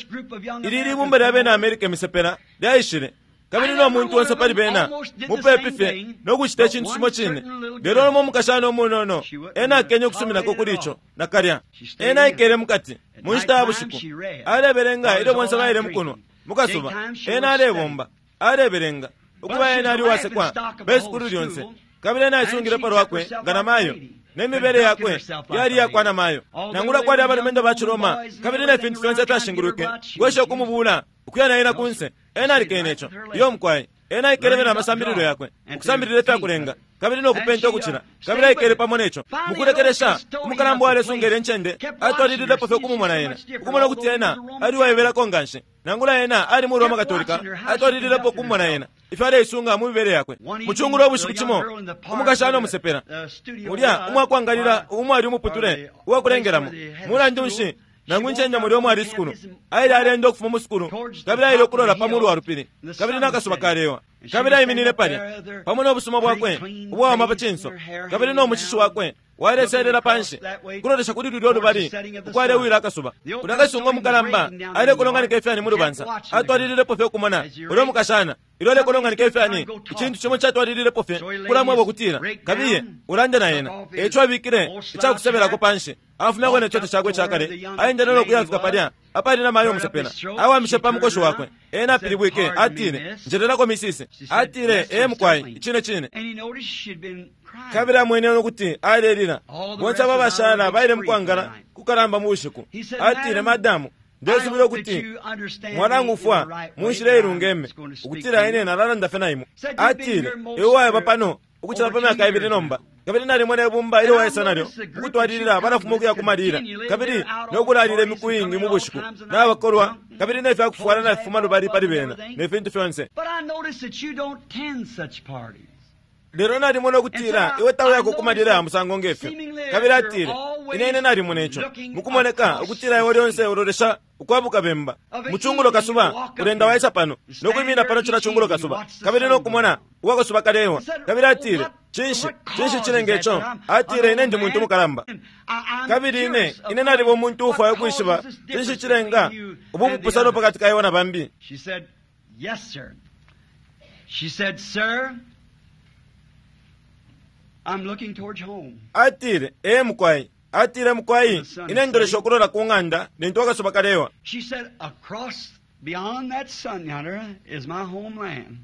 ili libumba lya bena Amerika imisepela lyaishile, kabili no muntu onse pali bena mupepi fye no kucita icintu cimo cine. Lelo lumo umukashana umunono ena akenye ukusuminako kuli ico nakalya. Ena aikele mukati mu nshita ya bushiku alebelenga ilyo bonse baile mukunwa mukasuba. Ena alebomba alebelenga ukuba ena ali uwasekwa be sukulu lyonse, kabili ena aisungile palwakwe nga namayo nemibele yakwe yali yakwa namayo. Nangula kwali abalumendo ba Ciroma kabili ne fintu fyonse fyashingulwike kwesha ukumubula ukuya naye na kunse, ena alikene ico. Iyo mukwai, ena aikelebe amasambililo yakwe, ukusambilila ifyakulenga kabili nokupenta ukucila, kabili aikele pamo neco. Mukulekelesha umukalamba uwalesungela incende atwalililepo fye ukumumona ena, ukumona ukuti ena ali uwaibelako nganshi. Nangula ena ali mu Roma Katolika, atwalililepo ukumumona ena ifyo aleisunga mu mibele yakwe. Mucungulo ubushiku cimo umukashana umusepela mulya umwakwangalila umwali umuputule uwakulengelamo, mulandu nshi nangu incende mulya umwali isukulu, aile alenda ukufuma mu sukulu, kabili aile ukulola pa mulu wa lupili, kabili n'akasuba kalewa, kabili aiminine palya pamo n'obusuma bwakwe ubwawama pa cinso, kabili n'omushishi wakwe waleselela panshi kulolesha kuli lulyo lubali ukwalewila akasuba. Kulya kasunga umukalamba aile kulonganika ifyani mu lubansa, atwalililepo fye ukumona ulya umukashana ilyo alekolonganika ifyani. Icintu cimo catwalililepo fye kulamweba ukutila, kabiye ulande na ena. Eico abikile icakusebelako panshi, afumyako ne coto cakwe icakale, aendele no kuyafika palya apali na mayo umusepela, awamishe pa mukoshi wakwe. Ena apilibwike atile, njelelako misisi. Atile, ee mukwai, icine cine. And he noticed she'd been crying. Kabili amwene nokuti alelila. Bonse aba bashala baile mukwangala kukalamba mu bushiku. Atile, madamu, ndesubila ukuti mwarangufwa mu nshila ilungeme ukutila ine nalalanda fye na imwe. Atile, iwe wayaba pano ukucila pa myaka ibili nomba, kabili nalimona ibumba ilyo waisa nalyo ukutwalilila balafuma ukuya kumalila kabili nokulalila imiku iingi mu bushiku nabakolwa, kabili ne fyakufwala nafifuma lubali pali bena ne fintu fyonse. But I noticed that you don't attend such parties. Lelo nalimona ukutila iwe tauyako kumalila ya musango ngefyo. Kabili atile, ine ine nalimona ico mukumoneka ukutila iwe lyonse ulolesha ukwabuka bemba muchungulo kasuba, ulenda waisa pano nokwimina pano cila chungulo kasuba, kabili nokumona uwakasuba kalewa. Kabili atile, cinshi cinshi chilenga ico? Atile, ine ndi muntu mukalamba, kabili ine ine naliba umuntu ufwaya ukwishiba cinshi chilenga ubu bupusano pakati ka iwe na bambi. She said, yes, sir. She said, sir, I'm looking towards home. Atile, ee mukwai. Atile, mukwai, ine ndolesha okulola ku ng'anda lintu akasuba kalewa. She said, across beyond that sun yonder is my homeland.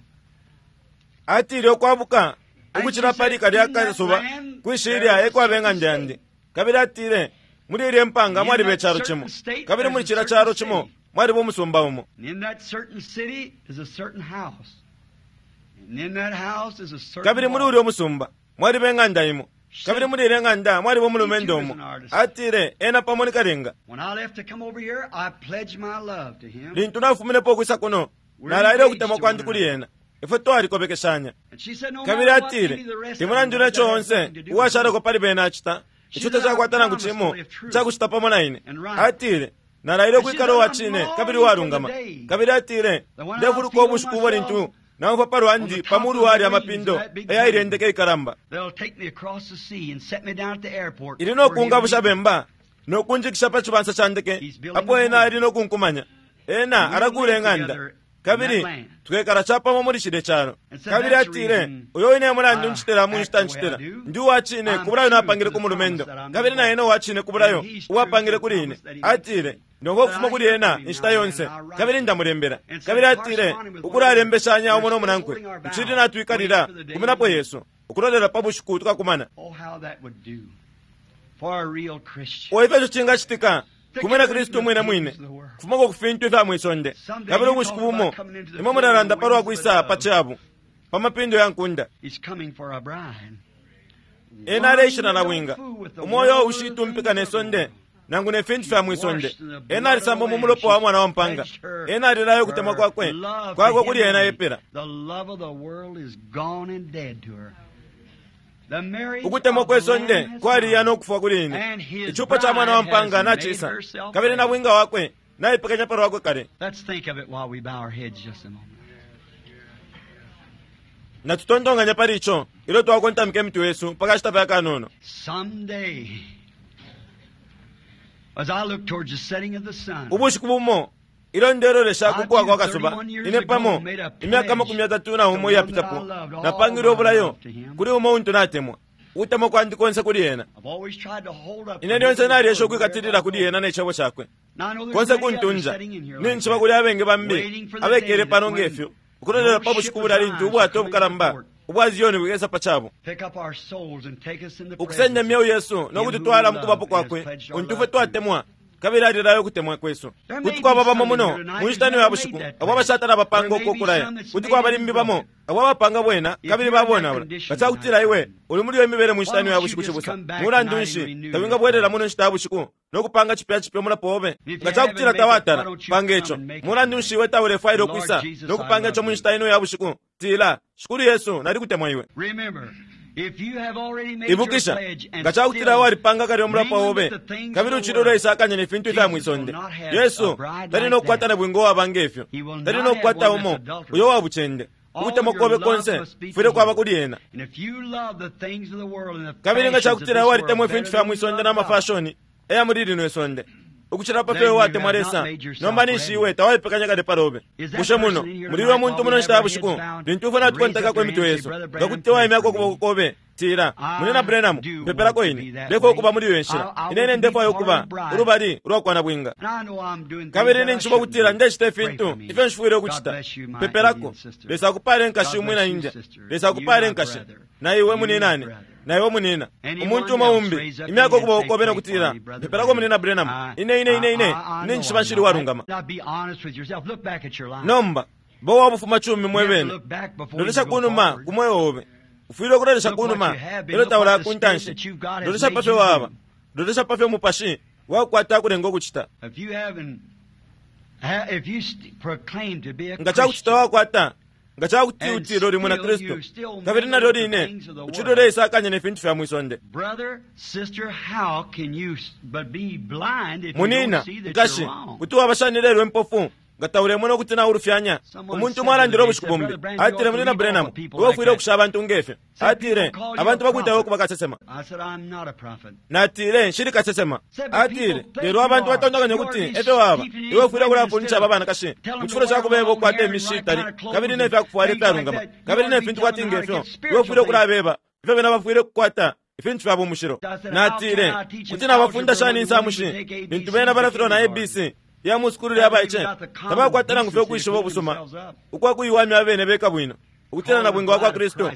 Atile, okwabuka ukuchila pali kalya kasuba kwishilya ekwaba eng'anda yandi. Kabili atile, muli ilya empanga mwaliba echalo chimo, kabili muli chila chalo chimo mwaliba umusumba umo. And in that certain city is a certain house. And in that house is a certain Kabili muli ulya umusumba mwaliba eng'anda imo, kabili muli ilya eng'anda mwaliba umulumendo umo. Atile, ena pamo ni kalenga. When I left to come over here, I pledged my love to him. Lintu nafuminepo ukwisa kuno, nalaile ukutemwa kwandi kuli ena. Ifwe twalikobekeshanya. And she said, no Kabili matter what atile, any of the rest of temulandu them neco that has onse nothing to do with uwashaleko pali bena acita, ico tacakwata nangu cimo cakucita pamo na ine. Atile, nalaile ukwikala uwa cine kabili uwalungama. Kabili atile, ndefuluka ubushiku ubo lintu naumfwa palwandi pamulu wali amapindo ayailendeke ikalamba. They'll take me across the sea and set me down at the airport. Ili nokungabusha bemba nokunjikisha pa chibansa cha ndeke apo ena ali nokunkumanya. Ena alakula eng'anda, kabili tukekala chapamo muli chile chalo. Kabili atile, uyo ine mulandu nchitela munchita nchitela ndi uwachine kubulayo napangile ku mulumendo, kabili na ena uwachine kubulayo uwapangile kuli ine. Atile, ndongo okufuma kuli ena inshita yonse, kabili ndamulembela. Kabili atile, ukulalembeshanya umo nomunankwe nchili natwikalila kuminapo Yesu ukulolela pa bushiku tukakumana. Oh, how that would do for a real Christian. Oifyo ico chingachitika kumwina Kristu mwine mwine kufumako kufintu ifya mwisonde. Kabili ubushiku bumo imwe mulalanda palwa kwisa pa chabu pa mapindo ya nkunda. He's coming for a bride. Ena aleishina na bwinga umoyo ushitumpika ne sonde nangu ne fintu fya mwisonde. Ena alisamba mu mulopo wa mwana wa mpanga. Ena alilayo kutemwa kwakwe kwakwe kuli ena yepela. The love of the world is gone and dead to her. The marriage Ukutemwa of the kwe sonde Lamb has kwaliya come. nokufwa kuli ine. And his Ichupo cha mwana wa bride mpanga has nachisa, made herself kabili na bwinga wakwe naipekanya palo wakwe kale. Let's think of it while we bow our heads just a moment. Natutontonganya pali ico ilyo twakontamika emitwe yesu mpaka cita fya kanono. Someday, as I look towards the setting of the sun, Ubushiku bumo ilyo ndelolesha kukuwa kwa kasuba, ine pamo imyaka makumi atatu na umo iyapitapo napangile obulayo kuli umo untu natemwa ukutemwa kwandi konse kuli ena. I've always tried to hold up Ine lyonse naliesha ukwikatilila kuli ena nechebo chakwe Now, I know there's konse many others kuntunja. sitting in here like Ninchiba that, kuli abenge bambi waiting for the abekele day that pano when ngefyo ukulolela pa no bushiku ship of bulya lintu Zion ubwato shall come into obukalamba port. ubwa Ziyoni bukesa pa chabo, Pick up our souls and take us in the ukusenda presence emyeu yesu nokututwala him who mu kubapo we love kwakwe and has pledged our untu love fwe twatemwa kabili alilayo ukutemwa kwesu. There may Kuti kwaba be bamo some muno here tonight mu nshita who's ino ya never bushiku made that abo abashatala bapanga There may be uko okulaya. some that's Kuti made kwaba it limbi and bamo broken. abo abapanga bwena If kabili you're in that babonaula. condition Nga tonight, iwe uli muli iyo imibele mu nshita why ino ya don't you bushiku just chibusa, come back mulandu tonight and nshi renew tawingabwelela your muno nshita ya bushiku nokupanga chipya chipya omulapo obe? If you Nga cakutila haven't made it, tawatala why don't you panga come ico, and make it mulandu nshi iwe taulefwaila Lord ukwisa Jesus, nokupanga I ico mu love nshita ino ya bushiku? Tila, Shikulu Yesu, nalikutemwa iwe. Remember, if you have already made your Ibukisha, pledge and nga cakutila still walipanga kale omulapo mingling obe with the things kabili of the uchili world, uleisakanya ne fintu ifya Jesus mwisonde, will not have Yesu a bride tali like nokukwata that. na bwinga uwaba ngefyo, He will tali not nokukwata have one umo that's adulterous. uyo wa bucende. All Ukutemwa your kobe love konse must be to kufwile kwaba him. kuli ena. And if you love the things of the world and the Kabili nga fashions of cakutila this walitemwa world ifintu better fya than you mwisonde love na God, mafashoni eya muli lino isonde ukuchila pa then fyo you watemwa have not Lesa, made yourself nomba ninshi ready. iwe tawaipekanya kale palobe. Is that Bushe muno person in here muliwe tonight muntu while muno we nshita have ya our bushiku heads bowed? lintu ifwe Raise natukontaka up your emitwe hand and yesu say, Brother Branham, nga kuti waimyako pray for ukuboko me. kobe, tila, I munina Branham, do mpepelako want to ine be that ndefwa ukuba way. muli iyo nshila. I- I Ine ine want to be ndefwayo part ukuba of the bride. ulubali ulwakwana bwinga. And I know I'm doing things Kabili that I ninchiba shouldn't kutila do. ndechita Pray ifintu for me. ifyo nshifwile God ukuchita. bless you, my Pepelako. Indian sister. Lesa akupale nkashi God umwina bless you, India. sister. Lesa akupale You, my nkashi brother. na iwe You, muninane my brother. na iwe munina. Anyone Umuntu umo else umbi raise up imyaka your hand ukuboko and say, kobe "Pray nokutila for me, Brother pepelako munina Branham." Branham. I- Ine ine ine ine I- I- I ine know nchiba I'm nshili not. walungama. Now be honest with yourself. Look back at your life. Nomba bo wabufuma chumi You mwe have to bene look back before you lolesha go kunuma forward. ku moyo obe. Ufwile ukulolesha Look what kunuma you have been. elo Look taula what the ku spirit ntanshi. that you've got has Lolesha made pa fyo you waba, do. lolesha pa fyo mupashi wakukwata kulenga ukuchita. If you haven't, ha- if you st- proclaim to be a Nga cakuchita Christian, wakwata, Nga cakuti utile uli mwina Kristu kabili nalyo line ucili uleisakanya ne fintu fya mwisonde. Munina, nkashi, kuti waba shani lelo impofu nga taulemona ukuti naulufyanya? Umuntu umo alandile ubushiku bumbi, atile, Munina Branham, iwe ufwile ukusha abantu ngefyo. Atile, abantu bakwita iwe ukuba kasesema. Natile, nshili kasesema. Atile, lelo abantu batontonkanya ukuti efyo waba, iwe ufwile ukulafundisha aba banakashi mu cifulo ca kubeba ukukwata imishi itali kabili ne fyakufwala ifyalungama kabili ne fintu kwati ngefyo. Iwe ufwile ukulabeba ifyo bena bafwile ukukwata ifintu fya bumushilo. Natile, kuti nabafunda shani insamushi lintu bena balafilwa na A B C ya musukulu lya baice? Tabakwata nangu fye ukwishiba ubusuma ukwa kuiwamya abene beka bwino ukutila na bwinga kwa Kristu.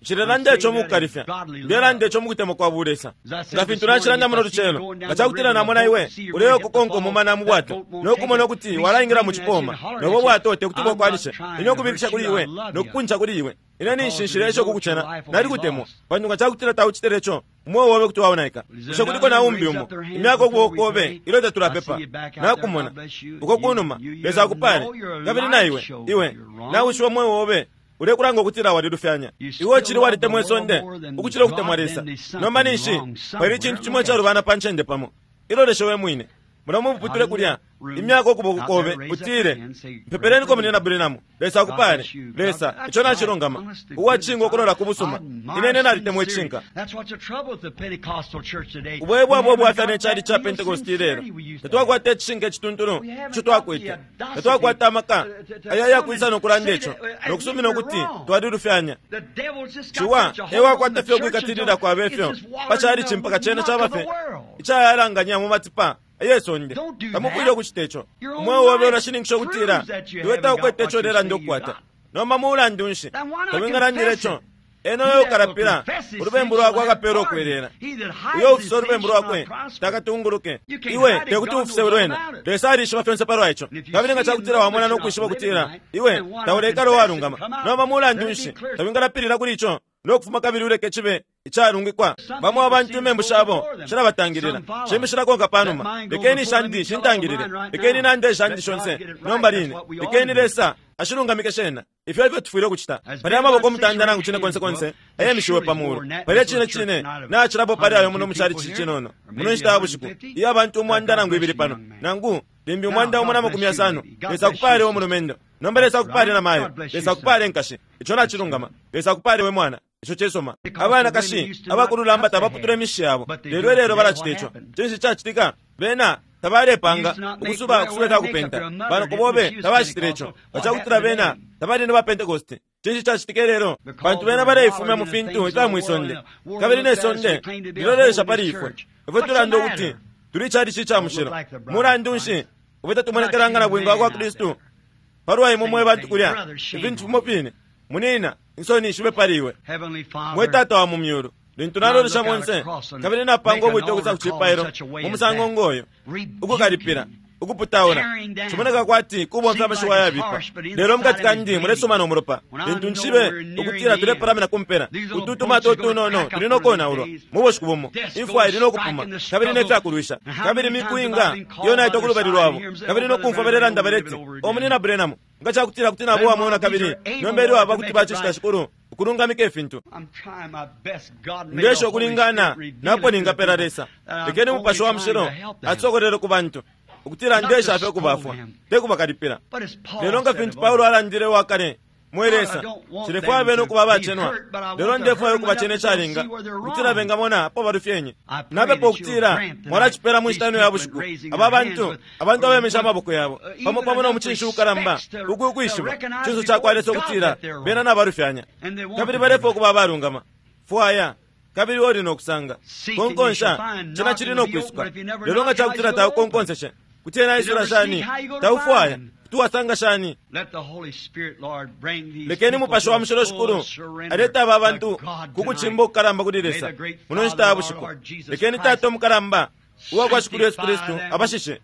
Nshilelanda ico mukukalifya, ndelanda ico mukutemwa kwa bulesa. Nga fintu nacilanda muno lucelo, nga cakutila namona iwe uleyo kukonka umumana mu bwato nokumona ukuti walaingila mu cipoma, nobo bwato tekuti bwakwanishe. Ine ukubikisha kuli iwe nokukunca kuli iwe, ine ninshi ico kukucena, nalikutemwa, pantu nga cakutila taucitile ico, umweo wobe kuti waonaika. Bushe kuliko na umbi umo imyaka ukuboko kobe ilyo tatulapepa? Nakumona uko kunuma, Lesa akupale. Kabili na iwe, iwe nawishiwa umweo wobe ulekulanga ukutila walilufyanya. Iwe uchili walitemwa isonde ukucila ukutemwa Lesa. Nomba ninshi pali icintu cimo icalubana pa ncende pamo. Iloleshe we mwine mula muputule kulya imyaka ukuboko kobe utile, mpepeleniko Munina Branham, Lesa akupale. Lesa, ico nacilungama, uwacinga ukulola ku busuma. Ine ine nalitemwa icinka. Ubwebo bwabo bwafya ne cali ca Pentecost lelo. Tatwakwata icishinka icituntulu ico twakwete. Tatwakwata amaka aya yakwisa nokulanda ico nokusumina ukuti twalilufyanya. Ciwa ewakwata fye ukwikatilila kwaba ifyo pa cali cimpaka cene caba fye icayalanganya mu matipa ayesonde. Tamufwile ukucita ico. Umweo wobe ulashininkisha ukutila iwe taukwete ico ulelanda ukukwata. Nomba mulandu nshi tawingalandila ico? Eno uyo ukalapila ulubembu lwakwe akapela ukwelela. Uyo ufisa ulubembu lwakwe takatunguluke. Iwe tekuti ufise lwena. Lesa alishiba fyonse palwa ico. Kabili nga cakutila wamona nokwishiba ukutila iwe taulekala uwalungama, nomba mulandu nshi tawingalapilila kuli ico nokufuma kabili uleke cibe icalungikwa? Bamo abantu imembu shabo shilabatangilila, shimbi shilakonka panuma. Lekeni shandi shintangilile, lekeni nande shandi shonse nomba line, lekeni Lesa ashilungamike shena. Ifyo ifyo tufwile ukucita. Pali amaboko mutanda nangu cine konse konse ayemishiwe pa mulu. Pali cine cine nacilapo pali ayo muno mucali cinono muno nshita ya bushiku iyo abantu umwanda nangu ibili pano nangu limbi umwanda umo na makumi yasano. Lesa akupale we mulumendo. Nomba Lesa akupale na mayo. Lesa akupale nkashi. Ico nacilungama. Lesa akupale we mwana. Ico cesoma. Abanakashi abakululamba tabaputula imishi yabo, lelo lelo balacita ico. Cinshi cacitika? Bena tabalepanga ukusuba ukusuba ifyakupenta. Banoko bobe tabacitile ico. Bacakutila bena tabali ne ba Pentecost. Cinshi cacitika lelo? Pantu bena baleifumya mu fintu ifya mwisonde, kabili ne sonde lilolesha pali ifwe. Ifwe tulanda ukuti tuli cali ca mushilo. Mulandu nshi ifwe tatumonekelanga na bwinga kwa Kristu palwa imwe mwe bantu kulya ifintu fimo fine? Munina, insoni shibe pali iwe. Mwe Tata wa mu myulu, lintu nalolesha monse kabili napanga ubwite ukusa kucipailo mu musango ngoyo, ukukalipila, ukuputaula, cimoneka kwati kubomfya amashiwi ayabipa, lelo mukati kandi mulesoma no mulopa. Lintu nshibe ukutila tulepalamina kumpela, utu tumato tunono tuli nokonaulwa mu bushiku bumo, imfwa ili nokupuma kabili nefyakulwisha. Kabili miku inga iyo naitwa kulubali lwabo kabili nokumfwa balelanda baleti, o Munina Branham, nga cakutila kuti nabo wamona kabili nomba ilyo aba kuti bacicita shikulu ukulungamika ifintu. Ndesha ukulingana napo ningapela Lesa. Lekeni Mupashi wa Mushilo atsokolele ku bantu ukutila ndesha fye ukubafwa, tekubakalipila. Lelo nga fintu Paulo alandile wakale, mwe Lesa, nshilefwaya bena ukuba abacenwa, lelo ndefwaya ukubacena icalinga ukutila bengamona apo balufyenye. Napepa ukutila mwalacipela mu nshita ino ya bushiku aba bantu, abantu abemisha amaboko yabo pamo pamo no mucinshi ukalamba uku ukwishiba cinso cakwa Lesa ukutila bena nabalufyanya kabili balefwaya ukuba abalungama. Fwaya kabili uli nokusanga. Konkonsha cena cili nokwisuka. Lelo nga cakutila taukonkonseshe, kuti ena aisula shani? Taufwaya kuti wasanga shani? Lekeni Mupashi wa Mushilo Shikulu aleta aba bantu ku kucimba ukukalamba kuli Lesa muno nshita ya bushiku. Lekeni Tata umukalamba uwa kwa Shikulu Yesu Kristu abashishe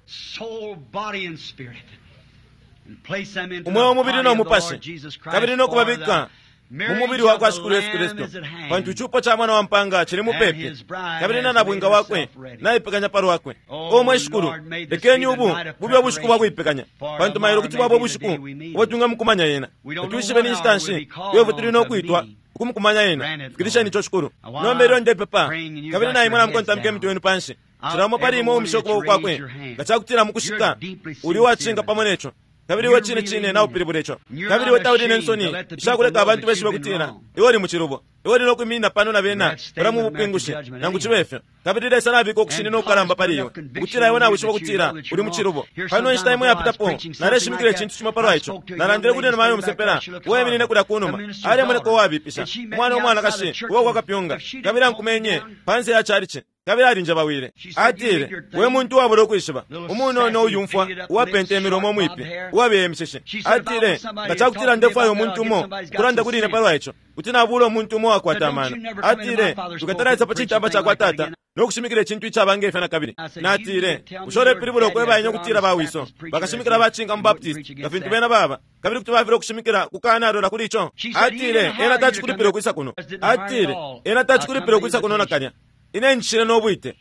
umweo, umubili no mupashi, kabili nokubabika mu mubili wa kwa Shikulu Yesu Kristu, pantu icupo ca mwana wa mpanga cili mupepi, kabili na nabwinga wakwe naipekanya pa lwakwe. O mwe Shikulu, lekeni ubu bube ubushiku bwa kuipekanya, pantu mailo kuti bwaba ubushiku ubo twingamukumanya yena. Tatwishibe ni nshita nshi iwe tuli no kwitwa ukumukumanya yena. Fikilisheni ico, Shikulu. Nomba ilyo ndepepa, kabili na imwe namukontamika imitwe yenu panshi, cilamo pali imwe umishe ukuboko kwakwe nga cakutila mukushika uli wacinga pamo neco, kabili iwe cine cine naupilibula ico, kabili iwe tauli nensoni ishakuleka abantu beshibe kutila iwe uli mucilubo, iwe uli nokwiminina pano na bena bala mu bupingushi, nangu cibe ifyo. Kabili Lesa nabika ukushinina ukukalamba pali iwe ukutila iwe nawishiba kutila uli mucilubo. Pano inshita imwe yapitapo naleshimikila icintu cimo palwa ico, nalandile kuli namayo umusepela uweminine kulya kunuma, alemoneka uwabipisha, umwana umwanakashi uwa kwa kapyunga, kabili ankumenye panse ya chalichi, kabili alinjabawile. Atile, we muntu uwabula ukwishiba, umunono uyumfwa uwapenta imilomo mwipi, uwabeye imishishi. Atile, nga cakutila ndefwaya umuntu umo ukulanda kuli ine palwa ico, kuti nabula umuntu umo wakwata amano. Atile, tukatalaisa pa citamba cakwa tata nokushimikila icintu icaba ngefyo na kabili. Natile, bushe ulepilibula ukweba ine ukutila bawiso bakashimikila bacinga mu Baptist nga fintu bena baba, kabili kuti bafila ukushimikila kukanalola kuli ico? Atile, ena tacikulipila ukwisa kuno. Atile, ena tacikulipila ukwisa kuno nakalya. Ine nshile nobwite.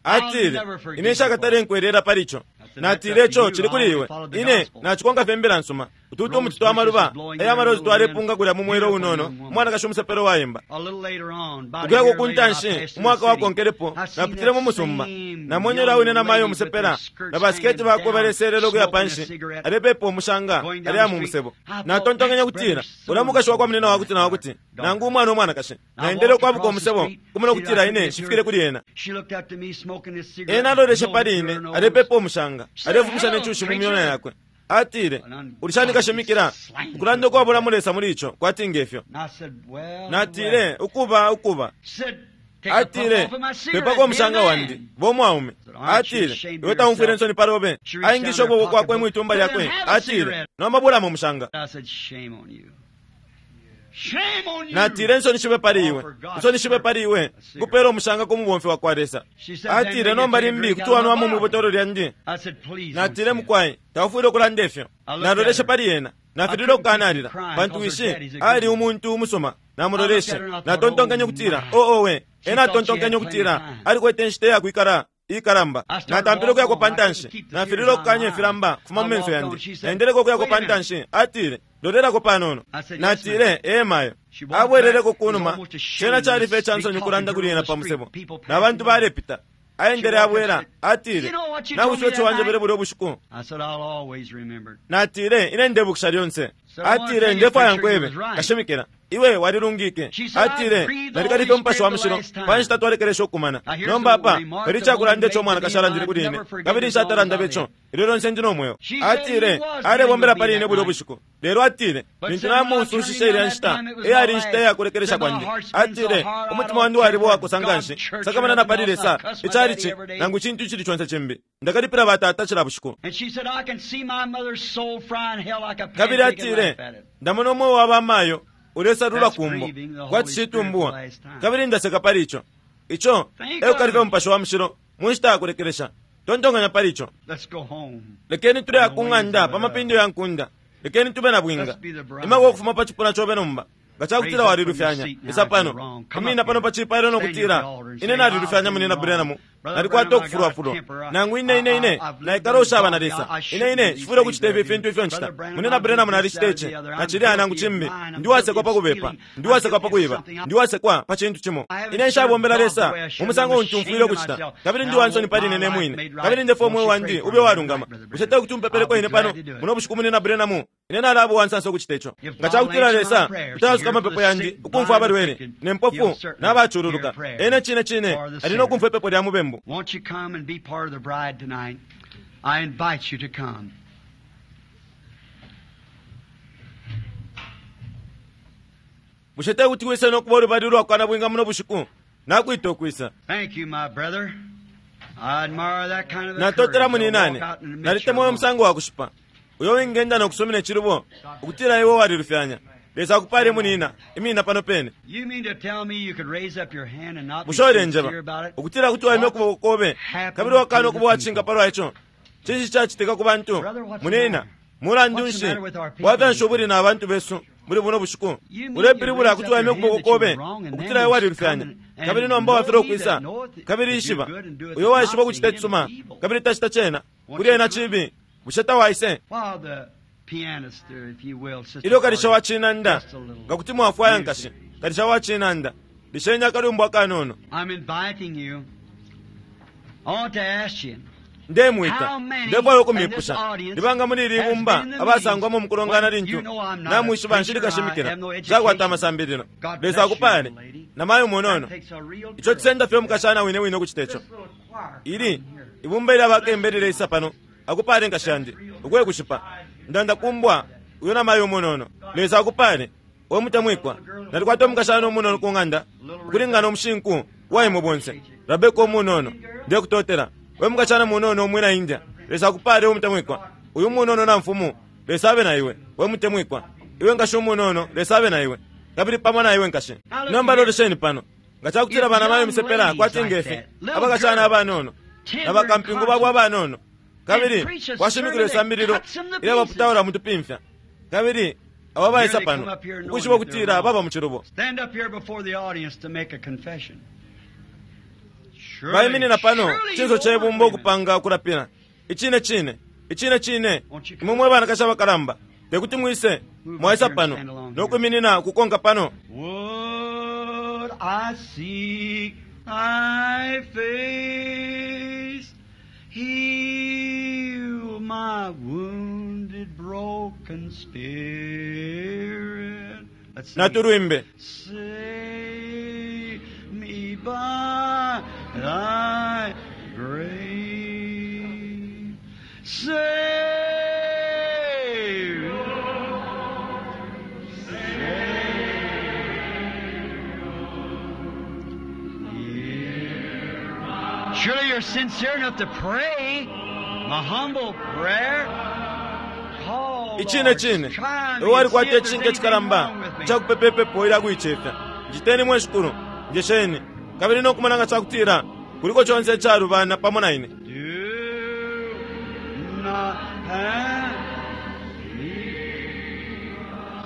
Atile, ine nshakatale nkwerera pali ico. Natile, ico cili kuli iwe. Ine nacikonka fye imbila nsuma. Ututu umuti twa maluba aya malozi twalepunga kulya mu mwelo unono, umwanakashi umusepelo wayemba. Ukuyako kuntanshi umwaka wakonkelepo napitile mu musumba, namwenye ulya wine namayo umusepela na basiketi bakwe baleselela ukuya panshi, alepepa umushanga aleya mu musebo. Natontonkenye kutila ulya mukashi wakwa munina wakuti na wakuti, nangu umwana umwanakashi. Naendele ukwabuka umusebo kumona ukutila ine nshifikile kuli ena. Ena aloleshe pali ine alepepa umushanga, alefumisha necushi mu myona yakwe. Atile, ulishani kashimikila ukulanda ukwabula mulesa muli ico kwati ngefyo. Natile, ukuba ukuba. Atile, pepako umushanga wandi bo mwaume. Atile, iwe taumfwile nsoni palobe. Aingisha ukuboko kwakwe mwitumba lyakwe. Atile, nomba bulamo umushanga. Natile, nsoni shibe pali iwe, nsoni shibe pali iwe, kupela umushanga ku mubomfi wa kwa Lesa. Atile, nomba limbi kuti wanwamo mwibotolo lyandi. Natile, mukwai taufwile ukulanda ifyo. Naloleshe pali yena, nafilile ukukanalila, pantu wishi ali umuntu umusuma. Namuloleshe, natontonkenye ukutila oo we. Ena atontonkenye ukutila alikwete inshita iyakwikala ikalamba. Natampile ukuyako pantanshi, nafilile ukukanya ifilamba kufuma mu menso yandi. Naendeleko ukuyako pantanshi. Atile, lolelako panono. Natile, ee mayo. Abweleleko kunuma, cena calife icansoni ukulanda kuli ena pa musebo, na bantu balepita. Aendele abwela. Atile, nawishiwe ico wanjebele bulya ubushiku? Natile, ine ndebukisha lyonse. Atile, ndefwaya nkwebe kashimikila, iwe walilungike. Atile, nalikalife umupashi wa mushilo pa nshita twalekelesha ukumana. Nomba apa pali icakulanda ico umwanakashi alandile kuli ine, kabili nshatalanda beco ilyo lyonse ndi no mweo. Atile, alebombela pali ine bulya ubushiku. Lelo atile, lintu namusushishe ilya nshita, eyali inshita iyakulekelesha kwandi. Atile, umutima wandi waliba uwakosa nganshi, sakamana na pali Lesa, icalici nangu icintu icili conse cimbi. Ndakalipila batata cila bushiku. Kabili atile, ndamona umweo wa bamayo ulesalula kumbo kwati citumbuwa, kabili ndaseka pali ico. Ico eukalife umupashi wa mushilo mu nshita yakulekelesha. Tontonkanya pali ico. Lekeni tuleya ku ng'anda pa mapindo ya nkunda. Lekeni tube na bwinga. Imako ukufuma pa cipuna cobe nomba nga cakutila walilufyanya, isa pano imina pano pa cipailo nokutila ine nalilufyanya munina Branham, nalikwata ukufulwafulwa, nangu ine ine ine naikala ushaba na Lesa, ine ine nshifwile ukucita ifi fintu ifyo ncita. Munina Branham nalicita ici nacilya nangu cimbi, ndi wasekwa pa kubepa, ndi wasekwa pa kuiba, ndi wasekwa pa cintu cimo. Ine nshabombela Lesa mu musango untu mfwile ukucita, kabili ndi wansoni pali ine ne mwine, kabili ndefwa umweo wandi ube walungama. Bushe te kuti umpepeleko ine pano muno bushiku, munina Branham? Ine nalaba uwansansa ukucita ico. Nga cakutila Lesa utayasuka amapepo yandi, ukumfwa abalwele ne mpofu n'abacululuka, ene cine cine ali no kumfwa ipepo lya mubembu. Won't you come and be part of the bride tonight? I invite you to come. Bushe te kuti wise nokuba ulubali ulwakwana bwinga muno bushiku? Nakwita ukwisa. Thank you, my brother. I admire that kind of a Natotela courage to muninane, walk out and admit nalitemwa you're wrong. umusango wa kushipa uyo wingenda nokusumina icilubo ukutila iwe walilufyanya. Lesa akupale munina, imina pano pene. You mean to tell me you could raise up your hand and not be Bushe ulenjeba sincere about it? ukutila kuti waimya ukuboko kobe kabili wakana ukuba wacinga palwa ico? Cinshi cacitika ku bantu munina? Mulandu nshi bwafya nshi ubuli na bantu besu muli buno bushiku? Ulepilibula kuti waimya ukuboko kobe ukutila iwe walilufyanya, kabili nomba wafilwa ukwisa. Kabili ishiba uyo waishiba ukucita icisuma kabili tacita cena, kuli ena cibi. Bushe tawaise? Ilyo kalisha wa cinanda, nga kuti mwafwaya nkashi, kalisha wa cinanda, lisheni akalumbo akanono. Ndemwita, ndefwaya ukumipusha libanga muli ili ibumba abasangwamo mukulongana lintu namwishiba nshili kashimikila, nshakwata amasambililo. Lesa akupale namayo munono. Ico cisenda fye umukashana wine wine ukucita ico. Ili ibumba ilya bakembe lileisa pano, akupale nkashi yandi, ukwe kushipa ndanda kumbwa uyo namayo munono. Lesa akupale we mutemwikwa. Nalikwata umukashana umunono ku ng'anda ukulingana umushinku waimwe bonse, Rabeka umunono. Ndekutotela we mukashana munono umwina India. Lesa akupale we mutemwikwa. Uyu munono na mfumu, Lesa abe na iwe we mutemwikwa. Iwe nkashi umunono, Lesa abe na iwe kabili pamo na iwe nkashi. Nomba lolesheni pano, nga cakutila bana mayo misepela kwati ngefi abakashana abanono na bakampingu babo abanono, kabili kwashimikila isambililo ilya baputaula mutupimfya, kabili abo baisa pano ukwishiba ukutila baba mu cilubo, baiminina pano cinso cebumba ukupanga ukulapila. Icine cine, icine cine, imwe mwe banakashi abakalamba tekuti mwise mwaisa pano nokwiminina ukukonka pano. Would I seek thy face, heal my wounded, broken spirit. Let's sing it. Natulwimbe. Save me by thy grace. Save, save. Surely you're sincere enough to pray my humble prayer. Call, Icine Lord, cine, try me iwe and see walikwata if there's icishinka anything cikalamba wrong with me. cakupepepepo ilya kuicefya. Njiteni mwe shikulu, njesheni kabili nokumona nga cakutila kuliko conse icalubana pamo na ine. Do not have me.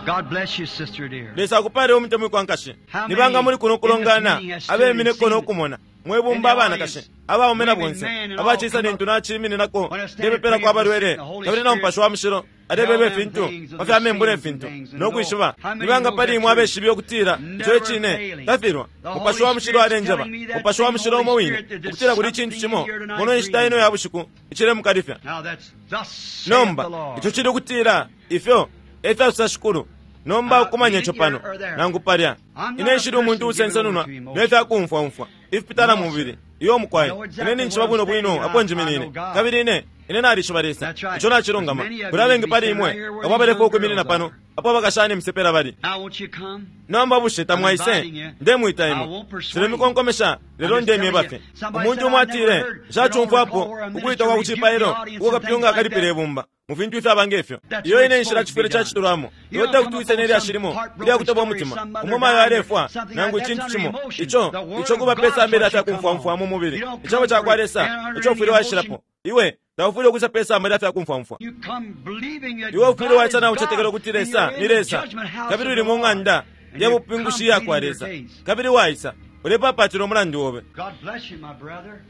God bless you, sister dear. Lesa akupale umutemwikwa nkashi. Nibanga muli kuno kulongana abemineko nokumona mwebumba abanakashi abaume na bonse abacisa lintu naciimininako ndepepelako abalwele kabili na Mupashi wa Mushilo alebeba ifintu pa fya membu ne fintu nokwishiba. Nibanga pali imwe abeshibe ukutila ico icine tafilwa? Mupashi wa Mushilo alenjeba, Mupashi wa Mushilo umo wine, ukutila kuli icintu cimo muno inshita ino ya bushiku icilemukalifya. Now that's thus saith Nomba the Lord. ico cili ukutila ifyo efyasosa Shikulu. Nomba ukumanya ico pano nangu palya. Ine nshili umuntu usensenunwa nefyakumfwaumfwa ifipitana mu mubili iyo mukwai. Ine ninjishiba bwino bwino apo njiminine, kabili ine ine nalishiba Lesa. Ico nacilungama. Kuli abengi pali imwe abo abaleka ukwiminina pano apo abakashana imisepela bali. Now won't you come? Nomba bushe tamwaise? Ndemwita imwe, nshilemikonkomesha, lelo ndemyeba fye. Umuntu umo atile, nshacumfwapo ukuita kwa kucipailo uko kapyunga akalipila ibumba mu fintu ifyaba ngefyo. Iyo ine nshila cifwile cacitulwamo. Iwe tekuti wise nelya shilimo ilya kutoba umutima umo mayo alefwa nangu icintu cimo ico ico kuba pe samba ilya fyakumfwamfwa mu mubili. Icebo cakwa Lesa ico ufwile waishilapo. Iwe taufwile ukwisa pe samba ilya fyakumfwamfwa. You come believing that Iwe ufwile God waisa is na ucetekela God, ukuti and Lesa you're in ni the Lesa, judgment house kabili of uli the mu Lord. ng'anda And ya you bupingushi come ya kwa pleading Lesa, your case. kabili waisa ulepapatila umulandu obe. God bless you, my brother,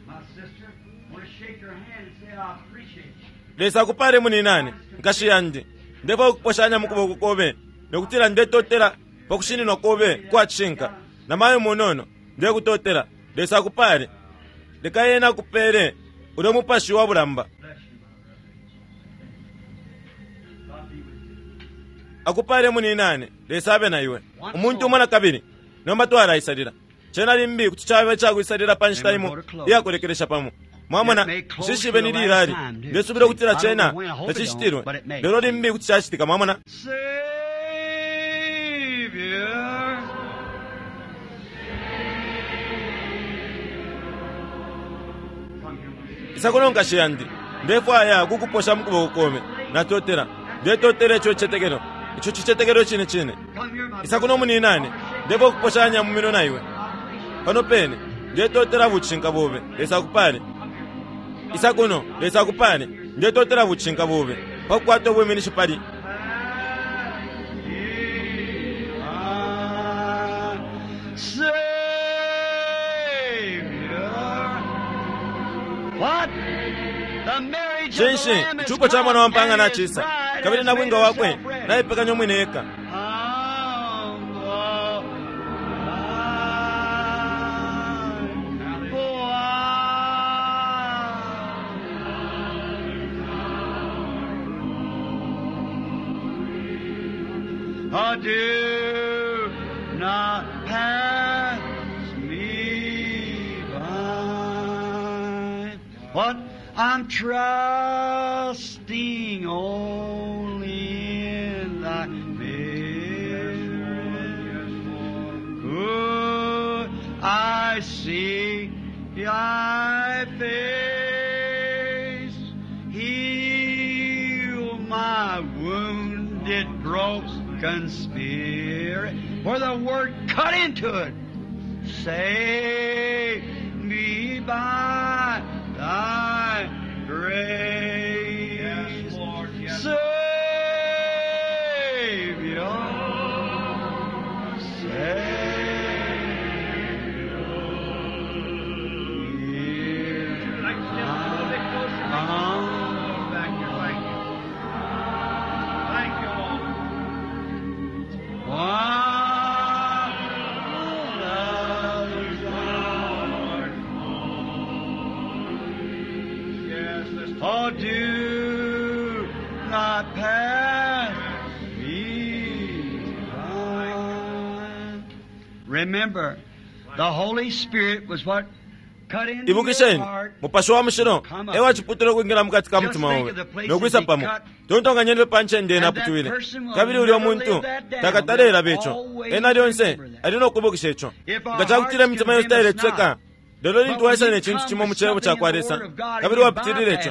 my sister. I want to shake your hand and say I appreciate you. Lesa akupale muninane nkashi yandi. Ndefwaya ukuposhanya mu kuboko kobe nokutila ndetotela pa kushininwa kobe kwa cishinka. Namayo munono, ndekutotela. Lesa akupale. Leka yena akupele ulyo mupashi wa bulamba. Bless you, my brother. God be with you. Akupale muninane. Lesa abe na iwe. Umuntu umo na kabili nomba twalaisalila cena limbi kuti caba icakuisalila pa nshita imo iyakulekelesha pamo. Mwamona, nshishibe ni lilali ndesubila ukutila cena tacishitilwe, lelo limbi kuti cacitika. Mwamona, Savior. Isa kuno nkashi yandi, ndefwaya kukuposha mu kuboko kome. Natotela, ndetotela ico cicetekelo, ico cicetekelo cine cine. Come here, my Isa kuno muninane, ndefwaya kuposhanya mu minwe na iwe pano pene. Ndetotela bucishinka bobe. Lesa akupale. Isa kuno. Lesa akupale. Ndetotela bucishinka bobe pakukwata ubwiminishi pali brother. Cinshi icupo cha mwana wa mpanga nachisa, kabili nabwinga wakwe naipekanya umwine eka. Oh, do not pass me by. What? I'm trusting only in thy miracle. I see thy face, heal my wounded, broken spirit. Where the word cut into it. Save me by thy grace. Yes, Lord, yes. Savior, Savior. Hear Like to step a little bit closer. my Back here, thank you. Thank you, Lord. Yes, let's Oh, do not pass me by. Remember, the Holy Spirit was what cut into your Ibukisheni heart. mupashi wa mushilo ewachiputula ukwingila mukati ka mutima obe nokwisa pamo tontonganyeni panchende naputwile kabili ulya muntu takatalelabe ico ena lyonse ali nokubukisha ico nga cakutila imitima yonse tailetsweka lelo lintu waisa ne cintu cimo mu cebo cakwa Lesa kabili wapitilile ico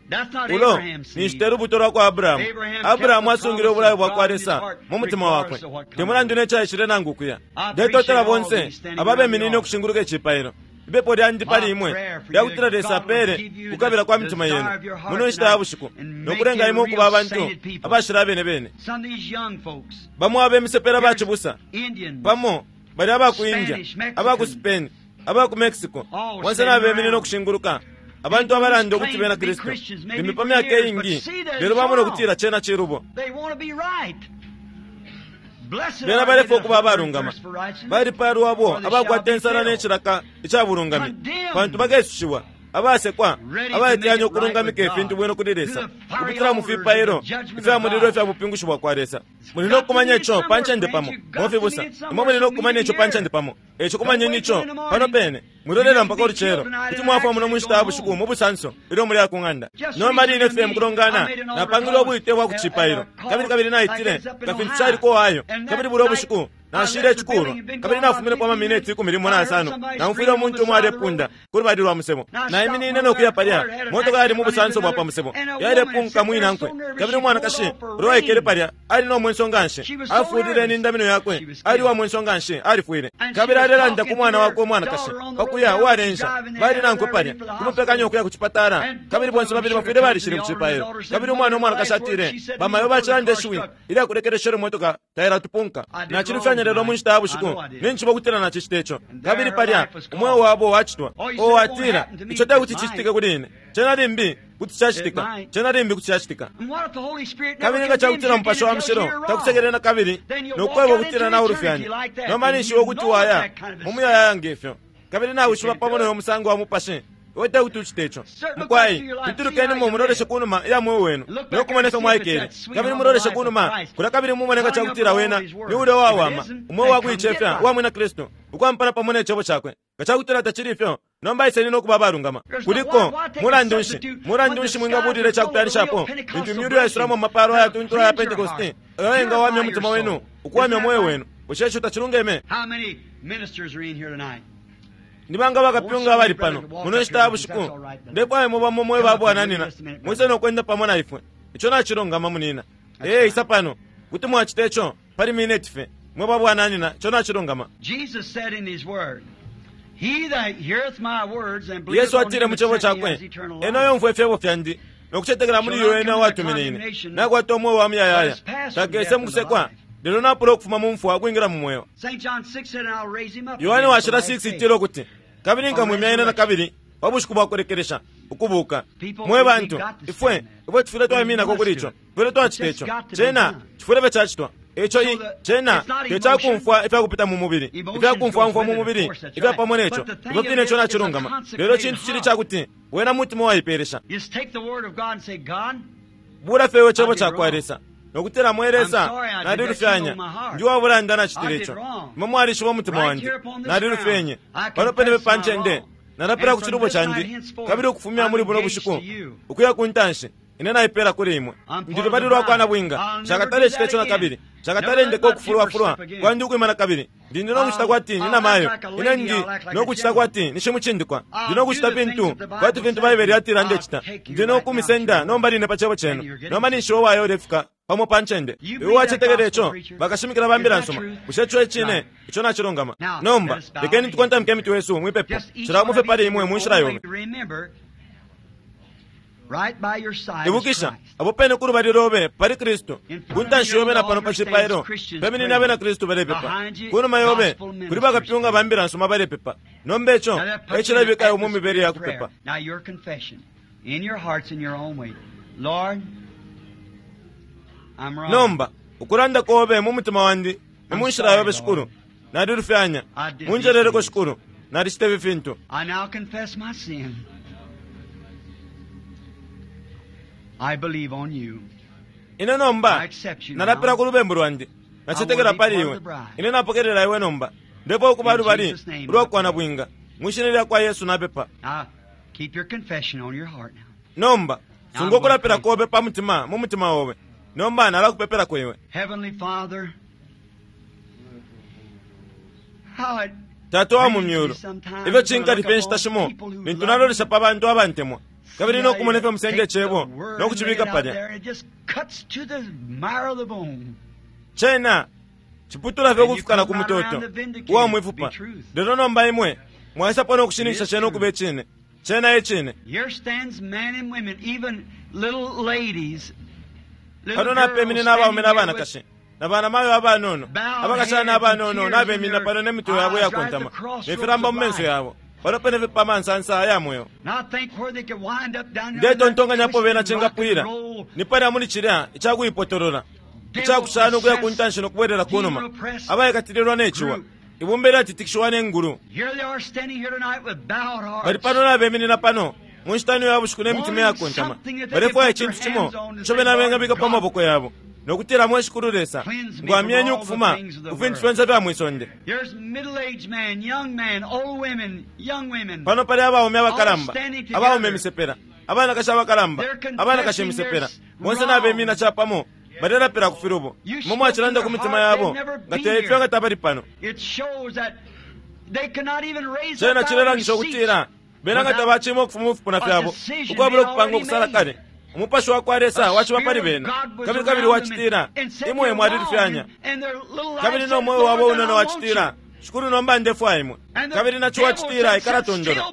That's not ulo Abraham's seed. ninshi te lubuto lwa Abrahamu. Abrahamu asungile ubulayo bwa kwa Lesa mu mutima wakwe, temulandu necaishile nangu kuya. Ndetotela bonse ababeminine ukushinguluka icipailo. Ipepo lyandi pali imwe lyakutila Lesa apele kukabila kwa mitima yenu muno nshita ya bushiku nokulenga imwe ukuba abantu abashila abene bene. Some of these young folks, Bamo abemisepela bacibusa Indians, pamo bali aba ku India, aba ku Spain, aba ku Mexico, bonse nabeminine ukushinguluka abantu abalanda ukuti bena Kristu limbi pa myaka iingi, lelo bamona ukutila cena cilubo. they want to be right. Blessed Bena are they balefwa that ukuba hunger and abalungama, thirst for righteousness, balipalwa for they abakwata shall be ensala filled. n'ecilaka ica bulungami, pantu bakesushiwa, abasekwa, abaiteyanya ukulungamika ifintu bwino kuli Lesa, ukupitila mu fipailo ifya mulilo ifya bupingushi bwa kwa Lesa. Muli nokumanya ico pa ncende pamo, mofibusa, imwe muli nokumanya ico pa ncende pamo, eco kumanyeni ico pano pene, mwilolela mpaka ulucelo, kuti mwafwa muno mu nshita ya bushiku mu busanso ilyo muli ku ng'anda. Nomba line fye mukulongana, napangile ubwite bwa ku cipailo, kabili kabili naitile nga fintu caliko Ohio, kabili bulya ubushiku nashile icikulwa, kabili nafumilepo amamineti ikumi limo na asano, naumfwile umuntu umo alepunda ku lubali lwa musebo. Naiminine nokuya palya, motoka yali mu busanso bwa pa musebo, yalepunka mwinankwe, kabili umwanakashi ulo waikele palya ali no mwenso nganshi, afulile n'indamino yakwe, ali wa mwenso nganshi, alifwile. Kabili alelanda ku mwana wakwe umwanakashi pakuya uwalensha, bali nankwe palya kumupekanya ukuya ku cipatala, kabili bonse babili bafwile balishile ku cipailo. Kabili umwana umwanakashi atile, bamayo bacilanda ishiwi ilyakulekeleshele motoka tailatupunka. Nachilufyanya lelo mu nshita ya bushiku ninchiba ukutila nachicita ico. Kabili palya umweo wabo wacitwa. O atila ico tekuti cicitike kuli ine, cena limbi kuti cacitika, cena limbi kuti cacitika. And what if the Holy Spirit never Kabili nga condemns cakutila you mupashi again wa and tells you mushilo you're wrong? takusekelela na kabili Then you'll nokweba walk out ukutila into nawe eternity ulufyanya. like that, Nomba and ninshi you ukuti know waya that kind of a mu muyayaya ngefyo, kabili nawishiba pamo noyo musango wa mupashi iwe tekuti ucite ico. Mukwai pitulukenimo muloleshe kunuma iya mweo wenu nokumona ifyo mwaikele, kabili muloleshe kunuma kulya, kabili mumone nga cakutila wena ni ulya wawama umweo wakuicefya uwa mwina Kristu ukwampana pamo ne cebo cakwe. Nga cakutila tacili ifyo, nomba iseni nokuba abalungama. Kuliko mulandu nshi, mulandu nshi mwingabulila icakupyanishapo lintu imyulu yaisulamo amapalo ayatuntula aya Pentekoste ayo yengawamya umutima wenu ukuwamya umweo wenu? Bushe ico tacilungeme? How many ministers are in here tonight? Ni banga bakapyunga abali pano muno nshita ya bushiku? Ndefwaya mubamo mwe babwananina mwise nokwenda pamo na ifwe. Ico nacilungama munina. Ee, isa pano kuti mwacita ico pali mineti fye, mwe babwananina, ico nacilungama. Jesus said in his word, He that heareth my words and believeth Yesu on atile him mu that cebo sent me cakwe, has eternal ena life. yomfwa ifyebo fyandi nokucetekela muli iyo ena watumine ine, nakwata umweo wa muyayaya, takese mukusekwa, lelo napula ukufuma mu mfwa ukwingila mu mweo. Saint John six said, and I'll raise him up Yohane again at the washila last six day. itila ukuti, kabili nkamwimya ine na kabili pa bushiku bwa kulekelesha, Ukubuka. Mwe bantu, ifwe ifwe tufwile twaiminako kuli ico, tufwile twacita ico. Cena cifwile fye cacitwa. Ico i cena tecakumfwa ifyakupita mu mubili, ifyakumfwamfwa mu mubili ifya pamo neco, ifyo fine ico nacilungama. Lelo cintu cili cakuti wena mutima waipeelesha. Bula fye iwe cebo cakwa Lesa nokutila, mwe Lesa, nalilufyanya, ndi wabulanda nacitile ico. Imwe mwalishiba umutima wandi, nalilufyenye. Pano pene pe pa ncende nalapila ku cilubo candi, kabili ukufumya muli buno bushiku ukuya ku ntanshi ine naipeela kuli imwe. Ndi lubali lwa kwa nabwinga. Nshakatale cita ico nakabili. Nshakatale ndeka ukufulwafulwa kwandi ukwima nakabili. Ndi ndi nokucita kwati ni namayo. Ine ndi nokucita kwati ni shimucindikwa. Ndi nokucita fintu kwati fintu Baibele yatila ndecita. Ndi nokumisenda nomba line pa cebo cenu. Nomba ninshi uo wayo ulefika pamo pa ncende. Iwe wacetekela ico, bakashimikila ba mbila nsuma. Bushe ico e cine? Ico nacilungama. Nomba lekeni tukontamike imitwe yesu mwipepo, cila umo fye pali imwe mu nshila yobe. Ibukisha, apo pene ku lubali lobe pali Kristu. Ku ntanshi yobe na pano pa cipailo peminine abena Kristu balepepa. Ku numa yobe kuli bakapyunga ba mbila nsuma balepepa. Nomba ico e cilabika iwe mu mibele ya kupepa. Nomba ukulanda kobe mu mutima wandi ni mu nshila yobe, Shikulu, nalilufyanya. Munjeleleko, Shikulu, nalicita ifi fintu. Ine nomba nalapila ku lubembu lwandi, nacetekela pali iwe. Ine napokelela iwe nomba, ndipo ukuba lubali ulwa kwa nabwinga. Mwishina lya kwa Yesu napepa. Nomba sunga ukulapila kobe pa mutima, mu mutima obe. Nomba nalakupepelako iwe. Tata wa mu myulu, ifyo cinkalipa inshita shimo lintu nalolesha pa bantu abantemwa, kabili nokumona ifyo musenda icebo nokucibika palya. Cena ciputula fye ukufika na ku mutoto uwa mwifupa. Lelo nomba imwe mwaisapo nokushininkisha cena ukuba icine. Cena e cine. Pano napeminina abaume na banakashi na banamayo abanono, abakashana abanono nabeminina pano ne mitwe yabo iyakontama ne filamba mu menso yabo, pano pene fye pa mansansa aya mweo. Ndetontonkanyapo bena cingapwila ni palya muli cilya icakuipotolola icakushana ukuya ku ntanshi no kubwelela ku numa, abaikatililwa ne ciwa, ibumba ilyatitikishiwa ne ngulu. Bali pano nabeminina pano mu nshita ino ya bushiku ne mitima iyakontama, balefwaya icintu cimo ico bena bengabika pa maboko yabo nokutila, mwe Shikulu Lesa, ngwamyeni ukufuma ku fintu fyonse fya mwisonde. Pano pali abaume abakalamba, abaume imisepela, abanakashi abakalamba, abanakashi imisepela, bonse nabemina capamo balelapila ku filubo. Imwe mwacilanda ku mitima yabo nga teifyo nga tabali pano. Cena cilelangisha ukutila bena nga tabacima ukufuma mu fipuna fyabo ukwabula ukupanga ukusala kale. Umupashi wa kwa Lesa waciba pali bena, kabili kabili wacitila, imwe mwalilufyanya. Kabili no mweo wabo unono wacitila, Shikulu, nomba ndefwaya imwe. Kabili naco wacitila, ikala tondolo.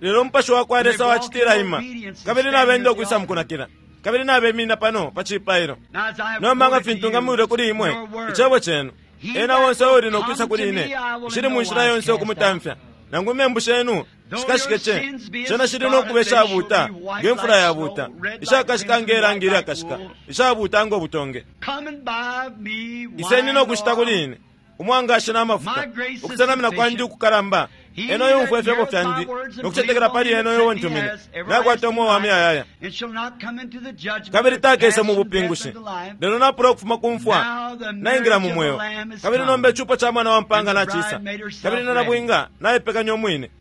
Lelo umupashi wa kwa Lesa wacitila, ima. Kabili nabenda ukwisa mukunakila, kabili nabeminina pano pa cipailo. Nomba nga fintu ngamwile kuli imwe icebo cenu, ena onse uuli nokwisa kuli ine, nshili mu nshila yonse ukumutamfya. Nangu imembu shenu shikashike ce, cena shili nokuba ishabuuta nge mfula yabuuta, ishakashika nge rangi ilyakashika, ishabuuta ngo butonge. Iseni nokushita kuli ine umwangashi n'amafuta, ukusenamina kwandi ukukalamba. Ena uyumfwa ifyebo fyandi nokucetekela pali ena uyo untumine, nakwata umweo wa muyayaya, kabili takese mu bupingushi, lelo napula ukufuma ku mfwa naingila mu mweo. Kabili nomba icupo ca mwana wa mpanga nacisa, kabili na nabwinga naipekanya umwine.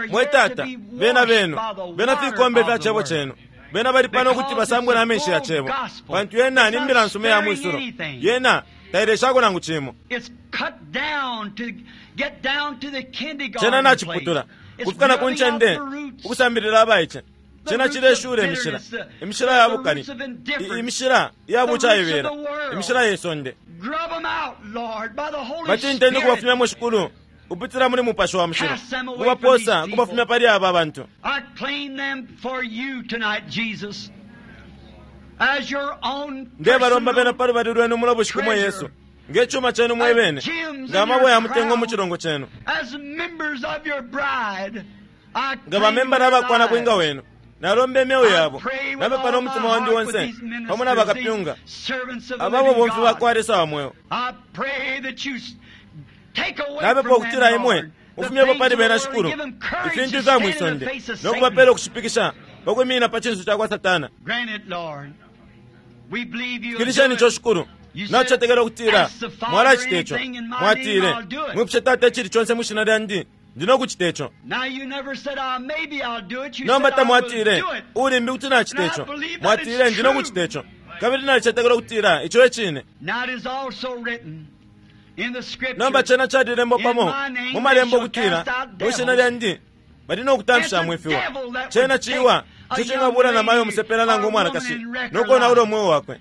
Mwe Tata, bena benu, bena fikombe fya cebo cenu. Bena bali pano ukuti basambwe na menshi ya cebo, pantu yena ni mbila nsuma ya mwisulo. Yena taileshako nangu cimo. Cena naciputula kufika na ku ncende ukusambilila abaice. Cena cileshula imishila, imishila ya bukali, imishila ya bucaibela, imishila ye sonde. Bacinteni ukubafumyamo, Shikulu, upitila muli Mupashi wa Mushilo, kubaposa kubafumya pali aba bantu. Ndebalomba bena pa lubali lwenu muno bushiku, mwe Yesu, Nge chuma chenu mwebene, nga mabwe ya mutengo mu chilongo chenu, nga bamembala abakwana bwinga wenu, nalomba emyeo yabo, napepa n'omutima wandi wonse, pamo n'abakapyunga, ababo bomfi bakwa Lesa wa mweo. Napepa ukutila imwe mufumyepo pali bena shikulu ifintu ifya mwisonde nokubapela okushipikisha pakwimina pa chinso chakwa Satana. Fikilisheni icho shikulu, nakuchetekela ukutila mwalachita icho. Mwatile mwipushe Tata echili chonse mwishina lyandi, ndinokuchita icho. Nomba tamwatile ulimbi kuti nachita icho, mwatile ndinokuchita icho, kabili nalichetekela ukutila icho echine. Nomba chena chalilembo pamo mu malembo ukutila mwishina lyandi bali nokutamfisha mwifiwa. Chena chiwa icho chingabula na mayo musepela nangu umwanakashi nokonaula omwoyo wakwe.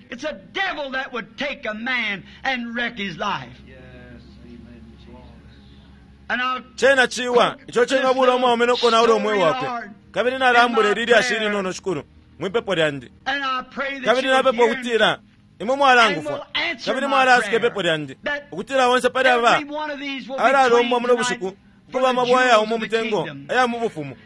Chena chiwa icho chingabula omwaume nokonaula omwoyo wakwe. Kabili nalambula ililyashi ilinono shikulu mwipepo lyandi, kabili napepa ukutila imwe mwalangufwa kabili mwalasika ipepo lyandi, ukutila onse pali aba alalombwa muno bushiku kuba amabwe ayaumo mutengo aya mu bufumu.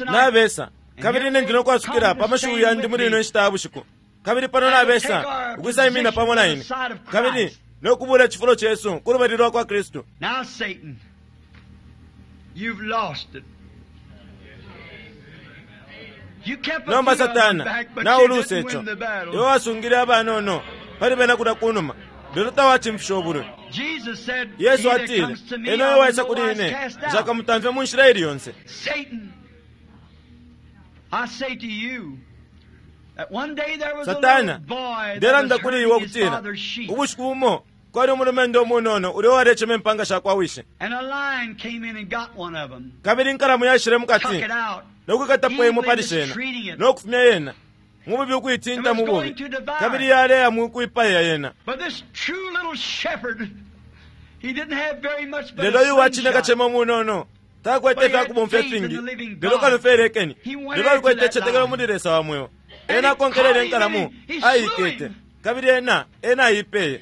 Nabesa kabili ine ndino kwasukila pa mashiwi yandi muli ino nshita ya bushiku, kabili pano nabesa ukwisaimina pamo na ine kabili nokubula icifulo cesu ku lubali lwa kwa Kristu. Nomba Satana nauluse ico, iwe wasungile abanono pali bena kulya kunuma, lelo tawachimfisha obulwe. Yesu atile, eno uyo waisa kuli ine nshakamutamfye mu nshila ili yonse. Satana, ndelanda kuli iwe ukutila ubushiku bumo kwali umulumendo umunono ulio walechema impanga sha kwa wishe, kabili inkalamu yaishile mukati nokwikatapo imwe pali shena nokufumya yena mububi ukuitinta mububi, kabili yaleya mukuipaya yena. Lelo uyu wachine kachema umunono takwete ifyakubomfya ifingi, lelo kano elekeni, lelo alikwete ichetekelo muli Lesa wa mweo. Ena akonkelele inkalamu ayikete, kabili ena ena ayipeye.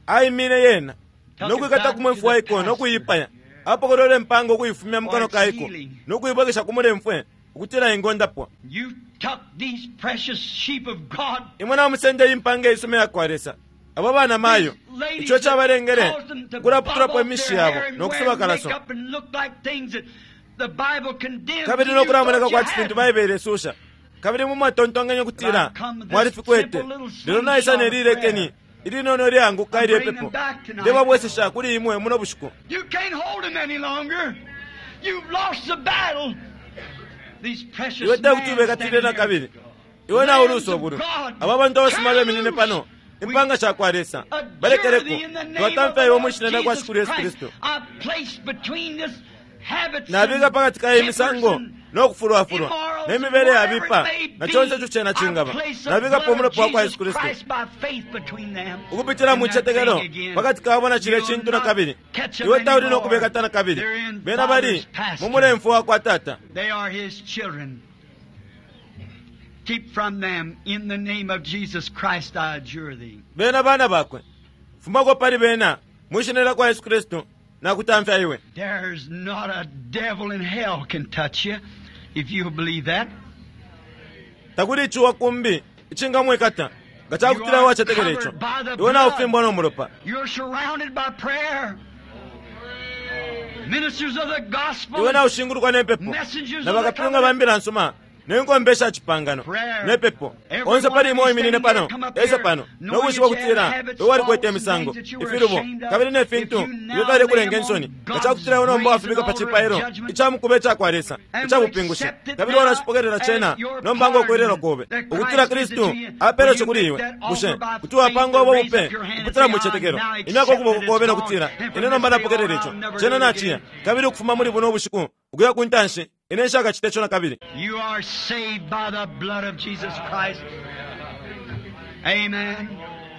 Aimine yena nokwikata kumwefu waiko nokuipaya, apokolole impanga ukuifumya mukano kaiko nokuibwekesha kumulemfwe ukutila ingondapwa. Imwe namusende impanga isuma yakwa Lesa abo bana mayo icho chabalengele kulaputulapo emishi yabo nokusuba kalaso, kabili nokulamoneka kwati fintu Baibele isusha, kabili mumwatontonkanya ukutila mwalifikwete. Lelo naisa nelilekeni ilinono lyanguka ilyepepo ndebabwesesha kuli imwe muno bushiku. Iwe tekuti ubekatile na kabili, iwe naulusa obulwe. Abo bantu abasuma beminine pano impanga shakwa Lesa balekeleko, twatamfya iwe mwishina lyakwa Shikulu Yesu Kristu. Nabika pakati ka imisango nokufulwafulwa nemibele yabipa na chonse icho chena chingaba, nabikapo umulopa wakwa Yesu Kristu ukupitila mwichetekelo pakati kabo na chile chintu na kabili. Iwe tauli nokubekata na kabili, bena bali mu mulemfu wakwa Tata. Bena bana bakwe, fumako pali bena mwishina lyakwa Yesu Kristu nakutamfya iwe. There's not a devil in hell can touch you if you believe that. Takuli ichiwa kumbi ichingamwikata nga chakutila wachetekela icho. Iwe naufimbwa nomulopa. You're surrounded by prayer. Ministers of the gospel. Iwe naushingulukwa nepepo na bakapyunga ba mbila nsuma nenkombe sha chipangano nepepo. Onse pali imwe oiminine pano esa pano nokushiba ukutila iwe walikwete imisango ifilubo kabili ne fintu iwe fyalekulenga insoni nga chakutila iwe nomba wafibika pa chipailo ichamukuba icakwa Lesa icabupingushi, kabili walachipokelela chena nomba nga okwerera kobe ukutila Kristu apele icho kuli iwe. Bushe kuti wapanga obo bupe kupitila mwichetekelo imyaka okuboko kobe nokutila ine nomba napokelela icho chena nachiya, kabili ukufuma muli buno ubushiku ukuya ku ntanshi ine nshakachita icho na kabili. You are saved by the blood of Jesus Christ. Amen.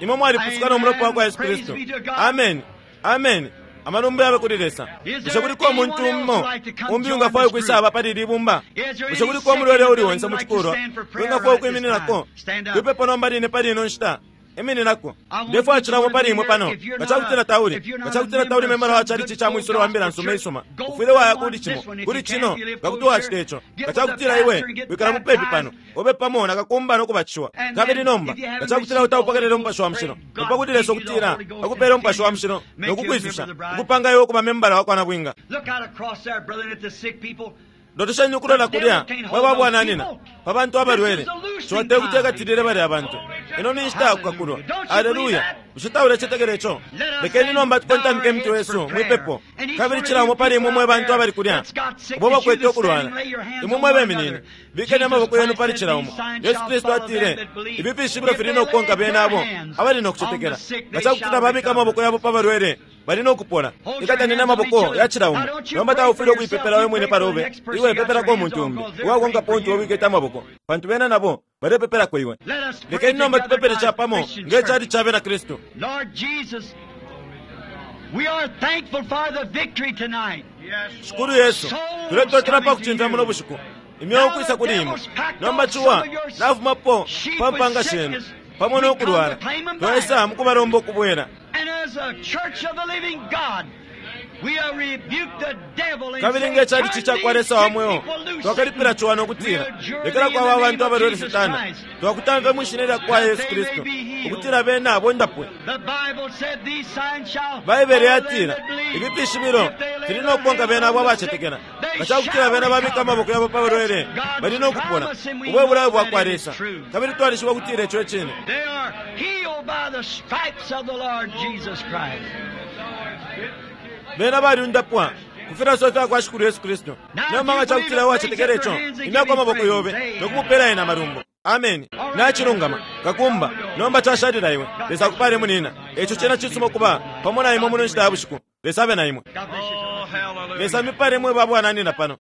Imwe mwalipusuka nomulopa wakwa Yesu Kristu. Amen. Amen. Amalumbo yabe kuli Lesa. Bushe kuliko umuntu umo umbi ungafwaya ukwisaba pali ili bumba? Bushe kuliko umulwele uli onse mu cikulwa wingafwaya ukwimininako kwipepo nomba line pali ino nshita? Imininako. Ndefwaya cilamo pali imwe pano. Nga cakutila tauli, nga cakutila tauli membala wa chalichi cha mwisolo wa mbila nsuma isuma, ufwile waya kuli cimo, kuli cino, nga kuti wacita ico. Nga cakutila iwe wikala mupepi pano, ube pamo na kakumba no kubatishiwa. Kabili nomba, nga cakutila utaupokelela Umupashi wa Mushilo, upa kuti Lesa ukutila akupele Umupashi wa Mushilo no kukwisusha, ukupanga iwe ukuba membala wa kwa nabwinga. Look out across there, brethren, at the sick people. Lolesheni ukulola kulya mwebabwananina pa bantu abalwele. Ciwa tekuti ekatilile balya abantu. Ino ni nshita yakukakulwa. Aleluya! Bushe taulecetekela ico? Lekeni nomba tukontamike imitwe yesu mwipepo. Kabili cila umo pali imwe mwe bantu abali kulya ubo bakwete ukulwala, imwe mwe beminine, bikeni amaboko yenu pali cila umo. Yesu Kristu atile, ifi fishibilo fili no kukonka bena abo abali no kucetekela. Nga cakutila babika amaboko yabo pa balwele, bali no kupola. Ikataneni amaboko ya cila umo. Nomba taufwile ukuipepela we mwine palobe, iwe pepelako umuntu umbi uwakonkapo untu wikete amaboko, pantu bena nabo balepepelako iwe. Let us pray Lekeni nomba together tupepele now as capamo Christian nge church. cali ca bena Kristu. Lord Jesus, we are thankful for the victory tonight. Shikulu Yesu, tuletotela pa kucimfya muno bushiku. Imyeo kwisa kuli imwe. Nomba ciwa nafumapo pa mpanga shenu pamo no kulwala, twaisa mukubalomba ukubwela. And as a church of the living God, we are rebuke the devil and Kabili say, nge calichi "Turn ca kwa these Lesa wa sick mweo, people loose, twakalipila Satan. ciwa no We kutila adjure lekela thee in kwaba the abantu name of abalwele Jesus Satana. Christ. Twakutamfe mwishina lya kwa Yesu Kristu ukutila bena abondapwe. The Bible said these signs shall Baibele follow them yatila that believe. ifi fishibilo If they lay fili their no kukonka hands bena abo on the abacetekela. sick, they Nga cakutila shall bena babika recover. amaboko yabo pa balwele, That's bali no God's kupola. promise, and we Ubwe bulayo know bwa that kwa it is Lesa. true. Kabili twalishiba kutila ico ecine. They are healed by the stripes of the Lord Jesus Christ. Bena baliundapwa kufilaso fya kwa Shikulu Yesu Kristu. Nomba nga cakutila wacetekela ico, imyako amaboko yobe no kumupela ena amalumbo. Ameni. Nachilungama kakumba nomba cashalila iwe. Lesa akupale munina. Ico cena cisuma ukuba pamo na imwe muno nshita ya bushiku. Lesa abe na imwe. God bless you. Lesa mipale mwe babwananina pano.